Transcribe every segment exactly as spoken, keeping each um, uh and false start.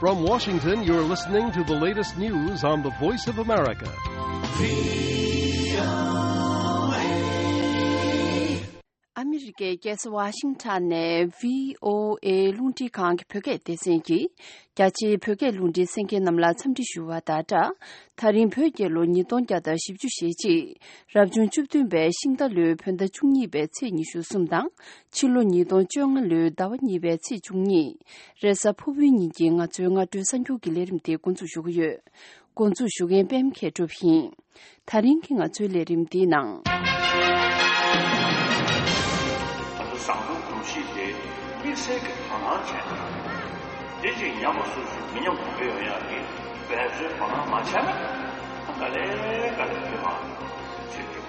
From Washington, you're listening to the latest news on the Voice of America. ཨ་མི་རི་ཀའི་རྒྱལ་ས་ཝ་ཤིང་ཊོན་ནས་བྷི་ཨོ་ཨེ་རླུང་འཕྲིན་ཁང་གི་བོད་སྐད་སྡེ་ཚན་གྱིས་རྒྱ་ཆེའི་བོད་སྐད་རླུང་འཕྲིན་གསན་མཁན་རྣམས་ལ་འཚམས་འདྲི་ཞུ་བ་དང་སྦྲགས། ད་རིང་བོད་རྒྱལ་ལོ་ཉིས་སྟོང་བརྒྱ་དང་བཞི་བཅུ་ཞེ་གཅིག་རབ་བྱུང་བཅུ་བདུན་པའི་ཤིང་རྟ་ལོའི་བོད་ཟླ་བཅུ་གཉིས་པའི་ཚེས་ཉི་ཤུ་གསུམ་དང་། ཕྱི་ལོ་ཉིས་སྟོང་བཅོ་ལྔ་ལོའི་ཟླ་བ་གཉིས་པའི་ཚེས་བཅུ་གཉིས། རེས་གཟའ་ཕུར་བུའི་ཉིན་གྱི་ང་ཚོའི་སྔ་དྲོའི་གསར་འགྱུར་གྱི་ལས་རིམ་དེ་འགོ་འཛུགས་ཞུ་གི་ཡོད། འགོ་འཛུགས་ཞུ་མཁན་པད་མ་མཁས་གྲུབ་ཡིན། ད་རིང་གི་ང་ཚོའི་ལས་རིམ་འདིའི་ནང་། ང་ཚོ་བཟང་པོའི་གོམས་གཤིས་དེ་དམིགས་བསལ་གྱི་དོ་སྣང་བྱས་ནས། དེ་ཅིག་ཉམས་པ་སོ་སོའི་མི་ཉམས་གོང་འཕེལ་ཡོང་ཡག་གི་འབད་བརྩོན་དོ་སྣང་མ་བྱས་ན། ཨ་ག་ལེ་ག་ལེ་ཐོན་མ་ཆེད་དུ་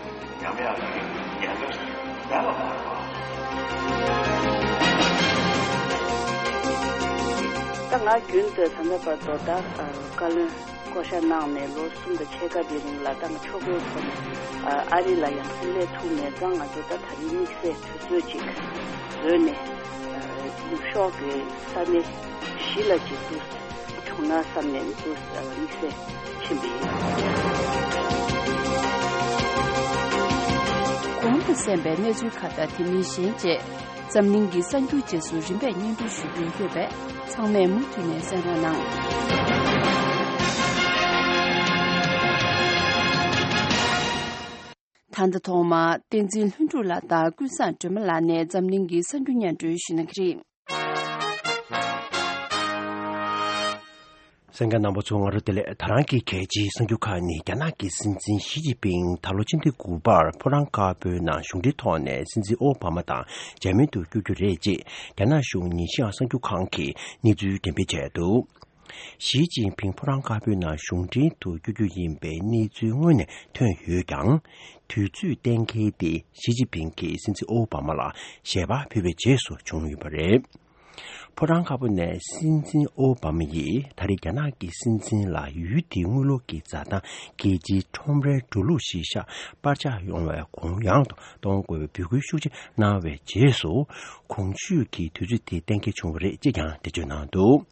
ཉམས་ཡག་གི་ཉེན་ཁ་ཞིག་མེད་པ་མ་རེད་པ། ད་ང་རྒྱུན་དུ་ད་ལྟ་བར་དུ་ད་བཀའ་བློན་བསྐོ་བཞག་གནང་ནས་ལོ་གསུམ་དང་ཕྱེད་ཀ་དེ་རིང་ལ་ད་ང་ཕྱོགས་གཏོགས་ཐོག་ནས་ཨ་རི་ལ་ཡང་སེ་སླེབས་ཐུབ་མེད་ཙང་། ང་ཚོ་ད་ད་རིང་དམིགས་བསལ་དུས་ཚོད་ཅིག་བཟོས་ནས་ནུབ་ཕྱོགས་ཀྱི་ས་གནས་བཞི་ལ་ཅིག་ཏུ་བྱུང་ན་བསམ་ནས་ཏུ་དམིགས་བསལ་ཕྱིན་པ་ཡིན། གོང་དུ་གསན་པའི་གནས་ཚུལ་ཁག་དང་དེ་མིན་གཞན་བཅས། འཛམ་གླིང་གི་གསར་འགྱུར་རྗེས་སུ་རིམ་པས་སྙན་སྒྲོན་ཞུ་རྒྱུ་ཡོད་པས། ཚང་མས་མུ་མཐུད་ནས་གསན་རོགས་གནང་། ད་ལྟ་ཐོག་མར་བསྟན་འཛིན་ལྷུན་གྲུབ་ལགས་དང་ཀུན་བཟང་སྒྲོལ་མ་ལགས་ནས་འཛམ་གླིང་གི་གསར་འགྱུར་སྙན་སྒྲོན་ཞུ་གནང་གི་རེད། གསན་མཁན་རྣམ་པ་ཚོ་ང་རོ་བདེ་ལེགས། ད་རང་གི་གལ་ཆེའི་གསར་འགྱུར་ཁག་ནི། རྒྱ་ནག་གི་སྲིད་འཛིན་ཞི་ཅིན་ཕིང་ད་ལོ་ཕྱི་ཟླ་དགུ་པར་ཕོ་བྲང་དཀར་པོའི་ནང་གཞུང་འབྲེལ་ཐོག་ནས་སྲིད་འཛིན་ཨོ་བྷ་མ་དང་མཇལ་མོལ་དུ་བསྐྱོད་རྒྱུ་རེད་ཅེས་རྒྱ་ནག་གཞུང་ཉིན་ཤང་གསར་འགྱུར་ཁང་གིས་གནས་ཚུལ་འགྲེམས་སྤེལ་བྱས་འདུག། ཞི་ཅིན་ཕིང་ཕོ་བྲང་དཀར་པོའི་ནང་གཞུང་འབྲེལ་དུ་བསྐྱོད་རྒྱུ་ཡིན་པའི་གནས་ཚུལ་སྔོན་ནས་ཐོན་ཡོད་ཀྱང་། དུས་ཚོད་གཏན་འཁེལ་དེ་ཞི་ཅིན་ཕིང་གིས་སྲིད་འཛིན་ཨོ་བྷ་མ་ལ་ཞལ་པར་ཕུལ་བའི་རྗེས་སུ་བྱུང་ཡོད་པ་རེད། ཕོ་བྲང་དཀར་པོ་ནས་སྲིད་འཛིན་ཨོ་བྷ་མ་ཡིས་ད་རེས་རྒྱ་ནག་གི་སྲིད་འཛིན་ལ་ཡུལ་དེའི་དངུལ་ལོར་གྱི་འཛའ་ཐང་རྒྱལ་སྤྱིའི་ཁྲོམ་རའི་འགྲོ་ལུགས་གཞིར་བཞག་པར་ཆག་ཡོང་བའི་གུ་ཡངས་དུ་གཏོང་དགོས་པའི་འབོད་སྐུལ་ཤུགས་ཆེ་གནང་བའི་རྗེས་སུ། གོང་ཞུས་ཀྱི་དུས་ཚོད་དེ་གཏན་འཁེལ་བྱུང་བ་རེད་ཅེས་ཀྱང་འགྲེལ་བརྗོད་གནང་འདུག།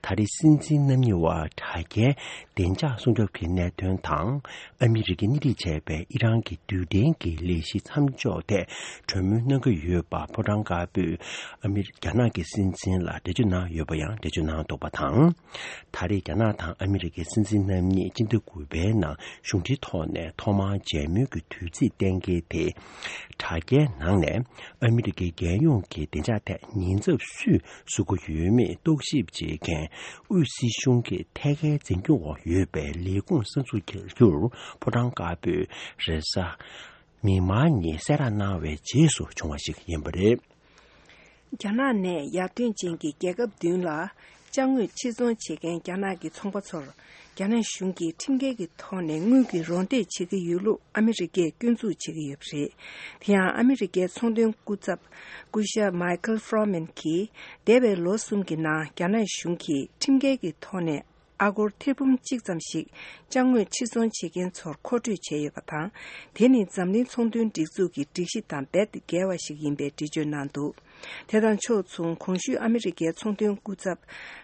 ད་རེས་སྲིད་འཛིན་རྣམ་གཉིས་བར་དྲ་རྒྱའི་བདེ་འཇགས་སྲུང་སྐྱོབ་ཀྱི་གནད་དོན་དང་། ཨ་མི་རི་ཀས་སྣེ་ཁྲིད་བྱས་པའི་ཨི་རན་གྱི་རྡུལ་ཕྲན་གྱི་ལས་གཞི་མཚམས་འཇོག་ཐད་གྲོས་མོལ་གནང་གི་ཡོད་པ་ཕོ་བྲང་དཀར་པོས་ཨ་མི་རྒྱ་ནག་གི་སྲིད་འཛིན་ལ་འགྲེལ་བརྗོད་གནང་ཡོད་པ་ཡང་འགྲེལ་བརྗོད་གནང་འདུག་པ་དང་། ད་རེས་རྒྱ་ནག་དང་ཨ་མི་རི་ཀའི་སྲིད་འཛིན་རྣམ་གཉིས་སྤྱི་ཟླ་དགུ་པའི་ནང་གཞུང་འབྲེལ་ཐོག་ནས་ཐོག་མར་མཇལ་མོལ་གྱི་དུས་ཚིགས་གཏན་འཁེལ་དེ། དྲ་རྒྱའི་ནང་ནས་ཨ་མི་རི་ཀའི་རྒྱལ་ཡོངས་ཀྱི་བདེ་འཇགས་ཐད་ཉེན་ཚབས་སུས་བཟོ་གི་ཡོད་མེད་རྟོག་ཞིབ་བྱེད་མཁན་དབུས་སྲིད་གཞུང་གི་ཐད་ཀའི་འཛིན་སྐྱོང་འོག་ཡོད་པའི་ལས་ཁུངས་གསར་འཛུགས་བྱ་རྒྱུར་ཕོ་བྲང་དཀར་པོས་རེས་གཟའ་མིག་དམར་ཉིན་གསལ་བསྒྲགས་གནང་བའི་རྗེས་སུ་བྱུང་བ་ཞིག་ཡིན་པ་རེད། རྒྱ་ནག་ནས་ཡར་ཐོན་ཅན་གྱི་རྒྱལ་ཁབ་བདུན་ལ་ཅ་དངོས་ཕྱིར་ཚོང་བྱེད་མཁན་རྒྱ་ནག་གི་ཚོང་པ་ཚོར། རྒྱ་ནག་གཞུང་གིས་ཁྲིམས་འགལ་གྱི་ཐོག་ནས་དངུལ་གྱི་རོགས་འདེགས་བྱེད་ཀྱི་ཡོད་ལུགས་ཨ་མི་རི་ཀས་སྐྱོན་འཛུགས་བྱེད་ཀྱི་ཡོད་པ་རེད། དེ་ཡང་ཨ་མི་རི་ཀའི་ཚོང་དོན་སྐུ་ཚབ་སྐུ་ཞབས་མའི་ཁལ་ཧྥོ་རོ་མན་གྱིས། འདས་པའི་ལོ་གསུམ་གྱི་ནང་རྒྱ་ནག་གཞུང་གིས་ཁྲིམས་འགལ་གྱི་ཐོག་ནས་ཨ་སྒོར་ཐེར་འབུམ་གཅིག་ཙམ་ཞིག་ཅ་དངོས་ཕྱིར་ཚོང་བྱེད་མཁན་ཚོར་མཁོ་སྤྲོད་བྱས་ཡོད་པ་དང་། དེ་ནི་འཛམ་གླིང་ཚོང་དོན་སྒྲིག་འཛུགས་ཀྱི་སྒྲིག་གཞི་དང་རྦད་དེ་འགལ་བ་ཞིག་ཡིན་པའི་འགྲེལ་བརྗོད་གནང་འདུག། དེ་དང་ཕྱོགས་མཚུངས། གོང་ཞུས་ཨ་མི་རི་ཀའི་ཚོང་དོན་སྐུ་ཚབ་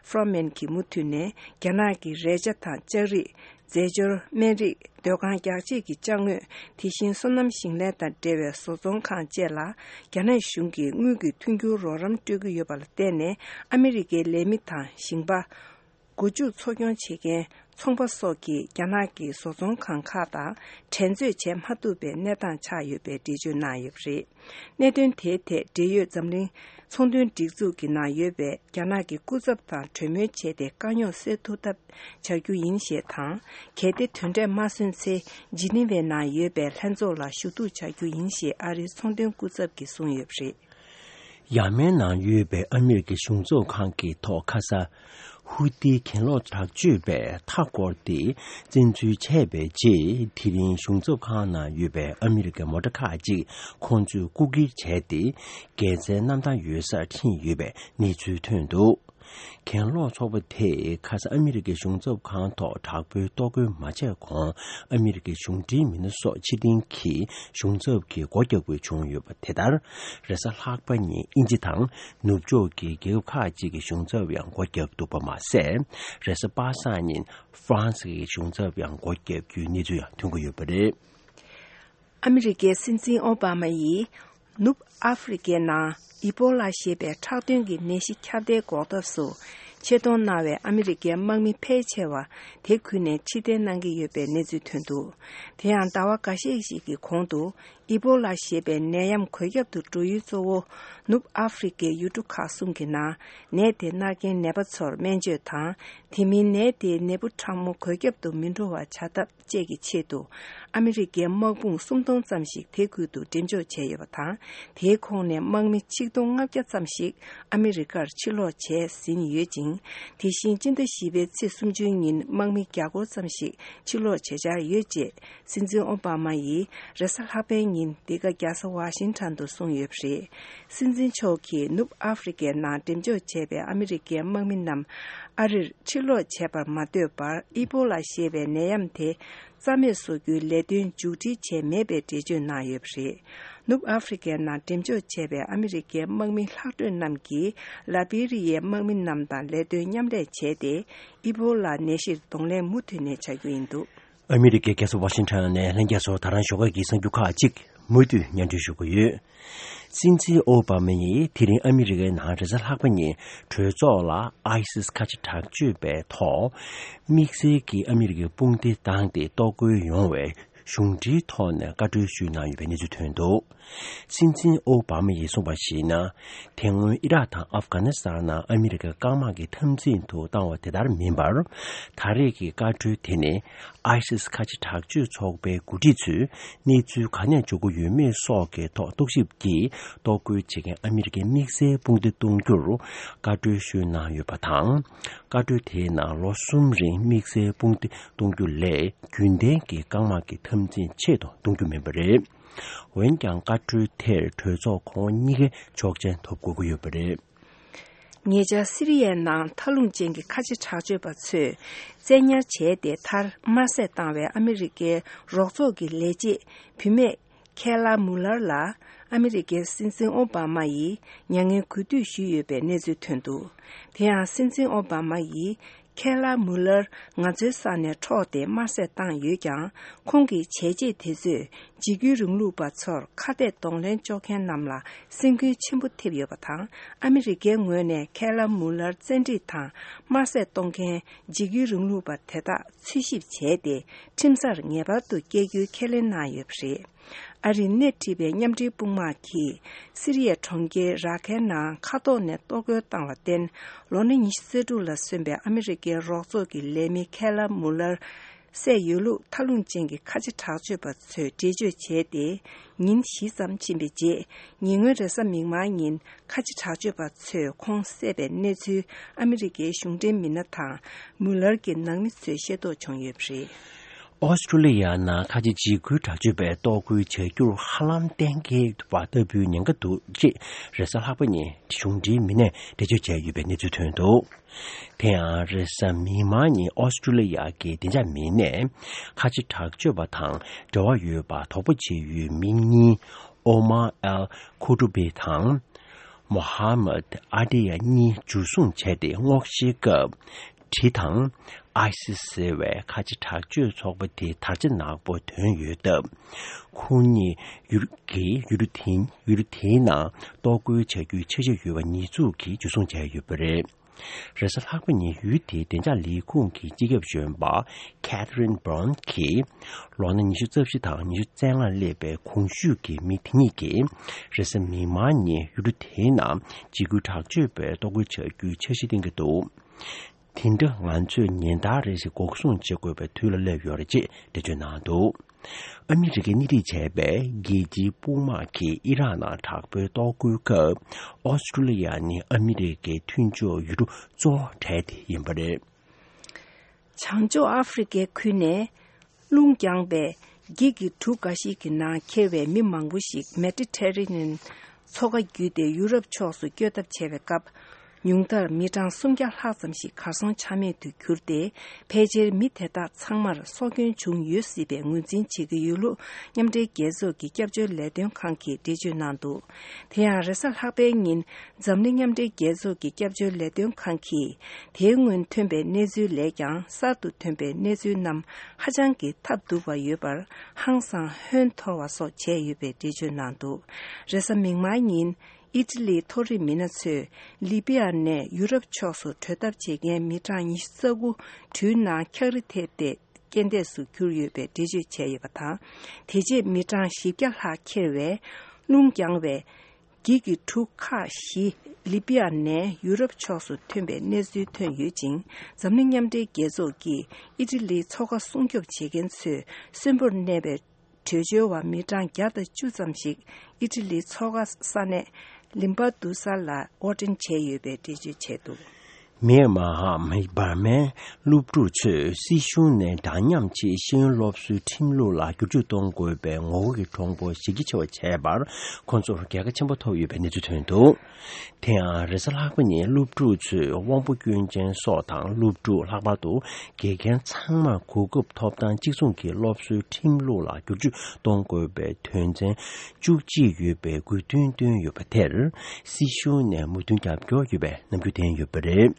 ཧྥོ་རོ་མན་གྱིས་མུ་མཐུད་ནས། རྒྱ་ནག་གི་རས་ཆ་དང་ལྕགས་རིགས། རྫས་སྦྱོར། སྨན་རིགས། སྡོད་ཁང་རྒྱག་ཆས་ཀྱི་ཅ་དངོས། དེ་བཞིན་སོ་ནམ་ཞིང་ལས་དང་འབྲེལ་བའི་བཟོ་ཚོང་ཁང་བཅས་ལ། རྒྱ་ནག་གཞུང་གིས་དངུལ་གྱི་མཐུན་འགྱུར་རོགས་རམ་སྤྲོད་ཀྱི་ཡོད་པ་ལ་བརྟེན་ནས། ཨ་མི་རི་ཀའི་ལས་མི་དང་ཞིང་པ། སྒོ་ཕྱུགས་འཚོ་སྐྱོང་བྱེད་མཁན་ཚོང་པ་སོགས་ཀྱིས་རྒྱ་ནག་གི་བཟོ་ཚོང་ཁང་ཁག་དང་འགྲན་རྩོད་བྱེད་མ་ཐུབ་པའི་གནས་སྟངས་ཆགས་ཡོད་པའི་འགྲེལ་བརྗོད་གནང་ཡོད་པ་རེད། གནད་དོན་དེའི་ཐད་འབྲེལ་ཡོད་འཛམ་གླིང་ཚོང་དོན་སྒྲིག་འཛུགས་ཀྱི་ནང་ཡོད་པའི་རྒྱ་ནག་གི་སྐུ་ཚབ་དང་གྲོས་མོལ་བྱས་ཏེ་དཀའ་རྙོག་སེལ་ཐུབ་ཐབས་བྱ་རྒྱུ་ཡིན་ཞེས་དང་། གལ་ཏེ་དོན་འབྲས་མ་སོན་ཚེ། ཇི་ནི་ཝའི་ནང་ཡོད་པའི་ལྷན་ཚོགས་ལ་ཞུ་གཏུག་བྱ་རྒྱུ་ཡིན་ཞེས་ཨ་རིའི་ཚོང་དོན་སྐུ་ཚབ་ཀྱིས་གསུངས་ཡོད་པ་རེད། ཡ་མེན་ནང་ཡོད་པའི་ཨ་མི་རི་ཀའི་གཞུང་ཚབ་ཁང་གི་ཐོག་ཁ་ས་ཧུ་ཏིའི་གྱེན་ལོག་དྲག་སྤྱོད་པས་མཐའ་བསྐོར་ཏེ་བཙན་འཛུལ་བྱས་པའི་རྗེས། དེ་རིང་གཞུང་ཚབ་ཁང་ནང་ཡོད་པའི་ཨ་མི་རི་ཀའི་མོ་ཊ་ཁག་ཅིག་ཁོང་ཚོས་རྐུ་འཁྱེར་བྱས་ཏེ། འགད་རྫས་གནམ་ཐང་ཡོད་སར་ཁྲིད་ཡོད་པའི་གནས་ཚུལ་ཐོན་འདུག། གྱེན་ལོག་ཚོགས་པ་དེས་ཁ་སང་ཨ་མི་རི་ཀའི་གཞུང་ཚབ་ཁང་ཐོག་དྲག་པོའི་གཏོར་རྒོལ་མ་བྱས་གོང་ཨ་མི་རི་ཀའི་གཞུང་འབྲེལ་མི་སྣ་སོགས་ཕྱིར་འཐེན་གྱིས་གཞུང་ཚབ་ཀྱི་སྒོ་བརྒྱབ་དགོས་བྱུང་ཡོད་པ་དེ་ལྟར། རེས་གཟའ་ལྷག་པ་ཉིན་དབྱིན་ཇི་དང་ནུབ་ཕྱོགས་ཀྱི་རྒྱལ་ཁབ་ཁག་ཅིག་གི་གཞུང་ཚབ་ཡང་སྒོ་བརྒྱབ་འདུག་པ་མ་ཟད། རེས་གཟའ་པ་སངས་ཉིན་ཧྥ་རན་སི་གི་གཞུང་ཚབ་ཡང་སྒོ་བརྒྱབ་རྒྱུའི་གནས་ཚུལ་ཡང་ཐོན་གྱི་ཡོད་པ་རེད། ཨ་མི་རི་ཀའི་སྲིད་འཛིན་ཨོ་བྷ་མ་ཡིས་ནུབ་ཨ་ཧྥེ་རི་ཀའི་ནང་ཨི་པོ་ལ་ཞེས་པའི་ཁྲག་དོན་གྱི་ནད་གཞི་ཁྱབ་གདལ་འགོག་ཐབས་སུ་ཆེད་གཏོང་གནང་བའི་ཨ་མི་རི་ཀའི་དམག་མི་ཕལ་ཆེ་བ་དེ་ཁུལ་ནས་ཕྱིར་འཐེན་གནང་གི་ཡོད་པའི་གནས་ཚུལ་ཐོན་འདུག་དེ་ཡང་ཟླ་བ་འགའ་ཤས་ཤིག་གི་གོང་དུ་ཨི་པོ་ལ་ཞེས་པའི་ནད་ཡམས་འགོས་ཁྱབ་ཏུ་འགྲོ་ཡུལ་གཙོ་བོ་ནུབ་ཨ་ཧྥེ་རི་ཀའི་ཡུལ་གྲུ་ཁག་གསུམ་གྱི་ནང་ནད་དེ་མནར་མཁན་ནད་པ་ཚོར་སྨན་བཅོས་དང་། དེ་མིན་ནད་དེའི་ནད་འབུ་ཕྲ་མོ་འགོས་ཁྱབ་ཏུ་མི་འགྲོ་བ་བྱ་ཐབས་བཅས་ཀྱི་ཆེད་དུ། ཨ་མི་རི་ཀའི་དམག་དཔུང་སུམ་སྟོང་ཙམ་ཞིག་དེ་ཁུལ་དུ་འགྲེམས་འཇོག་བྱས་ཡོད་པ་དང་། དེའི་ཁོངས་ནས་དམག་མི་ཆིག་སྟོང་ལྔ་བརྒྱ་ཙམ་ཞིག་ཨ་མི་རི་ཀར་ཕྱིར་ལོག་བྱས་ཟིན་ཡོད་ཅིང་། དེ་བཞིན་སྤྱི་ཟླ་བཞི་པའི་ཚེས་སུམ་ཅུའི་ཉིན་དམག་མི་བརྒྱ་སྐོར་ཙམ་ཞིག་ཕྱིར་ལོག་བྱེད་འཆར་ཡོད་ཅེས། སྲིད་འཛིན་ཨོ་བྷ་མ་ཡིས་རེས་གཟའ་ལྷག་པའི་ཉིན་འདི་ག་རྒྱལ་ས་ཝ་ཤིང་ཊོན་དུ་གསུངས་ཡོད་པ་རེད། སྲིད་འཛིན་མཆོག་གིས་ནུབ་ཨ་ཧྥེ་རི་ཀའི་ནང་འགྲེམས་འཇོག་བྱས་པའི་ཨ་མི་རི་ཀའི་དམག་མི་རྣམས་ཨ་རིར་ཕྱིར་ལོག་བྱས་པར་མ་ལྟོས་པར། ཨི་པོ་ལ་ཞེས་པའི་ནད་ཡམས་དེ་རྩ་མེད་བཟོ་རྒྱུའི་ལས་དོན་མཇུག་སྒྲིལ་བྱས་མེད་པའི་འགྲེལ་བརྗོད་གནང་ཡོད་པ་རེད། ནུབ་ཨ་ཧྥེ་རི་ཀའི་ནང་འགྲེམས་འཇོག་བྱས་པའི་ཨ་མི་རི་ཀའི་དམག་མི་ལྷག་འཕྲོས་རྣམས་ཀྱིས་ལ་བྷི་རི་ཡའི་དམག་མི་རྣམས་དང་ལས་དོན་མཉམ་ལས་བྱས་ཏེ། ཨི་པོ་ལ་ནད་གཞིར་གདོང་ལེན་མུ་མཐུད་ནས་བྱ་རྒྱུ་ཡིན་འདུག་ཨ་མི་རི་ཀའི་རྒྱལ་ས་ཝ་ཤིང་ཊོན་ནས་ལྷན་རྒྱས་ཚོ་ད་རང་ཞོགས་ཀས་ཀྱི་གསར་འགྱུར་ཁག་ཅིག་མུ་མཐུད་སྙན་སྒྲོན་ཞུ་གི་ཡོད། སྲིད་འཛིན་ཨོ་བྷ་མ་ཡིས་དེ་རིང་ཨ་མི་རི་ཀའི་ནང་རེས་གཟའ་ལྷག་པ་ཉིན་གྲོས་ཚོགས་ལ་ཨའི་སིས་ཁ་ཆེ་དྲག་སྤྱོད་པའི་ཐོག་དམིགས་བསལ་གྱི་ཨ་མི་རི་ཀའི་དཔུང་སྡེ་བཏང་སྟེ་གཏོར་རྒོལ་ཡོང་བའི་གཞུང་འབྲེལ་ཐོག་ནས་བཀའ་འཁྲོལ་ཞུས་གནང་ཡོད་པའི་གནས་ཚུལ་ཐོན་འདུག་སྲིད་འཛིན་ཨོ་བྷ་མ་ཡིས་གསུངས་པར་གཞིགས་ན། དེ་སྔོན་ཨི་རག་དང་ཨབ་གྷ་ནི་སི་ཐན་ནང་ཨ་མི་རི་ཀའི་རྐང་དམག་གི་འཐབ་འཛིང་དུ་བཏང་བ་དེ་ལྟར་མིན་པར། ད་རེས་ཀྱི་བཀའ་འཁྲོལ་དེ་ནི་ཨའི་སིས་ཁ་ཆེ་དྲག་སྤྱོད་ཚོགས་པའི་འགོ་ཁྲིད་ཚོས་གནས་ཚུལ་ག་ནས་འབྱོར་གྱི་ཡོད་མེད་སོགས་ཀྱི་ཐོག་རྟོག་ཞིབ་ཀྱིས་གཏོར་རྒོལ་བྱེད་མཁན་ཨ་མི་རི་ཀའི་དམིགས་བསལ་དཔུང་སྡེ་གཏོང་རྒྱུར་བཀའ་འཁྲོལ་ཞུས་གནང་ཡོད་པ་དང་། བཀའ་འཁྲོལ་དེའི་ནང་ལོ་གསུམ་རིང་དམིགས་བསལ་དཔུང་སྡེ་གཏོང་རྒྱུ་ལས་རྒྱུན་ལྡན་གྱི་རྐང་དམག་གི་འཐབ་འཛིང་ཆེད་དུ་གཏོང་རྒྱུ་མིན་པ་རེད། འོན་ཀྱང་བཀའ་འཁྲོལ་དེར་གྲོས་ཚོགས་ཁོངས་གཉིས་ཀའི་ཆོག་མཆན་ཐོབ་དགོས་ཀྱི་ཡོད་པ་རེད། ཉེ་ཆར་སི་རི་ཡའི་ནང་མཐའ་ལྷུང་ཅན་གྱི་ཁ་ཆེ་དྲག་སྤྱོད་པ་ཚོས་བཙན་ཉར་བྱས་ཏེ་མཐར་དམར་གསོད་བཏང་བའི་ཨ་མི་རི་ཀའི་རོགས་ཚོགས་ཀྱི་ལས་བྱེད་བུད་མེད་ཁེ་ལ་མུ་ལར་ལ་ཨ་མི་རི་ཀའི་སྲིད་འཛིན་ཨོ་བྷ་མ་ཡིས་མྱ་ངན་གུས་འདུད་ཞུས་ཡོད་པའི་གནས་ཚུལ་ཐོན་འདུག་དེ་ཡང་སྲིད་འཛིན་ཨོ་བྷ་མ་ཡིས། ཁེ་ལ་མུ་ལར་ང་ཚོའི་ས་ནས་འཕྲོག་སྟེ་དམར་གསོད་བཏང་ཡོད་ཀྱང་། ཁོང་གི་བྱས་རྗེས་དེ་ཚོས་འཇིགས་སྐུལ་རིང་ལུགས་པ་ཚོར་ཁ་གཏད་གདོང་ལེན་གཅོག་མཁན་རྣམས་ལ་སེམས་འགུལ་ཆེན་པོ་ཐེབས་ཡོད་པ་དང་། ཨ་མི་རི་ཀའི་ངོས་ནས་ཁེ་ལ་མུ་ལར་བཙན་ཁྲིད་དང་དམར་གསོད་གཏོང་མཁན་འཇིགས་སྐུལ་རིང་ལུགས་པ་དེ་དག་འཚོལ་ཞིབ་བྱས་ཏེ། ཁྲིམས་སར་ངེས་པར་དུ་བསྐྱལ་རྒྱུའི་ཁས་ལེན་གནང་ཡོད་པ་རེད། ཨ་རིས་སྣེ་ཁྲིད་པའི་མཉམ་འབྲེལ་དཔུང་དམག་གིས་སི་རི་ཡའི་གྲོང་ཁྱེར་ར་ཁའི་ནང་མཁའ་ཐོག་ནས་གཏོར་རྒོལ་བཏང་བར་བརྟེན། ལོ་ན་ཉི་ཤུ་རྩ་དྲུག་ལ་སོན་པའི་ཨ་མི་རི་ཀའི་རོགས་ཚོགས་ཀྱི་ལས་མི་ཁེ་ལ་མུ་ལར་བསད་ཡོད་ལུགས་མཐའ་ལྷུང་ཅན་གྱི་ཁ་ཆེ་དྲག་སྤྱོད་པ་ཚོས་འགྲེལ་བརྗོད་བྱས་ཏེ། ཉིན་བཞི་ཙམ་ཕྱིན་པའི་རྗེས། ཉེ་སྔོན་རེས་གཟའ་མིག་དམར་ཉིན་ཁ་ཆེ་དྲག་སྤྱོད་པ་ཚོས་ཁོང་བསད་པའི་གནས་ཚུལ་ཨ་མི་རི་ཀའི་གཞུང་འབྲེལ་མི་སྣ་དང་མུ་ལར་གྱི་ནང་མི་ཚོས་ཤེས་རྟོགས་བྱུང་ཡོད་པ་རེད། ཨོ་སི་ཀྲུ་ལི་ཡ་ནང་ཁ་ཆེ་འཇིགས་སྐུལ་དྲག་སྤྱོད་པས་གཏོར་རྒོལ་བྱ་རྒྱུར་ཧ་ལམ་གཏན་འཁེལ་བ་ལྟ་བུའི་ཉེན་ཁ་འདུག་ཅེས་རེས་གཟའ་ལྷག་པ་ཉིན་གཞུང་འབྲེལ་མི་སྣས་འགྲེལ་བརྗོད་བྱས་ཡོད་པའི་གནས་ཚུལ་ཐོན་འདུག་དེ་ཡང་རེས་གཟའ་མིག་དམར་ཉིན་ཨོ་སི་ཀྲུ་ལི་ཡ་གི་བདེ་འཇགས་མི་སྣས་ཁ་ཆེ་དྲག་སྤྱོད་པ་དང་འབྲེལ་བ་ཡོད་པ་དོགས་པ་བྱེད་ཡུལ་མི་གཉིས་ཨོ་མར་ཨལ་ཁུ་ཏུ་བི་དང་། མོ་ཧ་མད་ཨ་ཏི་ཡ་གཉིས་འཇུ་བཟུང་བྱས་ཏེ་སྔོག་བཤེར་སྐབས། གྲི་དང་། ཨའི་སི་ཟེར་བའི་ཁ་ཆེ་དྲག་སྤྱོད་ཚོགས་པ་དེའི་དར་ཆ་ནག་པོ་ཐོན་ཡོད་སྟབས། ཁོང་གཉིས་ཡུལ་གྱི་ཡུལ་གྲུ་དེ་ཡུལ་གྲུ་དེའི་ནང་གཏོར་རྒོལ་བྱ་རྒྱུའི་འཆར་གཞི་ཡོད་པ་ཉེས་འཛུགས་ཀྱིས་འཇུ་བཟུང་བྱས་ཡོད་པ་རེད། རེས་གཟའ་ལྷག་པ་ཉིན་ཡུལ་དེའི་བདེ་འཇགས་ལས་ཁུངས་ཀྱི་སྤྱི་ཁྱབ་གཞོན་པ་Catherine Brown གྱིས། ལོ་ན་ཉི་ཤུ་རྩ་བཞི་དང་ཉི་ཤུ་རྩ་ལྔ་སླེབས་པའི་གོང་ཞུས་ཀྱི་མི་དེ་གཉིས་ཀྱིས། རེས་གཟའ་མིག་དམར་ཉིན་ཡུལ་གྲུ་དེའི་ནང་འཇིགས་སྐུལ་དྲག་སྤྱོད་པའི་གཏོར་རྒོལ་བྱ་རྒྱུའི་འཆར་གཞི་བཏིང་གི་འདུག་དེ་འདྲ་ང་ཚོས་ཉིན་ལྟར་རེ་བཞིན་འགོག་སྲུང་བྱེད་དགོས་པའི་དུས་ལ་སླེབས་ཡོད་རེད་ཅེས་འགྲེལ་བརྗོད་གནང་འདུག་ཨ་མི་རི་ཀས་སྣེ་ཁྲིད་བྱས་པའི་རྒྱལ་སྤྱིའི་དཔུང་དམག་གིས་ཨི་རག་ནང་དྲག་པོའི་གཏོར་རྒོལ་སྐབས། ཨོ་སི་ཀྲུ་ལི་ཡ་ནི་ཨ་མི་རི་ཀའི་མཐུན་ཕྱོགས་ཡུལ་གྲུ་གཙོ་བོ་གྲས་དེ་ཡིན་པ་རེད། བྱང་ཕྱོགས་ཨ་ཧྥེ་རི་ཀའི་ཁུལ་ནས་རླུང་བརྒྱངས་པའི་འགྱིག་གི་གྲུ་འགའ་ཞིག་གི་ནང་འཁྱེར་བའི་མི་མང་པོ་ཞིག་མེ་ཏི་ཊེ་རེ་ནེན་མཚོ་ཁ་བརྒྱུད་དེ་ཡུ་རོབ་ཕྱོགས་སུ་བསྐྱོད་ཐབས་བྱས་པའི་སྐབས། ཉུང་མཐར་མི་གྲངས་སུམ་བརྒྱ་ལྷག་ཙམ་ཞིག་གར་སོང་ཆ་མེད་དུ་གྱུར་ཏེ། ཕལ་ཆེར་མི་དེ་དག་ཚང་མར་སྲོག་སྐྱོན་བྱུང་ཡོད་སྲིད་པའི་ངོས་འཛིན་བྱེད་ཀྱི་ཡོད་ལུགས་མཉམ་འབྲེལ་རྒྱལ་ཚོགས་ཀྱི་སྐྱབས་བཅོལ་ལས་དོན་ཁང་གིས་འགྲེལ་བརྗོད་གནང་འདུག་དེ་ཡང་རེས་གཟའ་ལྷག་པའི་ཉིན། འཛམ་གླིང་མཉམ་འབྲེལ་རྒྱལ་ཚོགས་ཀྱི་སྐྱབས་བཅོལ་ལས་དོན་ཁང་གིས། དེའི་སྔོན་ཐོན་པའི་གནས་ཚུལ་ལས་ཀྱང་གསར་དུ་ཐོན་པའི་གནས་ཚུལ་རྣམས་ཧ་ཅང་གི་ཐབས་སྡུག་པ་ཡོད་པར། ཧང་སང་ཧོན་འཐོར་བ་སོགས་བྱས་ཡོད་པའི་འགྲེལ་བརྗོད་གནང་འདུག་རེས་གཟའ་མིག་དམར་ཉིན། ཨི་ཊ་ལིའི་མཐོ་རིམ་མི་སྣ་ཚོས་ལི་པི་ཡ་ནས་ཡུ་རོབ་ཕྱོགས་སུ་བྲོས་ཐབས་བྱེད་མཁན་མི་གྲངས་ཉི་ཤུ་རྩ་དགུ་གྲུའི་ནང་འཁྱགས་རི་ཐེབས་ཏེ་རྐྱེན་འདས་སུ་གྱུར་ཡོད་པའི་འགྲེལ་བརྗོད་བྱས་ཡོད་པ་དང་། དེ་རྗེས་མི་གྲངས་བཞི་བརྒྱ་ལྷག་འཁྱེར་བའི་རླུང་རྒྱང་བའི་འགྱིག་གི་གྲུ་ཁག་བཞི་ལི་པི་ཡ་ནས་ཡུ་རོབ་ཕྱོགས་སུ་ཐོན་པའི་གནས་ཚུལ་ཐོན་ཡོད་ཅིང་། འཛམ་གླིང་མཉམ་འབྲེལ་རྒྱལ་ཚོགས་ཀྱིས་ཨི་ཊ་ལིའི་མཚོ་ཁ་སྲུང་སྐྱོབ་བྱེད་མཁན་ཚོས་གསོན་པོར་གནས་པའི་བྲོས་བྱོལ་བ་མི་གྲངས་བརྒྱ་དང་བཅུ་ཙམ་ཞིག་ཨི་ཊ་ལིའི་མཚོ་ཁ་ས་གནས་ལིམ་པ་དུ་ས་ལ་དབོར་འདྲེན་བྱས་ཡོད་པའི་འགྲེལ་བརྗོད་བྱས་འདུག་མིའན་མཱར་འམ་འབར་མའི་སློབ་ཕྲུག་ཚོས་སྲིད་གཞུང་ནས་འདྲ་མཉམ་ཆེད་ཤེས་ཡོན་སློབ་གསོའི་ཁྲིམས་ལུགས་ལ་བསྒྱུར་བཅོས་གཏོང་དགོས་པའི་ངོ་རྒོལ་གྱི་གྲོགས་པོ་གཞི་རྒྱ་ཆེ་བ་བྱས་པར་ཁོང་ཚོར་རྒྱལ་ཁ་ཆེན་པོ་ཐོབ་ཡོད་པའི་གནས་ཚུལ་ཐོན་འདུག་དེ་ཡང་རེས་གཟའ་ལྷག་པ་ཉིན་སློབ་ཕྲུག་ཚོས་དབང་པོ་སྐྱོན་ཅན་སོགས་དང་སློབ་ཕྲུག་ལྷག་པར་དུ་དགེ་རྒན་ཚང་མར་གོ་སྐབས་ཐོབ་ཐང་གཅིག་མཚུངས་ཀྱི་སློབ་གསོའི་ཁྲིམས་ལུགས་ལ་བསྒྱུར་བཅོས་གཏོང་དགོས་པའི་དོན་ཚན་བཅུ་གཅིག་ཡོད་པའི་དགོས་འདུན་བཏོན་ཡོད་པ་དེར་སྲིད་གཞུང་ནས་མོས་མཐུན་རྒྱབ་སྐྱོར་ཡོད་པའི་རྣམ་འགྱུར་བསྟན་ཡོད་པ་རེད།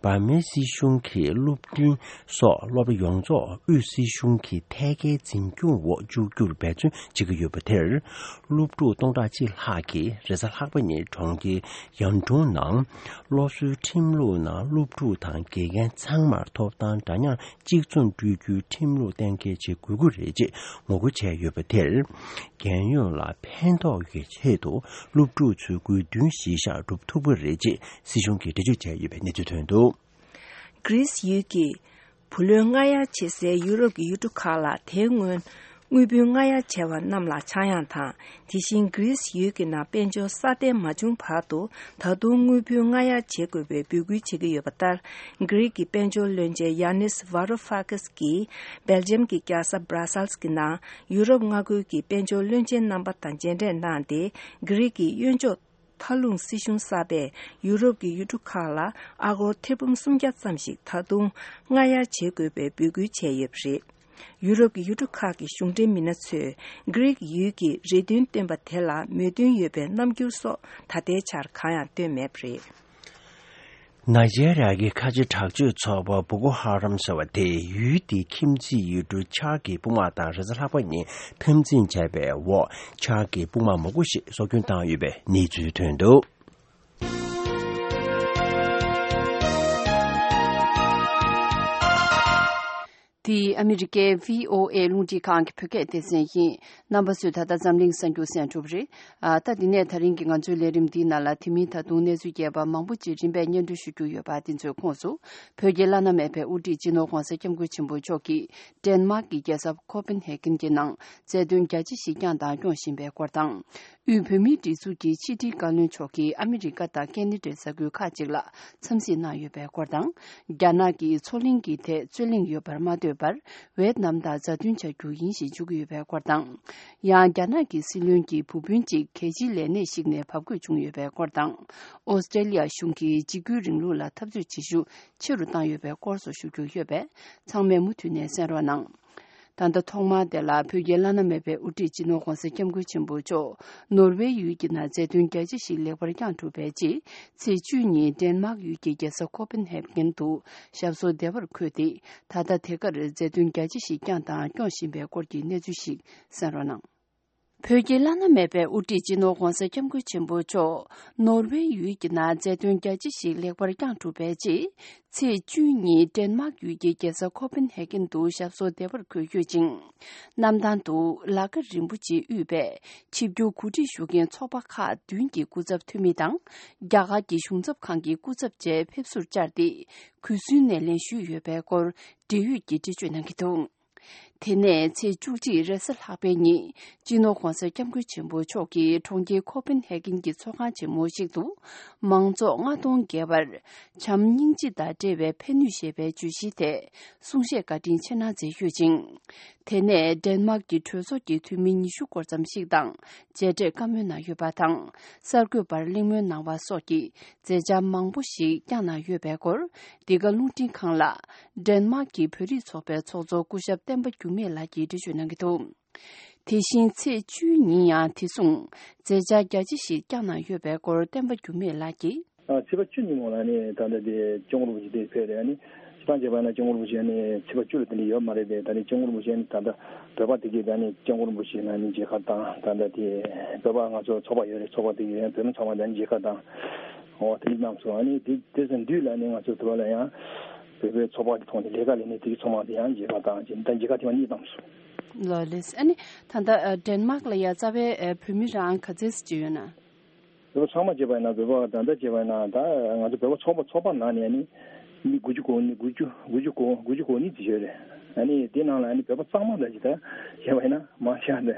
འབར་མའི་སྲིད་གཞུང་གིས་སློབ་འབྲིང་སོགས་སློབ་གྲྭ་ཡོངས་རྫོགས་དབུས་སྲིད་གཞུང་གི་ཐད་ཀའི་འཛིན་སྐྱོང་འོག་བཅུག་རྒྱུར་འབད་བརྩོན་བྱེད་ཀྱི་ཡོད་པ་དེར། སློབ་ཕྲུག་སྟོང་ཕྲག་གཅིག་ལྷག་གིས་རེས་གཟའ་ལྷག་པ་ཉིན་གྲོང་ཁྱེར་ཡང་ཀྲུང་ནང་སློབ་གསོའི་ཁྲིམས་ལུགས་ནང་སློབ་ཕྲུག་དང་དགེ་རྒན་ཚང་མར་ཐོབ་ཐང་འདྲ་མཉམ་གཅིག་མཚུངས་སྤྲོད་རྒྱུའི་ཁྲིམས་ལུགས་གཏན་འཁེལ་བྱེད་དགོས་ཀྱི་རེད་ཅེས་ངོ་རྒོལ་བྱས་ཡོད་པ་དེར། རྒན་ཡོལ་ལ་ཕན་ཐོགས་ཀྱི་ཆེད་དུ་སློབ་ཕྲུག་ཚོའི་དགོས་འདུན་གཞིར་བཞག་སྒྲུབ་ཐུབ་ཀྱི་རེད་ཅེས་སྲིད་གཞུང་གིས་འགྲེལ་བརྗོད་བྱས་ཡོད་པའི་གནས་ཚུལ་ཐོན་འདུག་གྷི་རིས་ཡུལ་གྱི་བུ་ལོན་སྔ་གཡར་བྱེད་སའི་ཡུ་རོབ་ཀྱི་ཡུལ་གྲུ་ཁག་ལ་དེའི་སྔོན་དངུལ་བུན་སྔ་གཡར་བྱས་པ་རྣམས་ལ་ཆག་ཡང་དང་། དེ་བཞིན་གྷི་རིས་ཡུལ་གྱི་ནང་དཔལ་འབྱོར་སྲ་བརྟན་མ་བྱུང་བར་དུ་ད་དུང་དངུལ་བུན་སྔ་གཡར་བྱེད་དགོས་པའི་འབོད་སྐུལ་བྱེད་ཀྱི་ཡོད་པ་ལྟར། གྷི་རིག་གི་དཔལ་འབྱོར་བློན་ཆེན་ཡཱ་ནིས་ཝཱ་རུ་ཧྥ་ཀིས་ཀྱིས་སྦེལ་ཇམ་གྱི་རྒྱལ་ས་སྦྲ་སལ་གྱི་ནང་ཡུ་རོབ་མངའ་ཁུལ་གྱི་དཔལ་འབྱོར་བློན་ཆེན་རྣམ་པ་དང་མཇལ་འཕྲད་གནང་སྟེ། གྷི་རིག་གི་གཡོན་ཕྱོགས་མཐའ་ལྷུང་སྲིད་གཞུང་གསར་པས་ཡུ་རོབ་ཀྱི་ཡུལ་གྲུ་ཁག་ལ་ཨ་སྒོར་ཐེར་འབུམ་སུམ་བརྒྱ་ཙམ་ཞིག་ད་དུང་སྔ་གཡར་བྱེད་དགོས་པའི་འབོད་སྐུལ་བྱས་ཡོད་པ་རེད། ཡུ་རོབ་ཀྱི་ཡུལ་གྲུ་ཁག་གི་གཞུང་འབྲེལ་མི་སྣ་ཚོས་གྷི་རིག་ཡུལ་གྱི་རེ་འདུན་བཏོན་པ་དེ་ལ་མོས་མཐུན་ཡོད་པའི་རྣམ་འགྱུར་སོགས་ད་ལྟའི་ཆར་གང་ཡང་བཏོན་མེད་པ་རེད། ནཱི་ཇེ་རི་ཡ་གི་ཁ་ཆེ་དྲག་སྤྱོད་ཚོགས་པ་བོ་ཀོ་ཧ་རམ་ཟེར་བ་དེས་ཡུལ་དེའི་ཁྱིམ་མཚེས་ཡུལ་གྲུ་ཆཱཌ་ཀྱི་དཔུང་དམག་དང་རེས་གཟའ་ལྷག་པ་ཉིན་འཐབ་འཛིང་བྱས་པའི་འོག་ཆཱཌ་ཀྱི་དཔུང་དམག་མང་པོ་ཞིག་སྲོག་སྐྱོན་བཏང་ཡོད་པའི་གནས་ཚུལ་ཐོན་འདུག་འདི་ཨ་མི་རི་ཀའི་བྷི་ཨོ་ཨེ་རླུང་འཕྲིན་ཁང་གི་བོད་སྐད་སྡེ་ཚན་ཡིན། རྣམ་པ་ཚོས་ད་ལྟ་འཛམ་གླིང་གསར་འགྱུར་གསན་གྲུབ་རེད། ཨ། ད་འདི་ནས་ད་རིང་གི་ང་ཚོའི་ལས་རིམ་འདིའི་ནང་ལ་དེ་མིན་ད་དུང་གནས་ཚུལ་རྒྱས་པ་མང་པོ་ཅིག་རིམ་པས་སྙན་སྒྲོན་ཞུ་རྒྱུ་ཡོད་པ་འདི་ཚོའི་ཁོངས་སུ། བོད་ཀྱི་བླ་ན་མེད་པའི་དབུ་ཁྲིད་སྤྱི་ནོར་༧གོང་ས་༧སྐྱབས་མགོན་ཆེན་པོ་མཆོག་གིས་ཌེན་མཱག་གི་རྒྱལ་ས་ཁོ་པེན་ཧེ་གྷན་གྱི་ནང་མཛད་དོན་རྒྱ་ཆེ་ཞིག་བསྐྱངས་དང་སྐྱོང་བཞིན་པའི་སྐོར་དང་། དབུས་བོད་མིའི་སྒྲིག་འཛུགས་ཀྱི་ཕྱི་དྲིལ་བཀའ་བློན་མཆོག་གིས་ཨ་མི་རི་ཀ་དང་ཀེ་ན་ཌའི་ས་ཁུལ་ཁག་ཅིག་ལ་འཚམས་གཟིགས་གནང་ཡོད་པའི་སྐོར་དང་། རྒྱ་ནག་གིས་མཚོ་གླིང་གི་ཐད་རྩོད་གླེང་ཡོད་པར་མ་ལྟོས་པར། ཝེ་ཏི་ནམ་དང་མཛའ་མཐུན་བྱ་རྒྱུ་ཡིན་ཞེས་བརྗོད་ཀྱི་ཡོད་པའི་སྐོར་དང་། ཡང་རྒྱ་ནག་གི་སྲིད་བློན་གྱི་བུ་སྤུན་གཅིག་གལ་ཆེའི་ལས་གནས་ཤིག་ནས་བབས་དགོས་བྱུང་ཡོད་པའི་སྐོར་དང་། ཨོ་སི་ཀྲེ་ལི་ཡ་གཞུང་གིས་འཇིགས་སྐུལ་རིང་ལུགས་ལ་འཐབ་རྩོད་བྱེད་ཤུགས་ཆེ་རུ་བཏང་ཡོད་པའི་སྐོར་སོགས་ཞུ་རྒྱུ་ཡོད་པས། ཚང་མས་མུ་མཐུད་ནས་གསན་རོགས་གནང་། ད་ལྟ་ཐོག་མར་དེ་ལ་བོད་ཀྱི་བླ་ན་མེད་པའི་དབུ་ཁྲིད་སྤྱི་ནོར་༧གོང་ས་༧སྐྱབས་མགོན་ཆེན་པོ་མཆོག་ནོར་ཝེ་ཡུལ་གྱི་ནང་མཛད་དོན་རྒྱ་ཆེ་ཞིག་ལེགས་པར་བསྐྱངས་གྲུབ་པའི་རྗེས། ཚེས་བཅུ་གཉིས་ཌེན་མཱག་ཡུལ་གྱི་རྒྱལ་ས་ཁོ་པེན་ཧེ་གྷན་དུ་ཞབས་སོར་བདེ་བར་འཁོད་དེ། ད་ལྟ་དེ་གར་མཛད་དོན་རྒྱ་ཆེ་ཞིག་བསྐྱངས་དང་སྐྱོང་བཞིན་པའི་སྐོར་གྱི་གནས་ཚུལ་ཞིག་གསན་རོགས་གནང་། བོད་ཀྱི་བླ་ན་མེད་པའི་དབུ་ཁྲིད་སྤྱི་ནོར་༧གོང་ས་༧སྐྱབས་མགོན་ཆེན་པོ་མཆོག་ནོར་ཝེ་ཡུལ་གྱི་ནང་མཛད་དོན་རྒྱ་ཆེ་ཞིག་ལེགས་པར་བསྐྱངས་གྲུབ་པའི་རྗེས། ཚེས་བཅུ་གཉིས་ཌེན་མཱག་ཡུལ་གྱི་རྒྱལ་ས་ཁོ་པེན་ཧེ་གྷན་དུ་ཞབས་སོར་བདེ་བར་འཁོད་ཡོད་ཅིང་། གནམ་ཐང་དུ་ལ་ཀ་རིན་པོ་ཆེ་དབུས་པའི་ཆིབས་བསྒྱུར་གོ་སྒྲིག་ཞུ་མཁན་ཚོགས་པ་ཁག་བདུན་གྱི་སྐུ་ཚབ་འཐུས་མི་དང་། རྒྱ་གར་གྱི་གཞུང་ཚབ་ཁང་གི་སྐུ་ཚབ་བཅས་ཕེབས་བསུར་བཅར་ཏེ། གུས་བསུའི་སྣེ་ལེན་ཞུས་ཡོད་པའི་སྐོར་འབྲེལ་ཡོད་ཀྱིས་འགྲེལ་བརྗོད་གནང་གི་འདུག་དེ་ནས་ཚེས་བཅུ་གཅིག་རེས་གཟའ་ལྷག་པའི་ཉིན་སྤྱི་ནོར་༧གོང་ས་༧སྐྱབས་མགོན་ཆེན་པོ་མཆོག་གིས་གྲོང་ཁྱེར་ཁོ་པན་ཧེ་གྷན་གྱི་ཚོགས་ཁང་ཆེན་མོ་ཞིག་ཏུ་མང་ཚོགས་ལྔ་སྟོང་བརྒལ་བར་བྱམས་སྙིང་རྗེ་དང་འབྲེལ་བའི་ཕན་ནུས་ཞེས་པའི་བརྗོད་གཞིའི་ཐད་གསུང་བཤད་བཀའ་དྲིན་ཆེ་གནང་མཛད་ཡོད་ཅིང་། དེ་ནས་ཌེན་མཱག་གི་གྲོས་ཚོགས་ཀྱི་འཐུས་མི་ཉི་ཤུ་སྐོར་ཙམ་ཞིག་དང་མཇལ་འཕྲད་བཀའ་མོལ་གནང་ཡོད་པ་དང་། གསར་འགོད་པར་གླེང་མོལ་གནང་བ་སོགས་ཀྱི་མཛད་འཆར་མང་པོ་ཞིག་བསྐྱངས་གནང་ཡོད་པའི་སྐོར། འདི་ག་རླུང་འཕྲིན་ཁང་ལ་ཌེན་མཱག་གི་བོད་རིགས་ཚོགས་པའི་ཚོགས་གཙོ་སྐུ་ཞབས་བསྟན་པ་འགྱུར་མེད་ལགས་ཀྱིས་འགྲེལ་བརྗོད་གནང་གི་འདུག། དེ་བཞིན་ཚེས་བཅུའི་ཉིན་ཡང་དེ་མཚུངས་མཛད་འཆར་རྒྱ་ཆེ་ཞིག་བསྐྱངས་གནང་ཡོད་པའི་སྐོར་བསྟན་པ་འགྱུར་མེད་ལགས་ཀྱིས། ཨ། ཚེས་པ་བཅུ་ཉིན་མོ་ལ་ནི་ད་ལྟ་དེ་སྐྱབས་མགོན་རིན་པོ་ཆེ་དེ་ཕེབས་རེད། ཨ་ནི་སྤྱིར་བཏང་བྱས་པ་ན་སྐྱབས་མགོན་རིན་པོ་ཆེ་ནི་ཚེས་པ་བཅུ་ལ་དེ་འདྲ་ཡོད་མ་རེད་པས། ད་ནི་སྐྱབས་མགོན་རིན་པོ་ཆེ་ནི་ད་ལྟ་བོད་པ་དེ་གས་ད་ནི་སྐྱབས་མགོན་རིན་པོ་ཆེ་ལ་ནི་མཇལ་ཁ་བཏང་། ད་ལྟ་དེ་བོད་པ་ང་ཚོ་ཚོགས་པ་ཡོད་རེད། ཚོགས་པ་དེ་གས་ཡང་བོད་མི་ཚང་མ་ད་ནི་མཇལ་ཁ་བཏང་། འོ་དེ་འདྲ་གནང་སོང་། ཨ་ནི་དེ་དེ་ཚོ་མདུན་ལ་ནི་ང་ཚོ་དེ་བ་ལ་ཡང་བོད་པའི་ཚོགས་པ་གི་ཐོག་ནས་ལས་ཀ་ལས་ནི་དེ་གི་ཚོགས་མང་དེ་ཡང་མཇལ་ཁ་བཏང་། ཅིག་ད་མཇལ་ཁ་ཐེངས་མ་གཉིས་བཏང་སོང་། ལགས་ལགས། ཨ་ནི་ད་ལྟ་ཨ་ཌེན་མཱག་ལ་ཡ་རྩ་བའི་ཨ་བོད་མི་རང་ག་ཚད་ཅིག་ཡོད་ན། བོད་པ་ཚང་མ་བྱས་པ་ཡིན་ན། བོད་པ་ད་ལྟ་བྱས་པ་ཡིན་ན། ད་ང་ཚོ་བོད་པ་ཚོགས་པ་ཚོགས་པ་ནང་ནས་ནི་མི་དགུ་བཅུ་གོ་གཉིས། དགུ་བཅུ་དགུ་བཅུ་གོ་དགུ་བཅུ་གོ་གཉིས་ཙམ་ཡོད་རེད། ཨ་ནི་དེ་ནང་ལ་ནི་བོད་པ་གཙང་མ་འདྲ་ཅིག་ད་བྱས་པ་ཡིན་ན་མང་ཆེ་བ་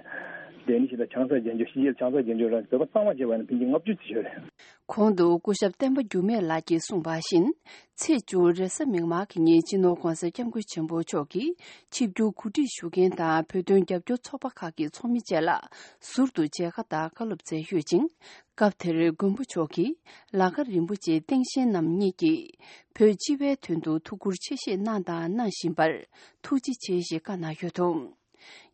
འདི་ནི་ཞིག་ད་ཆང་ས་རྒྱན་འཇོག་ཕྱི་རྒྱལ་ཆང་ས་རྒྱན་འཇོག་ར་བོད་པ་གཙང་མ་བྱས་པ་ཡིན་ན་ཕལ་ཆེར་ལྔ་བཅུ་ཙམ་ཡོད་རེད། གོང་དུ་སྐུ་ཞབས་བསྟན་པ་འགྱུར་མེད་ལགས་ཀྱིས་གསུངས་པ་བཞིན། ཚེས་བཅུ་རེས་གཟའ་མིག་དམར་གྱི་ཉིན་སྤྱི་ནོར་༧གོང་ས་༧སྐྱབས་མགོན་ཆེན་པོ་མཆོག་གིས་ཆིབས་བསྒྱུར་གོ་སྒྲིག་ཞུ་མཁན་དང་བོད་དོན་རྒྱབ་སྐྱོར་ཚོགས་པ་ཁག་གི་ཚོགས་མི་བཅས་ལ་ཟུར་དུ་མཇལ་ཁ་དང་བཀའ་སློབ་སྩལ་ཡོད་ཅིང་། སྐབས་དེར་མགོན་པོ་མཆོག་གིས་ལ་ཁ་རིན་པོ་ཆེ་སྟེང་ཞལ་རྣམ་གཉིས་ཀྱིས་བོད་སྤྱི་པའི་དོན་དུ་ཐུགས་ཁུར་ཆེ་བཞེས་གནང་དང་གནང་བཞིན་པར་ཐུགས་རྗེ་ཆེ་ཞེས་བཀའ་གནང་ཡོད་འདུག།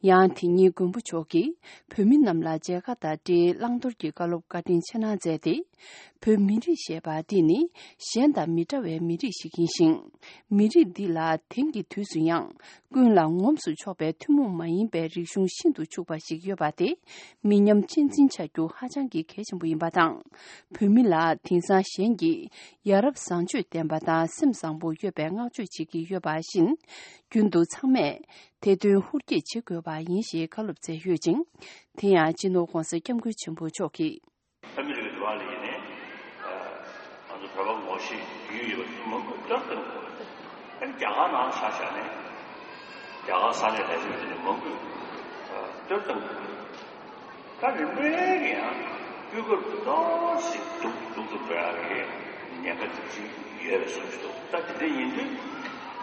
ཡང་དེ་ཉིན་མགོན་པོ་མཆོག་གིས་བོད་མི་རྣམས་ལ་མཇལ་ཁ་དང་འབྲེལ་བླང་དོར་གྱི་བཀའ་སློབ་བཀའ་དྲིན་ཆེ་གནང་མཛད་དེ། བོད་མི་རིགས་ཞེས་པ་འདི་ནི་གཞན་དང་མི་འདྲ་བའི་མི་རིགས་ཤིག་ཡིན་ཞིང་། མི་རིགས་འདི་ལ་དེང་གི་དུས་སུ་ཡང་ཀུན་ལ་ངོམས་སུ་ཆོག་པའི་ཐུན་མོང་མ་ཡིན་པའི་རིག་གཞུང་ཤིན་ཏུ་ཕྱུག་པ་ཞིག་ཡོད་པ་དེ་མི་ཉམས་གཅེས་འཛིན་བྱ་རྒྱུ་ཧ་ཅང་གི་གལ་ཆེན་པོ་ཡིན་པ་དང་། བོད་མི་ལ་དེང་སང་གཞན་གྱིས་ཡ་རབས་བཟང་སྤྱོད་ལྡན་པ་དང་སེམས་བཟང་པོ་ཡོད་པའི་བསྔགས་བརྗོད་བྱེད་ཀྱི་ཡོད་པ་བཞིན། རྒྱུན་དུ་ཚང་མས། དེ་དོན་ཧུར་བསྐྱེད་བྱེད་དགོས་པ་ཡིན་ཞེས་བཀའ་སློབ་སྩལ་ཡོད་ཅིང་། དེ་ཡང་སྤྱི་ནོར་༧གོང་ས་༧སྐྱབས་མགོན་ཆེན་པོ་མཆོག་གིས། ཨ་མི་རི་ཀའི་འགྲོ་བ་ལ་ཡིན་ནའི། ང་ཚོ་བོད་པ་ངོ་ཤེས་ཡོད་ཡོད་པ་མང་པོས་བསྟོད་བཏང་དགོས། ཨ་ནི་རྒྱ་གར་ནང་ཆ་བཞག་ནས། རྒྱ་གར་ས་གནས་ལ་ཡོད་ནས་མང་པོས་བསྟོད་བཏང་དགོས། ད་རིམ་པས་ཀྱི་ཡང་སྤུས་ཀ་ཏོག་ཙམ་སྡུག་སྡུག་ཏུ་འགྲོ་ཡག་གི་ཉེན་ཁ་དེ་ཅིག་ཡོད་པའི་བཟོ་ཞིག་འདུག། ད་དེ་འདྲ་ཡིན་དུས་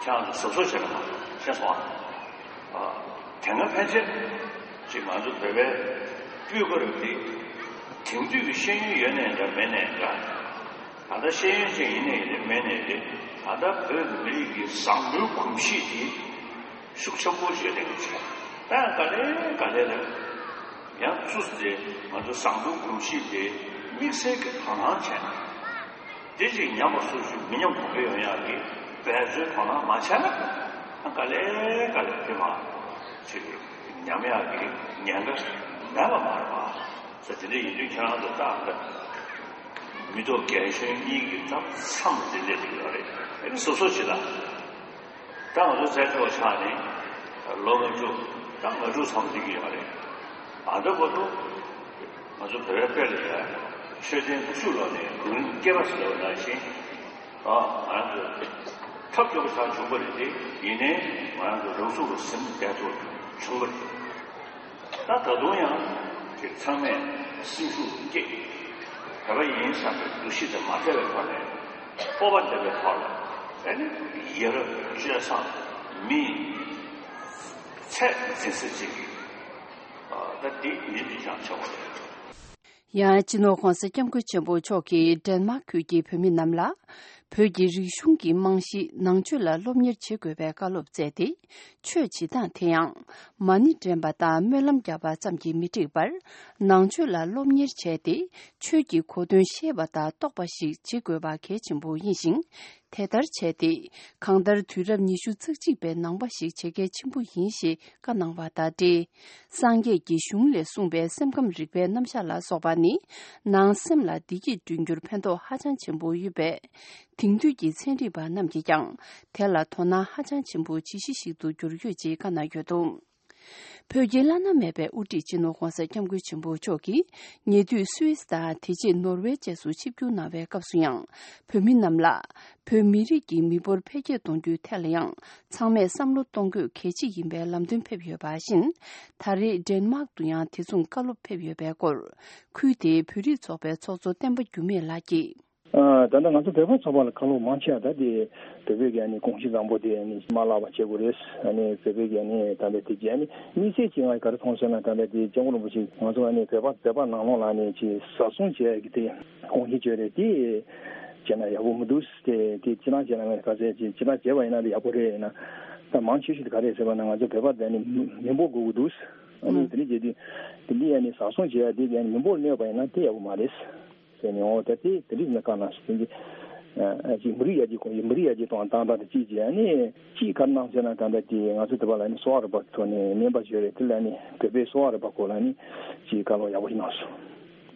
ཁྱེད་རང་ཚོ་གཟབ་གཟབ་བྱས་ན་མ་གཏོགས། ཤེས་སོང་ཨ། དེ་སྔ་ཕན་ཆད་ཅིག་ང་ཚོ་བོད་པའི་སྤུས་ཀ་རུ་དེ་དེང་དུས་ཀྱི་ཤེས་ཡོན་ཡོད་ནའི་འདྲ་མེད་ནའི་འདྲ། ད་ལྟ་ཤེས་ཡོན་ཅན་ཡིན་ནའི་རེད་མེད་ནའི་རེད། ད་ལྟ་བོད་མི་རིགས་ཀྱི་བཟང་པོའི་གོམས་གཤིས་དེ་ཤུགས་ཆེན་པོ་ཞིག་ལྡན་གྱི་ཆེ། ད་ཡང་ག་ལེ་ག་ལེ་ལ་ཡང་ཚུར་དེ་ང་ཚོ་བཟང་པོའི་གོམས་གཤིས་དེ་དམིགས་བསལ་གྱི་དོ་སྣང་བྱས་ན། དེ་ཅིག་ཉམས་པ་སོར་ཞིག་མི་ཉམས་གོང་འཕེལ་ཡོང་ཡག་གི་འབད་རྩོལ་དོ་སྣང་མ་བྱས་ན། ཨ་ག་ལེ་ག་ལེ་དེ་མ་ཅིག་ཉམས་ཡག་གི་ཉེན་ཁ་མེད་པ་མ་རེད་པ། ས་དེ་འདྲ་ཡིན་དུས་ཁྱེད་རང་ཚོ་ཏག་ཏག་མི་ཐོག་རྒན་གཞོན་གཉིས་ཀྱི་ཐབ་མཚམས་དེ་འདྲ་ཅིག་ཡོད་རེད། ཨ་ནི་སོ་སོ་ཅིག་ལ། ད་ང་ཚོ་བཙན་བྱོལ་བ་ཆགས་ནས་ལོ་ལྔ་བཅུ་ད་ལྔ་དྲུག་ཙམ་འགྲིག་གི་ཡོད་རེད། ཨ་འདྲ་བར་དུ་ང་ཚོ་བོད་པའི་དཔེ་ལ་ཡ་མཆོད་རྟེན་བཅུ་ལོག་ནས་དགུང་རིང་བསྐལ་པ་ཟེར་བ་ནང་བཞིན། ཨ་ང་རང་ཚོ་ཐབས་སྐྱོ་པོ་ཆགས་བྱུང་བ་རེད་དེ། ཡིན་ནའི་ང་རང་ཚོ་རང་ཚུགས་ལ་ཟིན་བསྡད་ཐུབ་བྱུང་བ་རེད། ད་ད་དུང་ཡང་དེ་ཚང་མས་སེམས་ཤུགས་བསྐྱེད། བོད་པ་ཡིན་བསམ་པའི་འདུ་ཤེས་དེ་མ་བྲལ་བའི་ཐོག་ནས་སྤོབས་པ་ལྡན་པའི་ཐོག་ལ་ཨ་ནི་ཡ་རབས་སྤྱོད་བཟང་མིའི་ཚད་འཛིན་ས་ཅིག་གི་ད་འདི་ནི་འདི་ཀྱང་ཆགས་པ་རེད། ཡང་སྤྱི་ནོར་༧གོང་ས་༧སྐྱབས་མགོན་ཆེན་པོ་མཆོག་གིས་ཌེན་མཱག་ཁུལ་གྱི་བོད་མི་རྣམས་ལ། བོད་ཀྱི་རིག་གཞུང་གི་རྨང་གཞི་ནང་ཆོས་ལ་སློབ་གཉེར་བྱེད་དགོས་པའི་བཀའ་སློབ་སྩལ་ཏེ། ཆོས་བྱེད་སྟངས་དེ་ཡང་མ་ཎི་འདྲེན་པ་དང་སྨོན་ལམ་བརྒྱབ་པ་ཙམ་གྱིས་མི་འགྲིག་པར། ནང་ཆོས་ལ་སློབ་གཉེར་བྱས་ཏེ། ཆོས་ཀྱི་གོ་དོན་ཤེས་པ་དང་རྟོགས་པ་ཞིག་བྱེད་དགོས་པ་གལ་ཆེན་པོ་ཡིན་ཞིང་། དེ་ལྟར་བྱས་ཏེ། གང་ལྟར་དུས་རབས་ཉི་ཤུ་རྩ་གཅིག་པའི་ནང་པ་ཞིག་བྱེད་གལ་ཆེན་པོ་ཡིན་ཞེས་བཀའ་གནང་བ་དང་འབྲེལ། སངས་རྒྱས་ཀྱི་གཞུང་ལས་གསུངས་པའི་སེམས་ཁམས་རིག་པའི་རྣམ་གཞག་ལ་སོགས་པ་ནི། ནང་སེམས་ལ་བདེ་སྐྱིད་བསྐྲུན་རྒྱུར་ཕན་ཐོགས་ཧ་ཅང་ཆེན་པོ་ཡོད་པས། དེང་དུས་ཀྱི་ཚན་རིག་པ་རྣམས་ཀྱིས་ཀྱང་དེ་ལ་དོ་སྣང་ཧ་ཅང་ཆེན་པོ་བྱེད་གཞི་ཞིག་ཏུ་གྱུར་ཡོད་ཅེས་བཀའ་གནང་ཡོད་འདུག། བོད་ཀྱི་བླ་ན་མེད་པའི་དབུ་ཁྲིད་སྤྱི་ནོར་༧གོང་ས་༧སྐྱབས་མགོན་ཆེན་པོ་མཆོག་གིས་ཉེ་དུས་སུད་སི་དང་དེ་རྗེས་ནོར་ཝེ་བཅས་སུ་ཆིབས་བསྒྱུར་གནང་བའི་སྐབས་སུ་ཡང་། བོད་མི་རྣམས་ལ་བོད་མི་རིགས་ཀྱི་མི་འབོར་འཕེལ་རྒྱས་གཏོང་རྒྱུའི་ཐད་ལ་ཡང་ཚང་མས་བསམ་བློ་གཏོང་དགོས་གལ་ཆེ་ཡིན་པའི་ལམ་སྟོན་ཕེབས་ཡོད་པ་བཞིན། ད་རེས་ཌེན་མཱག་ཏུ་ཡང་དེ་མཚུངས་བཀའ་སློབ་ཕེབས་ཡོད་པའི་སྐོར། ཁུལ་དེའི་བོད་རིགས་ཚོགས་པའི་ཚོགས་གཙོ་བསྟན་པ་འགྱུར་མེད་ལགས་ཀྱིས། ཨ། ད་ལྟ་ང་ཚོ་བོད་པ་ཚོགས་པ་ལ་བཀའ་སློབ་མང་ཆེ་བ་ད་དེ་བོད་པའི་གི་ཨ་ནི་གོམས་གཤིས་བཟང་པོ་དེ་ཨ་ནི་མ་བརླག་པ་བྱེད་དགོས་རེད། ཨ་ནི་བོད་པའི་གི་ཨ་ནི་ད་ལྟ་དེ་གི་ཨ་ནི་དམིགས་བསལ་གྱི་ང་ག་རེ་མཐོང་སོང་ན། ད་ལྟ་དེ་སྐྱབས་མགོན་རིན་པོ་ཆེ་ང་ཚོ་ཨ་ནི་བོད་པ་བོད་པ་ནང་ལོགས་ལ་ཨ་ནི་ཅིག་བཟའ་ཚང་བྱེད་ཡ་གི་དེ་གོམས་གཤིས་བྱོས་རེད། དེ་བྱས་ན་ཡག་པོ་མི་འདུག་དེ་དེ་ཅི་ལང་བྱས་ན་ང་ག་ཚད་ཅིག་ཅི་ལང་བྱས་པ་ཡིན་ན་དེ་ཡག་པོ་རེད། ཡིན་ན་ད་མང་ཆེ་ཤོས་དེ་ག་རེད་ཟེར་བ་ན་ང་ཚོ་བོད་པ་དེ་ཨ་ནི་མི་མི་འབོར་དགོས་ཀྱི་འདུག་ཨ་ནི་དེ་འདྲ་བྱས་དུས་དེ་འདི་ཨ་ནི་བཟའ་ཚང་བྱེད་ཡ་དེ་གི་ཨ་ནི་མི་འབོར་གནས་པ་ཡིན་ན་དེ་ཡག་པོ་མ་རེད། ཟེར་ནས། འོ་ད་དེ་དེ་རིགས་ནི་བཀའ་གནང་ཞིག་དེ་འདི་ཅིག་མི་རིགས་ཡར་རྒྱས་གོང་མི་རིགས་ཡར་རྒྱས་གཏོང་བཏང་སྟངས་དེ་གཅིག་བྱས། ཨ་ནི་གཅིག་ག་རེ་གནང་ཟེར་ན། ད་ལྟ་དེ་ང་ཚོ་དེ་བ་ལ་ནི་གསོ་བ་རིག་པ་ཐོག་ནས་ནན་པ་བྱས་རེད། དེ་ལ་ནི་བོད་པའི་གསོ་བ་རིག་པ་སྐོར་ལ་ནི་ཅིག་བཀའ་སློབ་ཡག་པོ་ཞིག་གནང་སོང་།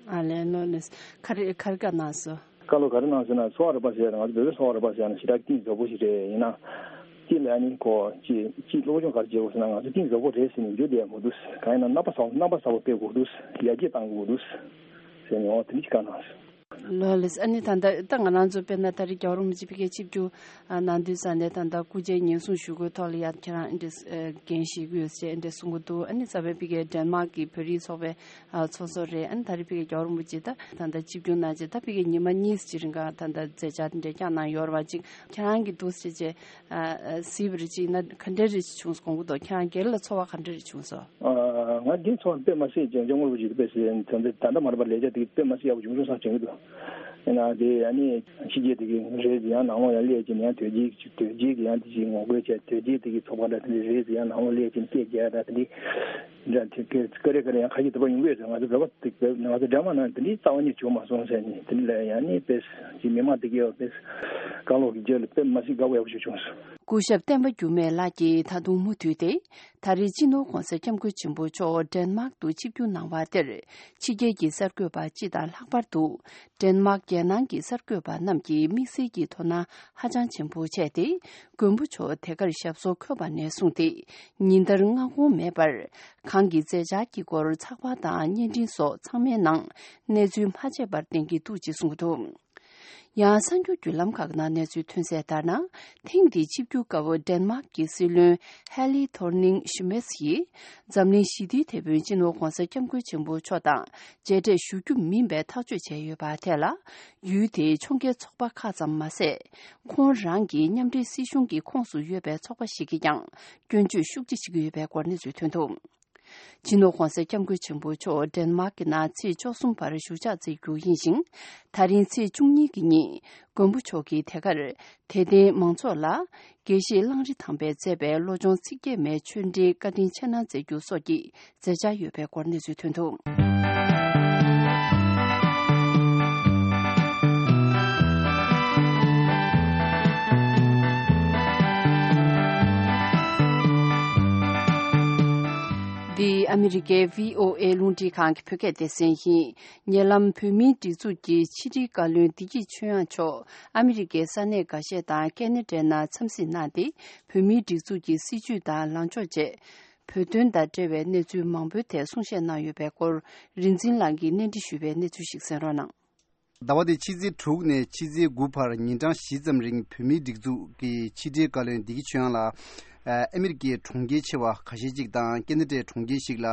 ཨ་ལས་ལོ་ལས། ག་རེ་ག་རེ་བཀའ་གནང་སོང་། བཀའ་སློབ་ག་རེ་གནང་ཟེར་ན། གསོ་བ་རིག་པ་ཟེར་ན་ང་ཚོ་བོད་པའི་གསོ་བ་རིག་པ་ཟེར་ན་ཞེ་དྲག་གཏིང་ཟབ་པོ་ཞིག་རེད། ཡིན་ན་གཅིག་ལ་ནི་ཁོ་གཅིག་གཅིག་སློབ་སྦྱོང་ག་རེ་བྱེད་དགོས་ཟེར་ན། ང་ཚོ་གཏིང་ཟབ་པོ་རེད་ཟེར་ནས་འཇུ་བསྡད་མི་འདུག་གང་ཡིན་ན་རྣམ་པ་གསར་རྣམ་པ་གསར་པ་སྤེལ་དགོས་འདུག་ཡར་རྒྱས་གཏང་དགོས་འདུག་ཟེར་ནས། འོ་དེ་འདྲ་ཞིག་བཀའ་གནང་སོང་། ལོ་ལེགས། ཨ་ནི་ད་ལྟ་ད་ང་རང་ཚོ་དཔེར་ན་ད་རེས་རྒྱལ་བ་རིན་པོ་ཆེ་ཕ་གིར་ཆིབས་བསྒྱུར་གནང་དུས་ཙ་ནས་ད་ལྟ་སྐུ་ཕྱྭའི་ཉེན་སྲུང་ཞུ་སྒོའི་ཐོག་ལ་ཡང་ཁྱེད་རང་འདི་འདྲ་འགན་བཞེས་ཀྱི་ཡོད་ཅེས་འདྲ་གསུང་གི་འདུག་ཨ་ནི་རྩ་བའི་ཕ་གིར་ཌེན་མཱག་གི་བོད་རིགས་ཚོགས་པའི་ཚོགས་གཙོ་རེད། ཨ་ནི་ད་རེས་ཕ་གིར་རྒྱལ་བ་རིན་པོ་ཆེ་ད་ད་ལྟ་ཆིབས་བསྒྱུར་གནང་རྗེས་ད་ཕ་གིར་ཉི་མ་གཉིས་ཅིག་རིང་ག་ད་ལྟ་མཛད་འཆར་འདི་འདྲ་བསྐྱངས་གནང་ཡོད་རེད་པ། ཅིག་ཁྱེད་རང་གིས་འདུག་སེ་བྱས་གཟིགས་པ་རེད། ཅིག་ན་ག་འདྲ་རེ་བྱུང་སོང་གི་འདུག་ཁྱེད་རང་སྒེར་ལ་ཚོར་བ་ག་འདྲ་རེ་བྱུང་སོང་། ང་འདི་ཚོ་དཔེ་མ་སྲིད་ཅིག་སྐྱབས་མགོན་རིན་པོ་ཆེ་དཔེ་སྲིད་ད་ལྟ་ད་ལྟ་མ་རེད་པ། ལས་བྱ་དེ་དཔེ་མ་སྲིད་ཡག་པོ་བྱུང་སོང་བསམ་དྲན་གྱི་འདུག་ཡིན་ན་དེ་ཨ་ནི་ཕྱི་རྒྱལ་དེ་གི་རེད་ཡང་ནང་ལོགས་ཡང་སླེབས་ཀྱི་ཡང་དོལ་རྒྱལ་དོལ་རྒྱལ་གྱི་ཡང་དེ་ཅིག་ངོ་རྒོལ་བྱས། དོལ་རྒྱལ་དེ་གི་ཚོགས་པ་འདྲ་དེ་འདྲ་རེད་ཡང་ནང་ལོགས་སླེབས་ཀྱི་སྐད་རྒྱག་འདྲ་དེ་འདྲ་འདྲ་དེ་ཀ་རེ་ཀ་རེ་ཡང་ཁ་ཤས་དེ་པ་ཡོང་གི་ཡོད་ཟེར། ང་ཚོ་བོད་པ་དེ་ང་ཚོ་འདྲ་མ་ན་དེ་འདྲའི་རྩ་བ་ཉིད་བྱུང་མ་སོང་ཟེར་ནས། དེ་འདྲ་ལ་ཡང་ནི་དཔེ་ཅིག་མི་མང་དེ་གི་ཡང་དཔེ་བཀའ་སློབ་ཀྱི་རྗེས་ལ་དཔེ་མ་སྲིད་དགའ་པོ་ཡག་པོ་ཞིག་བྱུང་སོང་། སྐུ་ཞབས་བསྟན་པ་འགྱུར་མེད་ལགས་ཀྱིས་ད་དུང་མུ་མཐུད་དེ། ད་རེས་སྤྱི་ནོར་༧གོང་ས་༧སྐྱབས་མགོན་ཆེན་པོ་མཆོག་ཌེན་མཱག་ཏུ་ཆིབས་བསྒྱུར་གནང་བ་དེར་ཕྱི་རྒྱལ་གྱི་གསར་འགོད་པ་སྤྱི་དང་ལྷག་པར་དུ་ཌེན་མཱག་རྒྱལ་ནང་གི་གསར་འགོད་པ་རྣམས་ཀྱིས་དམིགས་བསལ་གྱི་དོ་སྣང་ཧ་ཅང་ཆེན་པོ་བྱས་ཏེ། མགོན་པོ་མཆོག་དེ་གར་ཞབས་སོར་འཁོད་པ་ནས་བཟུང་སྟེ་ཉིན་ལྟར་སྔ་དགོང་མེད་པར་གང་གི་མཛད་འཆར་གྱི་སྐོར་ཚགས་པར་དང་བརྙན་འཕྲིན་སོགས་ཚང་མའི་ནང་གནས་ཚུལ་མ་ཆད་པར་བསྟན་གྱི་འདུག་ཅེས་གསུངས་འདུག་ཡང་གསར་འགྱུར་བརྒྱུད་ལམ་ཁག་ནང་གནས་ཚུལ་ཐོན་གསལ་ལྟར་ན། ཐེངས་འདིའི་ཆིབས་བསྒྱུར་སྐབས་ཌེན་མཱག་གི་སྲིད་བློན་ཧེ་ལི་ཐོར་ནིང་ཤི་མེས་ཡིས་འཛམ་གླིང་ཞི་བདེའི་དེད་དཔོན་སྤྱི་ནོར་༧གོང་ས་༧སྐྱབས་མགོན་ཆེན་པོ་མཆོག་དང་མཇལ་འཕྲད་ཞུ་རྒྱུ་མིན་པའི་ཐག་གཅོད་བྱས་ཡོད་པ་དེ་ལ། ཡུལ་དེའི་ཕྱོགས་འགལ་ཚོགས་པ་ཁག་ཙམ་མ་ཟད། ཁོང་རང་གི་མཉམ་འབྲེལ་སྲིད་གཞུང་གི་ཁོངས་སུ་ཡོད་པའི་ཚོགས་པ་ཞིག་གིས་ཀྱང་སྐྱོན་བརྗོད་ཤུགས་ཆེ་བྱེད་ཀྱི་ཡོད་པའི་སྐོར་གནས་ཚུལ་ཐོན་འདུག་སྤྱི་ནོར་༧གོང་ས་༧སྐྱབས་མགོན་ཆེན་པོ་མཆོག་ཌེན་མཱག་གི་ནང་ཚེས་བཅུ་གསུམ་བར་བཞུགས་ཕྱག་འཚལ་རྒྱུ་ཡིན་ཞིང་། ད་རིང་ཚེས་བཅུ་གཉིས་ཀྱི་ཉིན་མགོན་པོ་མཆོག་གིས་དེ་གར་དད་ལྡན་མང་ཚོགས་ལ་དགེ་བཤེས་གླང་རི་ཐང་པས་མཛད་པའི་བློ་སྦྱོང་ཚིག་བརྒྱད་མའི་ཆོས་འབྲེལ་བཀའ་དྲིན་ཆེ་གནང་མཛད་རྒྱུ་སོགས་ཀྱི་མཛད་འཆར་ཡོད་པའི་སྐོར་གནས་ཚུལ་ཐོན་འདུག་འདི་ཨ་མི་རི་ཀའི་བྷི་ཨོ་ཨེ་རླུང་འཕྲིན་ཁང་གི་བོད་སྐད་སྡེ་ཚན་ཡིན། ཉེ་ལམ་བོད་མིའི་སྒྲིག་འཛུགས་ཀྱི་ཕྱི་དྲིལ་བཀའ་བློན་བདེ་སྐྱིད་ཆོས་དབྱངས་མཆོག་ཨ་མི་རི་ཀའི་ས་གནས་འགའ་ཤས་དང་ཀེ་ན་ཌའི་ནང་འཚམས་གཟིགས་གནང་སྟེ། བོད་མིའི་སྒྲིག་འཛུགས་ཀྱི་སྲིད་བྱུས་དང་ལངས་ཕྱོགས་བཅས། བོད་དོན་དང་འབྲེལ་བའི་གནས་ཚུལ་མང་པོའི་ཐད་གསུང་བཤད་གནང་ཡོད་པའི་སྐོར། རིག་འཛིན་ལགས་ཀྱིས་གནས་འདྲི་ཞུས་པའི་གནས་ཚུལ་ཞིག་གསན་རོགས་གནང་། ཟླ་བ་འདིའི་ཕྱི་ཚེས་དྲུག་ནས་ཕྱི་ཚེས་དགུ་བར་ཉིན་གྲངས་བཞི་ཙམ་རིང་བོད་མིའི་སྒྲིག་འཛུགས་ཀྱི་ཕྱི་དྲིལ་བཀའ་བློན་བདེ་སྐྱིད་ཆོས་དབྱངས་ལགས། ཨ་མི་རི་ཀའི་གྲོང་ཁྱེར་ཆེ་བ་ཁ་ཤས་ཅིག་དང་ཀེ་ན་ཌའི་གྲོང་ཁྱེར་ཞིག་ལ་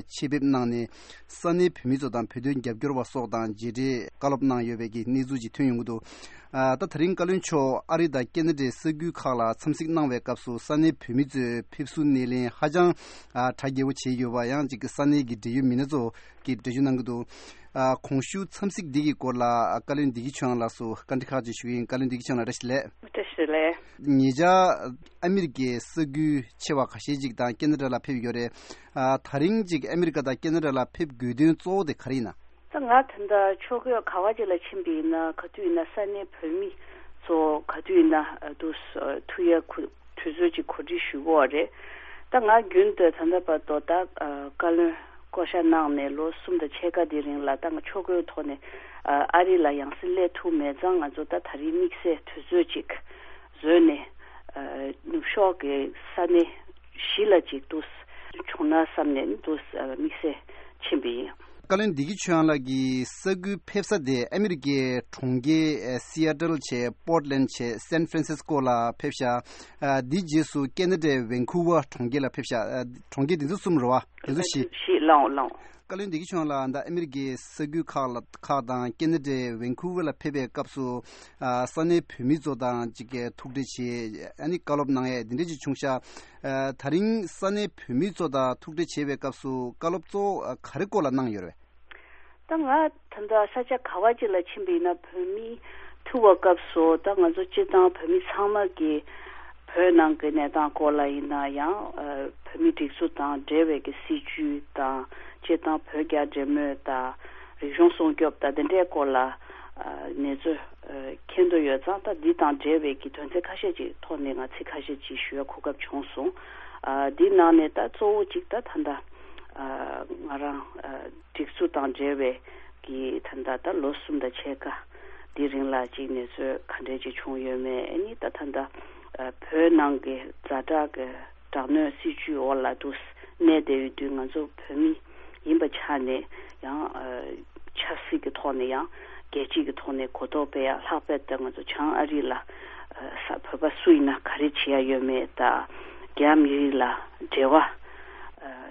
ཆེད་ཕེབས་གནང་ནས། ས་གནས་བོད་མི་ཚོ་དང་བོད་དོན་རྒྱབ་སྐྱོར་བ་སོགས་དང་མཇལ་འཕྲད་བཀའ་སློབ་གནང་ཡོད་པའི་གི་གནས་ཚུལ་ཅིག་ཐོན་ཡོང་གི་འདུག་ཨ་ད་ད་རིང་བཀའ་བློན་མཆོག་ཨ་རི་དང་ཀེ་ན་ཌའི་ས་ཁུལ་ཁག་ལ་འཚམས་གཟིགས་གནང་བའི་སྐབས་སུ་ས་གནས་བོད་མི་ཚོས་ཕེབས་བསུ་སྣེ་ལེན་ཧ་ཅང་ཨ་གྲ་རྒྱས་པོ་བྱས་ཡོད་པ། ཡང་ཅིག་ས་གནས་ཀྱི་འབྲེལ་ཡོད་མི་སྣ་ཚོ་གིས་འགྲེལ་བརྗོད་གནང་གི་འདུག་ཨ་གོང་ཞུས་འཚམས་གཟིགས་འདི་གི་སྐོར་ལ་བཀའ་བློན་བདེ་སྐྱིད་ཆོས་དབྱངས་ལགས་སུ་བཀའ་འདྲི་ཁག་ཅིག་ཞུ་གི་ཡིན། བཀའ་བློན་བདེ་སྐྱིད་ཆོས་དབྱངས་ལགས་བཀྲ་ཤིས་བདེ་ལེགས། བཀྲ་ཤིས་བདེ་ལེགས། ཉེ་ཆར་ཨ་མི་རི་ཀའི་ས་ཁུལ་ཆེ་བ་ཁ་ཤས་ཅིག་དང་ཀེ་ན་ཌ་ལ་ཕེབས་ཡོད་རེད། ཨ་ད་རིང་ཅིག་ཨ་མི་རི་ཀ་དང་ཀེ་ན་ཌ་ལ་ཕེབས་དགོས་དོན་གཙོ་བོ་དེ་ག་རེ་ཡིན་ན། ད་ང་ད་ལྟ་ཕྱོགས་སྐྱོད་ག་བ་ཅིག་ལ་ཕྱིན་པ་ཡིན་ན་ག་དུས་ཡིན་ན་ས་གནས་བོད་མི་ཚོ་ག་དུས་ཡིན་ན་ཨ་དུ་ཐུག་ཡ་ཁུ་དུས་ཚོད་ཅིག་གོ་སྒྲིག་ཞུ་གི་ཡོད་རེད། ད་ང་རྒྱུན་དུ་ད་ལྟ་བར་དུ་ད་ཨ་བཀའ་བློན་བསྐོ་བཞག་གནང་ནས་ལོ་གསུམ་དང་ཕྱེད་ཀ་དེ་རིང་ལ་ད་ང་ཕྱོགས་སྐྱོད་ཐོག་ནས་ཨ་ཨ་རི་ལ་ཡང་སེ་སླེབས་ཐུབ་མེད་ཙང་། ང་ཚོ་ད་ད་རིང་དམིགས་བསལ་དུས་ཚོད་ཅིག་བཟོས་ནས་ཨ་ནུབ་ཕྱོགས་ཀྱི་ས་གནས་བཞི་ལ་ཅིག་ཏུ་ བྱུང་ན་བསམ་ནས་ནི་འདུག་དམིགས་བསལ་ཕྱིན་པ་ཡིན། བཀའ་བློན་བདེ་སྐྱིད་ཆོས་དབྱངས་ལགས་ཀྱི་ས་ཁུལ་ཕེབས་ས་དེ་ཨ་མི་རི་ཀའི་གྲོང་ཁྱེར་ཨེ་སི་ཨ་ཏལ་བྱས། པོར་ཏ་ལན་བྱས། སན་ཧྥ་རན་སིས་ཀོ་ལ་ཕེབས་ཤག་ཨ་དེའི་རྗེས་སུ་ཁེ་ན་ཌའི་ཝན་ཁུ་ཝར་གྲོང་ཁྱེར་ལ་ཕེབས་ཤག་ཨ་གྲོང་ཁྱེར་དེ་ཚོ་གསུམ་རེད་བ། དེ་ཚོ་བཞི། བཞི་ལའང་ལའང་། བཀའ་བློན་བདེ་སྐྱིད་ཆོས་དབྱངས་ལགས་ད་ཨ་མི་རི་ཀའི་ས་ཁུལ་ཁག་ལ་ཁག་དང་ཁེ་ན་ཌའི་ཝན་ཁུ་ཝར་ལ་ཕེབས་པའི་སྐབས་སུ་ཨ་ས་གནས་བོད་མི་ཚོ་དང་ཅིག་གི་ཐུག་འཕྲད་བྱས། ཨ་ནི་བཀའ་སློབ་གནང་ཡས་དེ་འདྲ་ཅིག་བྱུང་ཤག་ཨ་ད་རིང་ས་གནས་བོད་མི་ཚོ་དང་ཐུག་འཕྲད་བྱེད་པའི་སྐབས་སུ་བཀའ་སློབ་གཙོ་བོ་ག་རེ་སྐོར་ལ་གནང་ཡོད་རེད། ད་ང་ད་ལྟ་ས་ཆ་ག་བ་ཅིག་ལ་ཕྱིན་པ་ཡིན་ན་བོད་མི་ཐུག་པའི་སྐབས་སུ་ད་ང་ཚོ་སྤྱིར་བཏང་བོད་མི་ཚང་མ་གིས་བོད་ནང་གི་གནས་སྟངས་སྐོར་ལ་ཡིན་ན་ཡང་ཨ་བོད་མི་སྒྲིག་འཛུགས་དང་འབྲེལ་བའི་གི་སྲིད་ཇུས་དང་། སྤྱིར་བཏང་བོད་རྒྱ་འབྲེལ་མོལ་དང་། རིག་གཞུང་སྲུང་སྐྱོབ་དང་དེ་འདྲའི་སྐོར་ལ་ཨ་གནས་ཚུལ་ཨ་མཁྱེན་འདོད་ཡོད་ཙང་། ད་འདི་དང་འབྲེལ་བའི་གི་དོན་ཚན་ཁ་ཤས་ཅིག་ཐོག་ནས་ང་ཚིག་ཁ་ཤས་ཅིག་ཞུ་ཡ་གོ་སྐབས་བྱུང་སོང་། ཨ་འདི་ནང་ནས་ད་གཙོ་བོ་གཅིག་ད་ད་ལྟ་ཨ་ང་རང་ཨ་སྒྲིག་འཛུགས་དང་འབྲེལ་བའི་གི་ད་ལྟ་ད་ལོ་གསུམ་དང་ཕྱེད་ཀ་འདི་རིང་ལ་ཅིག་གནས་ཚུལ་ག་འདྲས་ཅིག་བྱུང་ཡོད་མེད། ཨ་ནི་ད་ད་ལྟ་ཨ་བོད་ནང་གི་ཛ་དྲག་གི་དྲག་གནོན་སྲིད་ཇུས་འོག་ལ་འདུག་གནས་བསྡད་ཡོད་དུས། ང་ཚོ་བོད་མི་ཡིན་པ་ཆ་ནས་ཡང་ཨ་ཆབ་སྲིད་ཀྱི་ཐོག་ནས་ཡང་རྒྱལ་སྤྱི་གི་ཐོག་ནས་གོ་རྟོགས་སྤེལ་ཡ། ལྷག་པར་དུ་ང་ཚོ་བྱང་ཨ་རི་ལ་ཨ་ས་བོད་པ་སུ་ཡིན་ན་ག་རེ་བྱེད་ཡ་ཡོད་མེད་དང་། རྒྱ་མི་རིགས་ལ་འབྲེལ་བ་ཨ་